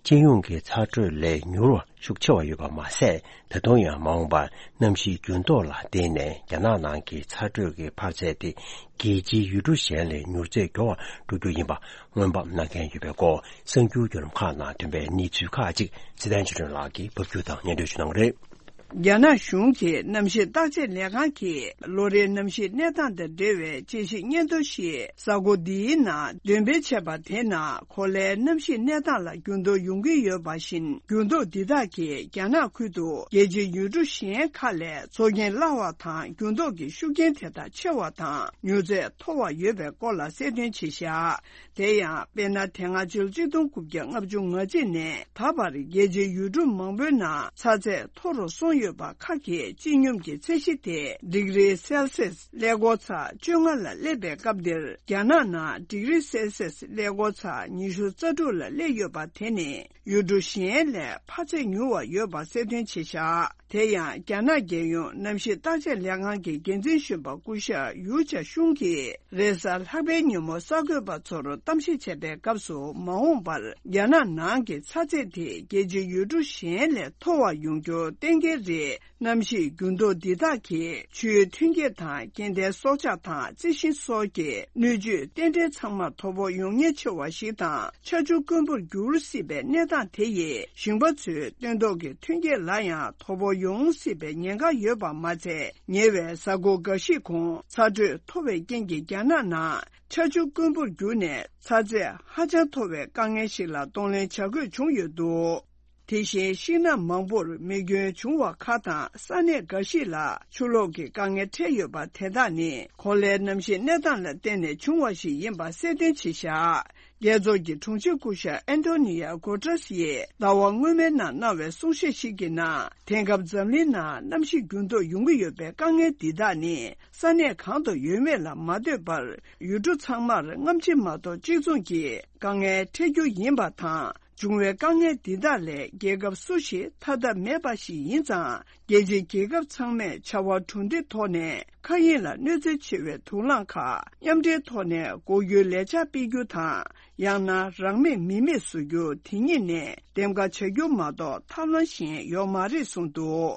སྤྱི་ཡོངས་ཀྱི་ཚ་དྲོད་ལས་མྱུར་བ་ཤུགས་ཆེ་བ་ཡོད་པ་མ་ཟད། ད་དུང་ཡང་མ་འོངས་པར་གནམ་གཤིས་འགྱུར་ལྡོག་ལ་བརྟེན་ནས་རྒྱ་ནག་ནང་གི་ཚ་དྲོད་ཀྱི་འཕར་ཚད་དེ་རྒྱལ་སྤྱིའི་ཡུལ་གྲུ་གཞན་ལས་མྱུར་ཚད་མགྱོགས་པར་འགྲོ་རྒྱུ་ཡིན་པ་སྔོན་དཔག་གནང་མཁན་ཡོད་པའི་སྐོར་གསར་འགྱུར་བརྒྱུད་ལམ་ཁག་ནང་ཐོན་པའི་གནས་ཚུལ་ཁག་ཅིག་ཚེ་བརྟན་ཆོས་སྒྲོན་ལགས་ཀྱིས་ཕབ་སྒྱུར་དང་སྙན་སྒྲོན་ཞུ་གནང་གི་རེད། རྒྱ་ནག་གཞུང་གི་གནམ་གཤིས་བརྟག་དཔྱད་ལས་ཁང་གིས་ལོ་རེའི་གནམ་གཤིས་གནས་སྟངས་དང་འབྲེལ་བའི་དཔྱད་ཞིབ་སྙན་ཐོ་ཞིག་གཟའ་འཁོར་འདིའི་ནང་འདོན་སྤེལ་བྱས་པ་དེའི་ནང་གོ་ལའི་གནམ་གཤིས་གནས་སྟངས་ལ་འགྱུར་ལྡོག་ཡོང་གི་ཡོད་པ་བཞིན། འགྱུར་ལྡོག་འདི་དག་གིས་རྒྱ་ནག་ཁུལ་དུ་རྒྱལ་སྤྱིའི་ཡུལ་གྲུ་གཞན་ཁག་ལས་ཚོར་སྐྱེན་སླ་བ་དང་། འགྱུར་ལྡོག་གི་ཤུགས་རྐྱེན་དེ་དག་ཆེ་བ་དང་མྱུར་ཚད་མཐོ་བ་ཡོད་པའི་སྐོར་ལ་གསལ་སྟོན་བྱས་བཞག་དེ་ཡང་དཔེར་ན། དེ་སྔ་ཕྱི་ལོ་ཆིག་སྟོང་དགུ་བརྒྱ་ལྔ་བཅུ་ང་གཅིག་ནས་ད་བར་རྒྱལ་སྤྱིའི་ཡུལ་གྲུ་མང་པོའི་ནང་ཚ་ཚད་མཐོ་རུ་སོང་ཡོད་པ་ཁག་གི་སྤྱི་སྙོམས་ཀྱི་ཚད་གཞི་དེ་ཌིག་རི་སེལ་སིས་ཀླད་ཀོར་ཚ་བཅོ་ལྔ་ལ་སླེབས་པའི་སྐབས་འདིར། རྒྱ་ནག་ནང་ཌིག་རི་སེལ་སིས་ཀླད་ཀོར་ཚ་ཉི་ཤུ་རྩ་དྲུག་ལ་སླེབས་ཡོད་པ་དེ་ནི་ཡུལ་གྲུ་གཞན་ལས་འཕར་ཚད་མྱུར་བ་ཡོད་པ་གསལ་སྟོན་བྱས་བཞག་དེ་ཡང་རྒྱ་ནག་རྒྱལ་ཡོངས་གནམ་གཤིས་བརྟག་དཔྱད་ལས་ཁང་གི་འགན་འཛིན་གཞོན་པ་སྐུ་ཞབས་ཡུའུ་ཅཱ་ཤུང་གིས་རེས་གཟའ་ལྷག་པའི་ཉིན་མོ་གསར་འགོད་པ་ཚོར་གཏམ་བཤད་བྱས་པའི་སྐབས་སུ། མ་འོངས་པར་རྒྱ་ནག་ནང་གི་ཚ་ཚད་དེ་རྒྱལ་སྤྱིའི་ཡུལ་གྲུ་གཞན་ལས་མཐོ་བ་ཡོང་རྒྱུ་གཏན་འཁེལ་ རེད། གནམ་གཤིས་འགྱུར་ལྡོག་འདི་དག་གིས་ཆུའི་ཐོན་སྐྱེད་དང་སྐྱེ་ལྡན་སྲོག་ཆགས་དང་རྩི་ཤིང་སོགས་ཀྱི་སྣོད་བཅུད་རྟེན་འབྲེལ་ཚང་མར་དོ་ཕོག་ཡོང་ཉེན་ཆེ་བ་ཞིག་དང་། ཆར་ཆུ་དཀོན་པོར་འགྱུར་སྲིད་པའི་གནས་སྟངས་དེ་ཡིས་ཞིང་པ་ཚོའི་སྟོན་ཐོག་གི་ཐོན་སྐྱེད་ལ་ཡང་དོ་ཕོག་ཡོང་སྲིད་པའི་ཉེན་ཁ་ཡོད་པ་མ་ཚད། ཉེ་བའི་གཟའ་འཁོར་འགའ་ཞིག་གོང་ཚ་དྲོད་མཐོ་བའི་རྐྱེན་གྱིས་རྒྱ་ནག་ནང་ཆར་ཆུ་དཀོན་པོར་གྱུར་ནས་ཚ་ཚད་ཧ་ཅང་མཐོ་བའི་དཀའ་ངལ་ཞིག་ལ་གདོང་ལེན་བྱ་དགོས་བྱུང་ཡོད་འདུག་དེ་བཞིན་ཤིང་ནགས་མང་པོར་མེ་སྐྱོན་བྱུང་བ་ཁག་དང་། ས་གནས་འགའ་ཞིག་ལ་ཆུ་ལོག་གི་དཀའ་ངལ་འཕྲད་ཡོད་པ་དེ་དག་ནི་གོ་ལའི་གནམ་གཤིས་གནས་སྟངས་ལ་བརྟེན་ནས་བྱུང་བ་ཞིག་ཡིན་པ་གསལ་སྟོན་བྱས་བཞག་རྒྱལ་ཚོགས་ཀྱི་དྲུང་ཆེ་སྐུ་ཞབས་ཨན་ཏོ་ནི་ཡ་གོ་ཏྲེས་ཡིས་ཟླ་བ་སྔོན་མའི་ནང་གནང་བའི་གསུང་བཤད་ཞིག་གི་ནང་། དེང་སྐབས་འཛམ་གླིང་ནང་གནམ་གཤིས་འགྱུར་ལྡོག་ཡོང་གི་ཡོད་པའི་དཀའ་ངལ་འདི་དག་ནི་ས་གནས་གང་དུ་ཡོད་མེད་ལ་མ་ལྟོས་པར། ཡུལ་གྲུ་ཚང་མར་སྔ་ཕྱི་མ་གཏོགས་གཅིག་མཚུངས་ཀྱི་དཀའ་ངལ་འཕྲད་རྒྱུ་ཡིན་པ་དང་། བྱུང་བའི་དཀའ་ངལ་འདི་དག་ལས་རྒྱལ་ཁབ་སུ་ཞིག་ཐར་ཐབས་མེད་པ་ཞིག་ཡིན་ཙང་། རྒྱལ་སྤྱིའི་རྒྱལ་ཁབ་ཚང་མས་བྱ་བ་གྲུབ་འབྲས་ཐོག་ནས་མཁའ་དབྱིངས་ལ་གནོད་འཚེ་ཆེ་བའི་དུག་རླངས་ཁག་མཉམ་འབྲེལ་ཐོག་ནས་འགོག་རྒྱུའི་ལས་འཆར་སྤེལ་རྒྱུ་དང་། ཡང་ན་རང་མེད་མི་མེད་བཟོ་རྒྱུ་དེ་ཉིད་ནས་འདེམས་ཀ་བྱ་རྒྱུ་མ་གཏོགས་ཐབས་ལམ་གཞན་ཡོད་མ་རེད་གསུངས་འདུག་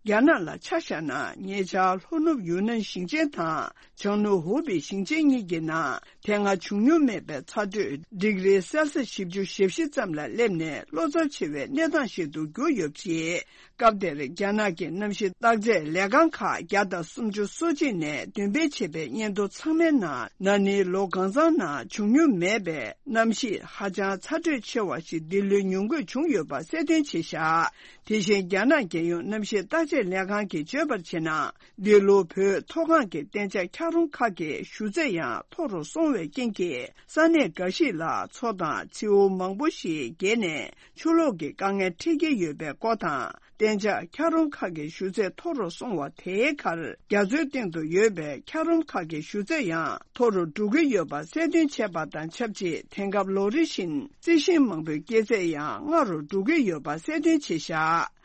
རྒྱ་ནག་ལ་ཆ་བཞག་ན། ཉེ་ཆར་ལྷོ་ནུབ་ཡུན་ནན་ཞིང་ཆེན་དང་བྱང་ནུབ་ཧུ་པེ་ཞིང་ཆེན་གཉིས་ཀྱི་ནང་དེ་སྔ་བྱུང་མྱོང་མེད་པའི་ཚ་དྲོད་ཌིག་རི་སེལ་སི་བཞི་བཅུ་ཞེ་བཞི་ཙམ་ལ་སླེབས་ནས། བློ་འཚབ་ཆེ་བའི་གནས་སྟངས་ཤིག་ཏུ་གྱུར་ཡོད་པ་རེད། སྐབས་དེར་རྒྱ་ནག་གི་གནམ་གཤིས་བརྟག་དཔྱད་ལས་ཁང་ཁག་བརྒྱ་དང་སུམ་ཅུ་སོ་གཅིག་ནས་འདོན་སྤེལ་བྱས་པའི་སྙན་ཐོ་ཚང་མའི་ནང་། ན་ནིང་ལོ་གང་ཚང་ནང་བྱུང་མྱོང་མེད་པའི་གནམ་གཤིས་ཧ་ཅང་ཚ་དྲོད་ཆེ་བ་ཞིག་འདི་ལོའི་ཉུང་འགོས་བྱུང་ཡོད་པ་གསལ་སྟོན་བྱས་བཞག་དེ་བཞིན་རྒྱ་ནག་རྒྱལ་ཡོངས་གནམ་གཤིས་བརྟག་དཔྱད་ལས་ཁང་གིས་བརྗོད་པར་བྱས་ན། འདི་ལོ་བོད་མཐོ་སྒང་གི་གཏན་འཇགས་འཁྱགས་རོམ་ཁག་གི་ཞུ་ཚད་ཡང་མཐོ་རུ་སོང་བའི་རྐྱེན་གྱིས། ས་གནས་འགའ་ཞིག་ལ་མཚོ་དང་མཚེའུ་མང་པོ་ཞིག་རྒྱས་ནས། ཆུ་ལོག་གི་དཀའ་ངལ་འཕྲད་ཀྱི་ཡོད་པའི་སྐོར་དང་། གཏན་འཇགས་འཁྱགས་རོམ་ཁག་གི་ཞུ་ཚད་མཐོ་རུ་སོང་བ་དེའི་ཁར། རྒྱ་མཚོའི་སྟེང་དུ་ཡོད་པའི་འཁྱགས་རོམ་ཁག་གི་ཞུ་ཚད་ཡང་མཐོ་རུ་འགྲོ་གི་ཡོད་པ་གསལ་སྟོན་བྱས་པ་དང་ཆབས་ཅིག་དེང་སྐབས་ལོ་རེ་བཞིན་རྩི་ཤིང་མང་པོའི་སྐྱེ་ཚད་ཡང་སྔ་རུ་འགྲོ་གི་ཡོད་པ་གསལ་སྟོན་བྱས་བཞག་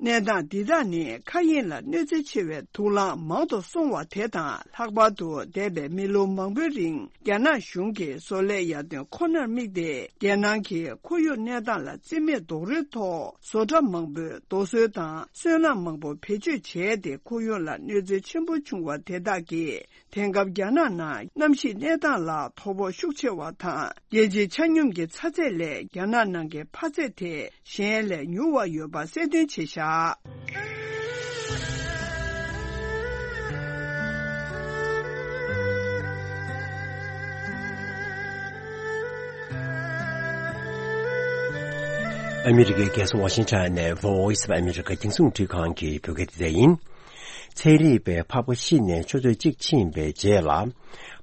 གནས་སྟངས་འདི་དག་ནི་མཁའ་དབྱིངས་ལ་གནོད་འཚེ་ཆེ་བའི་དུག་རླངས་མང་དུ་སོང་བ་དེ་དང་། ལྷག་པར་དུ་འདས་པའི་མི་ལོ་མང་པོའི་རིང་རྒྱ་ནག་གཞུང་གིས་བཟོ་ལས་ཡར་ཐོན་ཁོ་ནར་དམིགས་ཏེ། རྒྱལ་ནང་གི་ཁོར་ཡུག་གནས་སྟངས་ལ་རྩིས་མེད་རྡོག་རོལ་ཐོག་བཟོ་གྲྭ་མང་པོས་རྡོ་སོལ་དང་སོལ་རླངས་མང་པོ་བེད་སྤྱོད་བྱས་ཏེ། ཁོར་ཡུག་ལ་གནོད་འཚེ་ཆེན་པོ་བྱུང་བ་དེ་དག་གིས། དེང་སྐབས་རྒྱ་ནག་ནང་གནམ་གཤིས་གནས་སྟངས་ལ་དོ་ཕོག་ཤུགས་ཆེ་བ་དང་། རྒྱལ་སྤྱིའི་ཆ་སྙོམས་ཀྱི་ཚ་ཚད་ལས་རྒྱ་ནག་ནང་གི་འཕར་ཚད་དེ་གཞན་ལས་མྱུར་བ་ཡོད་པ་གསལ་སྟོན་བྱས་བཞག་ཨ་མི་རི་ཀའི་རྒྱལ་ས་ཝ་ཤིང་ཊོན་ནས་Voice of America རྒྱང་སྲིང་རླུང་འཕྲིན་ཁང་གི་བོད་སྐད་སྡེ་ཚན་ཡིན། ཚན་རིག་པས་ཕག་པ་ཤི་ནས་ཆུ་ཚོད་གཅིག་ཕྱིན་པའི་རྗེས་ལ།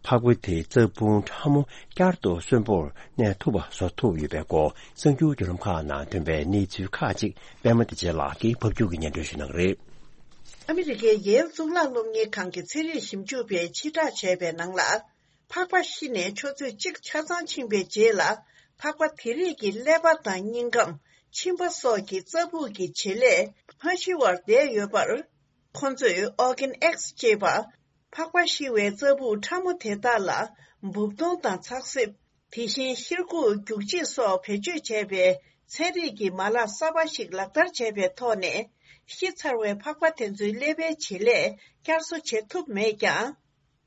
ཕག་པ་དེའི་རྩ་སྤུ་ཕྲ་མོ་བསྐྱར་དུ་གསོན་པོར་གནས་ཐུབ་པ་བཟོ་ཐུབ་ཡོད་པའི་སྐོར་གསར་འགྱུར་བརྒྱུད་ལམ་ཁག་ནང་ཐོན་པའི་གནས་ཚུལ་ཁག་ཅིག་པད་མ་བདེ་ཆེན་ལགས་ཀྱིས་ཕབ་སྒྱུར་གྱིས་སྙན་སྒྲོན་ཞུ་གནང་གི་རེད། ཨ་མི་རི་ཀའི་ཡེལ་གཙུག་ལག་སློབ་གཉེར་ཁང་གི་ཚན་རིག་ཞིབ་འཇུག་པས་ཕྱིར་བསྒྲགས་བྱས་པའི་ནང་ལ། ཕག་པ་ཤི་ནས་ཆུ་ཚོད་གཅིག་ཆ་ཚང་ཕྱིན་པའི་རྗེས་ལ། ཕག་པ་དེ་རིགས་ཀྱི་ཀླད་པ་དང་སྙིང་ཁམས། མཆིན་པ་སོགས་ཀྱི་རྩ་སྦུག་གི་བྱེད་ལས་མ་ཤི་བར་བསྡད་ཡོད་པར། ཁོ་ཚོས་Organ X ཅེས་པ། ཕག་པ་ཤི་བའི་རྩ་སྦུག་ཕྲ་མོ་དེ་དག་ལ་འབུབ་སྡོང་དང་ཚགས་སྲེབ། དེ་བཞིན་ཤེལ་སྒོ་རྒྱུག་ཆས་སོགས་བེད་སྤྱོད་བྱས་པའི་ཚན་རིག་གི་མ་ལག་གསར་པ་ཞིག་ལག་བསྟར་བྱས་པའི་ཐོག་ནས། ཤི་ཚར་བའི་ཕག་པ་དེ་ཚོའི་ཀླད་པའི་བྱེད་ལས་བསྐྱར་གསོ་བྱེད་ཐུབ་མེད་ཀྱང་།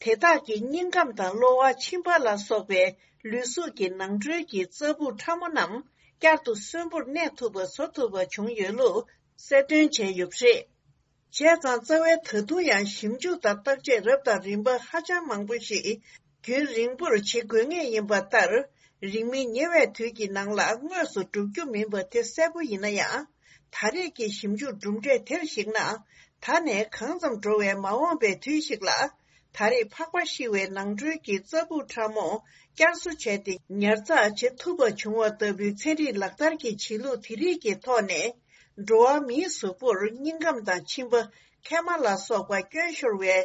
དེ་དག་གི་སྙིང་ཁམས་དང་གློ་བ། མཆིན་པ་ལ་སོགས་པའི་ལུས་གཟུགས་ཀྱི་ནང་ཁྲོལ་གྱི་རྩ་སྦུག་ཕྲ་མོ་རྣམས་བསྐྱར་དུ་གསོན་པོར་གནས་ཐུབ་པ་བཟོ་ཐུབ་པ་བྱུང་ཡོད་ལུགས་གསལ་སྟོན་བྱས་ཡོད་པ་རེད། བྱས་ཙང་རྩ་བའི་ད་དུང་ཡང་ཞིབ་འཇུག་དང་བརྟག་དཔྱད་རབ་དང་རིམ་པ་ཧ་ཅང་མང་པོ་ཞིག་རྒྱུན་རིང་པོར་བྱེད་དགོས་ངེས་ཡིན་པ་ལྟར། རིང་མིན་ཉེ་བའི་དུས་ཀྱི་ནང་ལ་དངོས་སུ་འགྲུབ་རྒྱུ་མིན་པ་དེ་གསལ་པོ་ཡིན་ན་ཡང་། ད་རེས་ཀྱི་ཞིབ་འཇུག་གྲུབ་འབྲས་དེར་གཞིགས་ན། ད་ནས་གང་ཙམ་འགྲོ་བའི་མ་འོངས་པའི་དུས་ཤིག་ལ། ད་རེས་ཕག་པ་ཤི་བའི་ནང་ཁྲོལ་གྱི་རྩ་སྦུག་ཕྲ་མོ་བསྐྱར་གསོ་བྱས་ཏེ་ཉར་ཚགས་བྱེད་ཐུབ་པ་བྱུང་བ་ལྟ་བུའི་ཚན་རིག་ལག་བསྟར་གྱི་བྱེད་ལུགས་དེ་རིགས་ཀྱི་ཐོག་ནས། འགྲོ་བ་མིའི་གཟུགས་པོར་སྙིང་ཁམས་དང་མཆིན་པ། མཁལ་མ་ལ་སོགས་པ་སྐྱོན་ཤོར་བའི་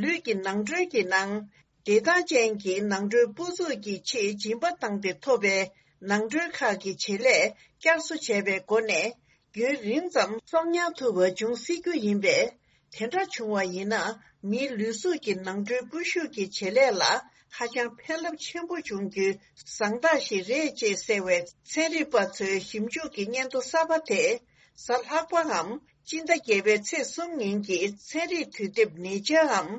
ལུས་ཀྱི་ནང་ཁྲོལ་གྱི་ནང་། བདེ་ཐང་ཅན་གྱི་ནང་ཁྲོལ་སྤུ་གཟུགས་ཀྱི་ཆེས་སྦྱིན་པ་བཏང་སྟེ་ཐོབ་པའི་ནང་ཁྲོལ་ཁག་གི་བྱེད་ལས་བསྐྱར་གསོ་བྱས་པའི་སྒོ་ནས། རྒྱུན་རིང་ཙམ་གསོག་ཉར་ཐུབ་པ་འབྱུང་སྲིད་རྒྱུ་ཡིན་པས། དེ་འདྲ་བྱུང་བ་ཡིན་ན། མིའི་ལུས་གཟུགས་ཀྱི་ནང་ཁྲོལ་སྤུ་ཤུགས་ཀྱི་བྱེད་ལས་ལ་ཧ་ཅང་ཕན་རླབས་ཆེན་པོ་འབྱུང་རྒྱུའི་བཟང་རྟགས་ཤིག་རེད་ཅེས་གསལ་བའི་ཚན་རིག་པ་ཚོའི་ཞིབ་འཇུག་གི་སྙན་ཐོ་གསར་པ་དེས། གཟའ་ལྷག་པའམ་སྤྱི་ཟླ་བརྒྱད་པའི་ཚེས་གསུམ་ཉིན་གྱི་ཚན་རིག་དུས་དེབ་ནེ་ཅར་འམ་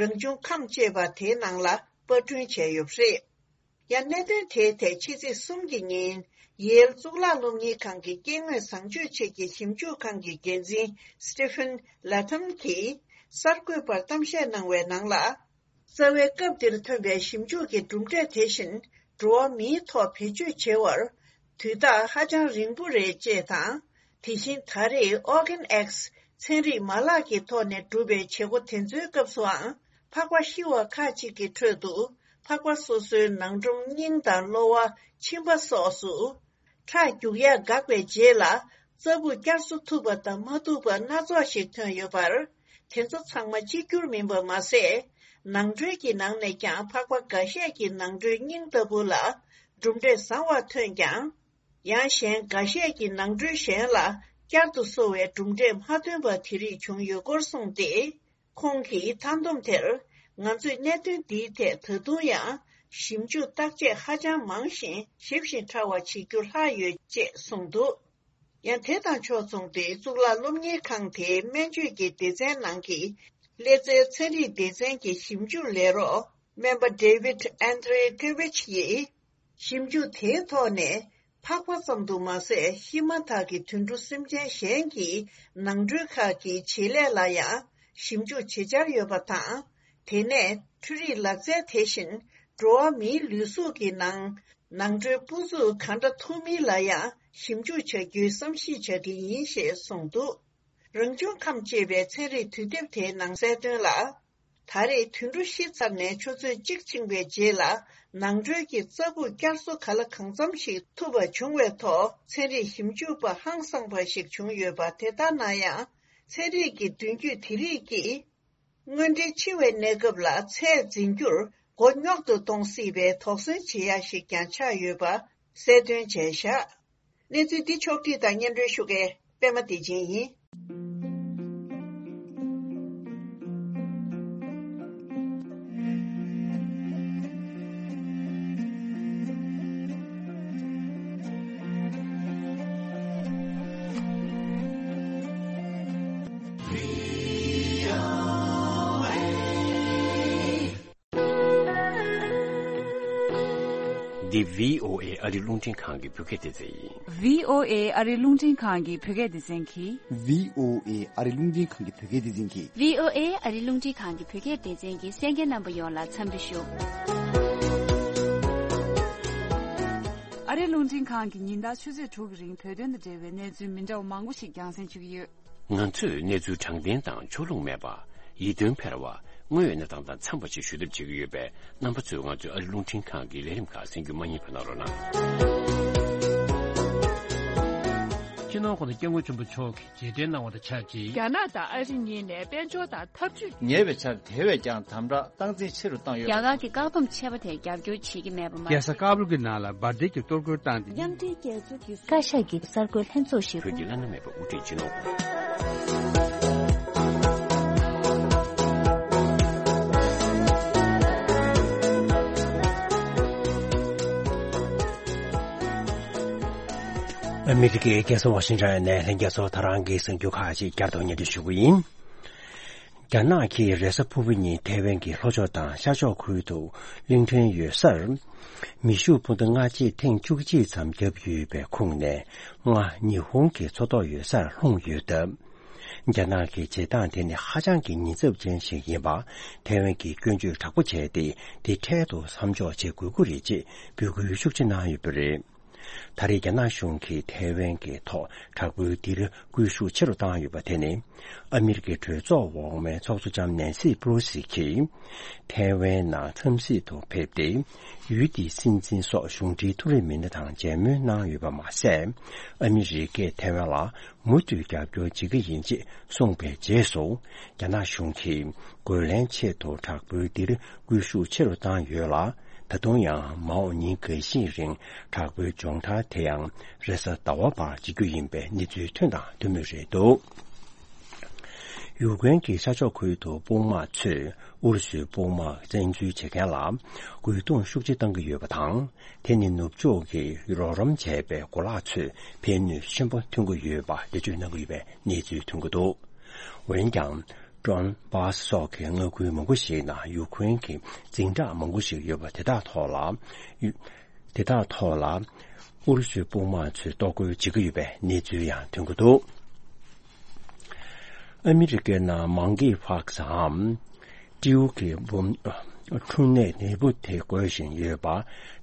རང་བྱུང་ཁམས་ཅེས་པ་དེའི་ནང་ལ་པར་སྐྲུན་བྱས་ཡོད་པ་རེད། ཡང་གནད་དོན་དེའི་ཐད་ཕྱི་ཚེས་གསུམ་གྱི་ཉིན་ཡེལ་གཙུག་ལག་སློབ་གཉེར་ཁང་གི་སྐྱེ་དངོས་བཟང་སྤྱོད་ཆེད་ཀྱི་ཞིབ་འཇུག་ཁང་གི་འགན་འཛིན་Stephen Latham གྱིས་གསར་འགོད་པར་གཏམ་བཤད་གནང་བའི་ནང་ལ། རྩ་བའི་སྐབས་འདིར་ཐོན་པའི་ཞིབ་འཇུག་གི་གྲུབ་འབྲས་དེ་བཞིན་འགྲོ་བ་མིའི་ཐོག་བེད་སྤྱོད་བྱེད་པར་དུས་རྟགས་ཧ་ཅང་རིང་པོ་རེད་ཅེས་དང་། དེ་བཞིན་ད་རེས་Organ X ཚན་རིག་མ་ལག་གི་ཐོག་ནས་གྲུབ་པའི་བྱེད་སྒོ་དེ་ཚོའི་སྐབས་སུའང་ཕག་པ་ཤི་བ་ཁག་ཅིག་གི་ཁྲོད་དུ་ཕག་པ་སོ་སོའི་ནང་ཁྲོམ་སྙིང་དང་གློ་བ། མཆིན་པ་སོགས་སུ། ཁྲག་རྒྱུག་ཡག་འགག་པའི་རྗེས་ལ་རྩ་སྦུག་བསྐྱར་གསོ་ཐུབ་པ་དང་མ་ཐུབ་པ་སྣ་ཚོགས་ཤིག་ཐོན་ཡོད་པར། དེ་ཚོ་ཚང་མ་གཅིག་གྱུར་མིན་པ་མ་ཟད། ནང་ཁྲོལ་གྱི་ནང་ནས་ཀྱང་ཕག་པ་འགའ་ཤས་ཀྱི་ནང་ཁྲོལ་སྙིང་ལྟ་བུ་ལ་གྲུབ་འབྲས་བཟང་བ་ཐོན་ཀྱང་། ཡང་གཞན་འགའ་ཤས་ཀྱི་ནང་ཁྲོལ་གཞན་ལ་བསྐྱར་དུ་གསོ་བའི་གྲུབ་འབྲས་མ་ཐོན་པ་དེ་རིགས་བྱུང་ཡོད་སྐོར་གསུངས་ཏེ། ཁོང་གིས་མཐའ་བསྡོམས་དེར། ང་ཚོས་གནད་དོན་འདིའི་ཐད་ད་དུང་ཡང་ཞིབ་འཇུག་བརྟག་དཔྱད་ཧ་ཅང་མང་ཞིང་ཞིབ་ཞིང་ཕྲ་བ་བྱེད་རྒྱུ་ལྷག་ཡོད་ཅེས་གསུངས་འདུག་ཡང་དེ་དང་ཕྱོགས་མཚུངས་ཏེ་གཙུག་ལག་སློབ་གཉེར་ཁང་དེའི་སྨན་བཅོས་ཀྱི་སྡེ་ཚན་ནང་གི་ཀླད་རྩའི་ཚན་རིག་སྡེ་ཚན་གྱི་ཞིབ་འཇུག་ལས་རོགས་སྨན་པ་David Andreevich ཡིས། ཞིབ་འཇུག་དེའི་ཐོག་ནས་ཕག་པ་ཙམ་དུ་མ་ཟད་ཤི་མ་ཐག་གི་དུད་འགྲོ་སེམས་ཅན་གཞན་གྱི་ནང་ཁྲོལ་ཁག་གི་བྱེད་ལས་ལ་ཡང་ཞིབ་འཇུག་བྱེད་འཆར་ཡོད་པ་དང་། དེ་ནས་འཕྲུལ་རིག་ལག་རྩལ་དེ་བཞིན་འགྲོ་བ་མིའི་ལུས་གཟུགས་ཀྱི་ནང་ནང་ཁྲོལ་སྤུ་འཛུགས་གང་འདྲ་ཐུབ་མིན་ལ་ཡང་ཞིབ་འཇུག་བྱ་རྒྱུའི་བསམ་གཞིག་བྱ་གི་ཡིན་ཞེས་གསུངས་འདུག་རང་བྱུང་ཁམས་ཅེས་པའི་ཚན་རིག་དུས་དེབ་དེའི་ནང་གསལ་དོན་ལ། ད་རེས་དུད་འགྲོ་ཤི་ཚར་ནས་ཆུ་ཚོད་གཅིག་ཕྱིན་པའི་རྗེས་ལ་ནང་ཁྲོལ་གྱི་རྩ་སྦུག་བསྐྱར་གསོ་ག་ལ་གང་འཚམ་ཞིག་ཐུབ་པ་བྱུང་བའི་ཐོག་ཚན་རིག་ཞིབ་འཇུག་པ་ཧང་སངས་པ་ཞིག་བྱུང་ཡོད་པ་དེ་ལྟར་ན་ཡང་། ཚན་རིག་གི་མདུན་སྐྱོད་དེ་རིགས་ཀྱིས། དངོས་འབྲེལ་འཆི་བའི་གནས་སྐབས་ལ་ཚད་འཛིན་རྒྱུར་མགོ་རྙོག་ཏུ་གཏོང་སྲིད་པའི་དོགས་ཟོན་བྱེད་ཡ་ཞིག་ཀྱང་ཆགས་ཡོད་པ་གསལ་སྟོན་བྱས་བཞག་གནས་ཚུལ་འདི་ཕྱོགས་བསྒྲིགས་དང་སྙན་སྒྲོན་ཞུ་མཁན་པད་མ་བདེ་ཆེན་ཡིན། འདི་བྷི་ཨོ་ཨེ་ཨ་རི་རླུང་འཕྲིན་ཁང་གི་བོད་སྐད་སྡེ་ཚན་ཡིན། བྷི་ཨོ་ཨེ་ཨ་རི་རླུང་འཕྲིན་ཁང་གི་བོད་སྐད་སྡེ་ཚན་གྱིས། བྷི་ཨོ་ཨེ་ཨ་རི་རླུང་འཕྲིན་ཁང་གི་བོད་སྐད་སྡེ་ཚན་གྱིས། བྷི་ཨོ་ཨེ་ཨ་རི་རླུང་འཕྲིན་ཁང་གི་བོད་སྐད་སྡེ་ཚན་གྱི་གསན་མཁན་རྣམ་པ་ཡོངས་ལ་འཚམས་འདྲི་ཞུ། ཨ་རི་རླུང་འཕྲིན་ཁང་གིས་ཉིན་ལྟར་ཆུ་ཚོད་དྲུག་གི་རིང་བོད་དོན་དང་འབྲེལ་བའི་གནས་ཚུལ་མི་འདྲ་བ་མང་པོ་ཞིག་རྒྱང་སྲིང་ཞུ་གི་ཡོད། ང་ཚོས་གནས་ཚུལ་དྲང་བདེན་དང་ཕྱོགས་ལྷུང་མེད་པ། ཡིད་རྟོན་འཕེར་བ། དངོས་ཡོད་གནས་སྟངས་དང་འཚམས་པ་ཞིག་ཞུ་ཐབས་བྱེད་ཀྱི་ཡོད་པས། རྣམ་པ་ཚོས་ང་ཚོའི་ཨ་རི་རླུང་འཕྲིན་ཁང་གི་ལས་རིམ་ཁག་གསན་རྒྱུ་མ་བསྙེལ་བ་གནང་རོགས་གནང་། སྤྱི་ནོར་༧གོང་ས་༧སྐྱབས་མགོན་ཆེན་པོ་མཆོག་གིས་རྗེས་དྲན་གནང་བ་དང་ཆབས་ཅིག་རྒྱ་ནག་དང་ཨ་རི་གཉིས་ནས་དཔལ་འབྱོར་དང་འཐབ་ཇུས། ཉེ་བའི་ཆར་དེ་བས་ཀྱང་དམ་དྲག་སྟངས་འཛིན་ཆེ་རུ་བཏང་ཡོད། རྒྱ་གར་གྱི་བཀག་སྡོམ་ཆད་པ་དེར་རྒྱབ་སྐྱོར་བྱེད་ཀྱི་མེད་པ་མ་རྒྱལ་ས་ཀ་བུལ་གྱི་ནང་ལ་འབར་མདེལ་གྱི་གཏོར་རྒོལ་བཏང་སྟེ། མཉམ་འབྲེལ་རྒྱལ་ཚོགས་ཀྱི་བཀའ་ཤག་གི་གསར་འགོད་ལྷན་ཚོགས་ཤིག་བོད་ཀྱི་བླ་ན་མེད་པ་དབུ་ཁྲིད་སྤྱི་ནོར་ཨ་མི་རི་ཀའི་རྒྱལ་ས་ཝ་ཤིང་ཊོན་ནས་ལྷན་རྒྱས་ཚོར་ད་རང་གི་གསར་འགྱུར་ཁག་ཅིག་བསྐྱར་དུ་སྙན་སྒྲོན་ཞུ་གི་ཡིན། རྒྱ་ནག་གིས་རེས་གཟའ་ཕུར་བུ་ཉིན་ཐའེ་ཝན་གྱི་ལྷོ་ཕྱོགས་དང་ཤར་ཕྱོགས་ཁུལ་དུ་གླིང་ཕྲན་ཡོད་སར། མེ་ཤུགས་འཕུར་མདའ་སྔ་རྗེས་ཐེངས་བཅུ་གཅིག་ཙམ་བརྒྱབ་ཡོད་པའི་ཁོངས་ནས། སྔ་ཉི་ཧོང་གི་མཚོ་ཐོག་ཡོད་སར་ལྷུང་ཡོད་སྟབས། རྒྱ་ནག་གི་བྱེད་སྟངས་དེ་ནི་ཧ་ཅང་གི་ཉེན་ཚབས་ཅན་ཞིག་ཡིན་པ། ཐའེ་ཝན་གྱིས་སྐྱོན་བརྗོད་དྲག་པོ་བྱས་ཏེ། དེ་འཕྲལ་དུ་མཚམས་འཇོག་བྱེད་དགོས་ཀྱི་རེད་ཅེས་འབོད་སྐུལ་ཤུགས་ཆེ་གནང་ཡོད་པ་རེད། ད་རེས་རྒྱ་ནག་གཞུང་གིས་ཐའེ་ཝན་གྱི་ཐོག་དྲག་པོའི་ལྡིར་སྐུལ་ཤུགས་ཆེ་རུ་བཏང་ཡོད་པ་དེ་ནི། ཨ་མི་རི་ཀའི་གྲོས་ཚོགས་འོག་མའི་ཚོགས་གཙོ་ལྕམ་ནན་སི་པེ་ལོ་སི་གྱིས། ཐའེ་ཝན་ནང་འཚམས་གཟིགས་དུ་ཕེབས་ཏེ། ཡུལ་དེའི་སྲིད་འཛིན་སོགས་གཞུང་འབྲེལ་མཐོ་རིམ་མི་སྣ་དང་མཇལ་མོལ་གནང་ཡོད་པ་མ་ཟད། ཨ་མི་རི་ཀས་ཐའེ་ཝན་ལ་མུ་མཐུད་རྒྱབ་སྐྱོར་བྱེད་ཀྱི་ཡིན་ཅེས་གསུངས་པའི་རྗེས་སུ། རྒྱ་ནག་གཞུང་གིས་རྒོལ་ལན་ཆེད་དུ་དྲག་པོའི་ལྡིར་སྐུལ་ཤུགས་ཆེ་རུ་བཏང་ཡོད་ལ། ད་དུང་ཡང་མ་འོངས་ཉིན་འགའ་ཤས་རིང་དྲག་པོའི་སྦྱོང་བརྡར་དེ་ཡང་རེས་གཟའ་ཟླ་བ་བར་བྱེད་རྒྱུ་ཡིན་པའི་གནས་ཚུལ་ཐོན་དང་ཐོན་མུས་རེད་འདུག་ཡུཀ་རེན་གྱི་ཤར་ཕྱོགས་ཁུལ་དུ་དཔུང་དམག་ཚོས་ ཨུ་རུ་སུའི་དཔུང་དམག་བཙན་འཛུལ་བྱེད་མཁན་ལ་རྒོལ་རྡུང་ཤུགས་ཆེ་བཏང་གི་ཡོད་པ་དང་། དེ་ནི་ནུབ་ཕྱོགས་ཀྱིས་རོགས་རམ་བྱས་པའི་གོ་ལག་ཚོས་ཕན་ནུས་ཆེན་པོ་ཐོན་གྱི་ཡོད་པ་འགྲེལ་བརྗོད་གནང་གི་ཡོད་པའི་གནས་ཚུལ་ཐོན་གྱི་འདུག་འོན་ཀྱང་། ཀྲོན་བཱ་སི་སོགས་ཀྱི་མངའ་ཁུལ་མང་པོ་ཞིག་ནང་ཡུ་ཁུ་རེན་གྱི་འཛིང་རགས་མང་པོ་ཞིག་ཡོད་པ་དེ་དག་ཐོག་ལ། དེ་དག་ཐོག་ལ་ཨུ་རུ་སུའི་དཔུང་དམག་ཚོས་གཏོར་རྒོལ་བྱེད་ཀྱི་ཡོད་པའི་གནས་ཚུལ་ཡང་ཐོན་གྱི་འདུག་ཨ་མི་རི་ཀའི་ནང་མང་གི་ཕག་སའམ་སྤྲེའུ་གི་འབུམ་འཁྲུངས་གནས་ནད་འབུ་དེ་འགོས་བཞིན་ཡོད་པ་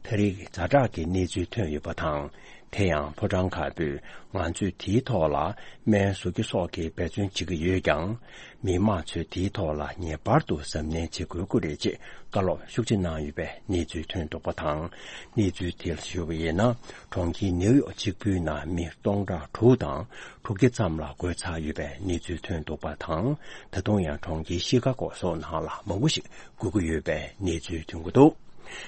ད་རེས་ཛ་དྲག་གི་གནས་ཚུལ་ཐོན་ཡོད་པ་དང་། དེ་ཡང་ཕོ་བྲང་དཀར་པོས་ང་ཚོས་དེའི་ཐོག་ལ་སྨན་བཟོ་རྒྱུ་སོགས་ཀྱི་འབད་བརྩོན་བྱེད་ཀྱི་ཡོད་ཀྱང་། མི་དམངས་ཚོས་དེའི་ཐོག་ལ་ངེས་པར་དུ་གཟབ་ནན་བྱེད་དགོས་ཀྱི་རེད་ཅེས་བཀའ་སློབ་ཤུགས་ཆེ་གནང་ཡོད་པའི་གནས་ཚུལ་ཐོན་འདུག་པ་དང་། གནས་ཚུལ་དེར་ཞུས་པ་ཡིན་ན། གྲོང་ཁྱེར་ནེའུ་ཡོག་གཅིག་པུའི་ནང་མི་སྟོང་ཕྲག་དྲུག་དང་དྲུག་བརྒྱ་ཙམ་ལ་འགོས་ཚར་ཡོད་པའི་གནས་ཚུལ་ཐོན་འདུག་པ་དང་། ད་དུང་ཡང་གྲོང་ཁྱེར་ཤི་ཀ་གོ་སོགས་ནང་ལ་མང་པོ་ཞིག་འགོས་ཀྱི་ཡོད་པའི་གནས་ཚུལ་ཐོན་གྱི་འདུག་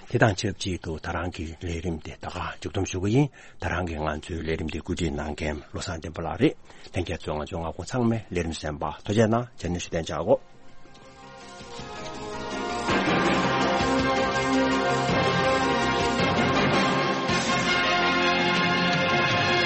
དེ་དང་ཆབས་ཅིག་ཏུ་ད་རང་གི་ལས་རིམ་དེ་ད་ག་མཇུག་བསྡོམས་ཞུ་གི་ཡིན། ད་རང་གི་ང་ཚོའི་ལས་རིམ་དེ་བཀོད་སྒྲིག་གནང་མཁན་བློ་བཟང་བསྟན་པ་ལགས་རེད། ལྷན་རྒྱས་ཚོས་ང་ཚོའི་སྔ་དགོང་ཚང་མའི་ལས་རིམ་གསན་པ་ཐུགས་རྗེ་གནང་། ཇ་ནི་ཞུ་བསྟན་བྱ་གོ།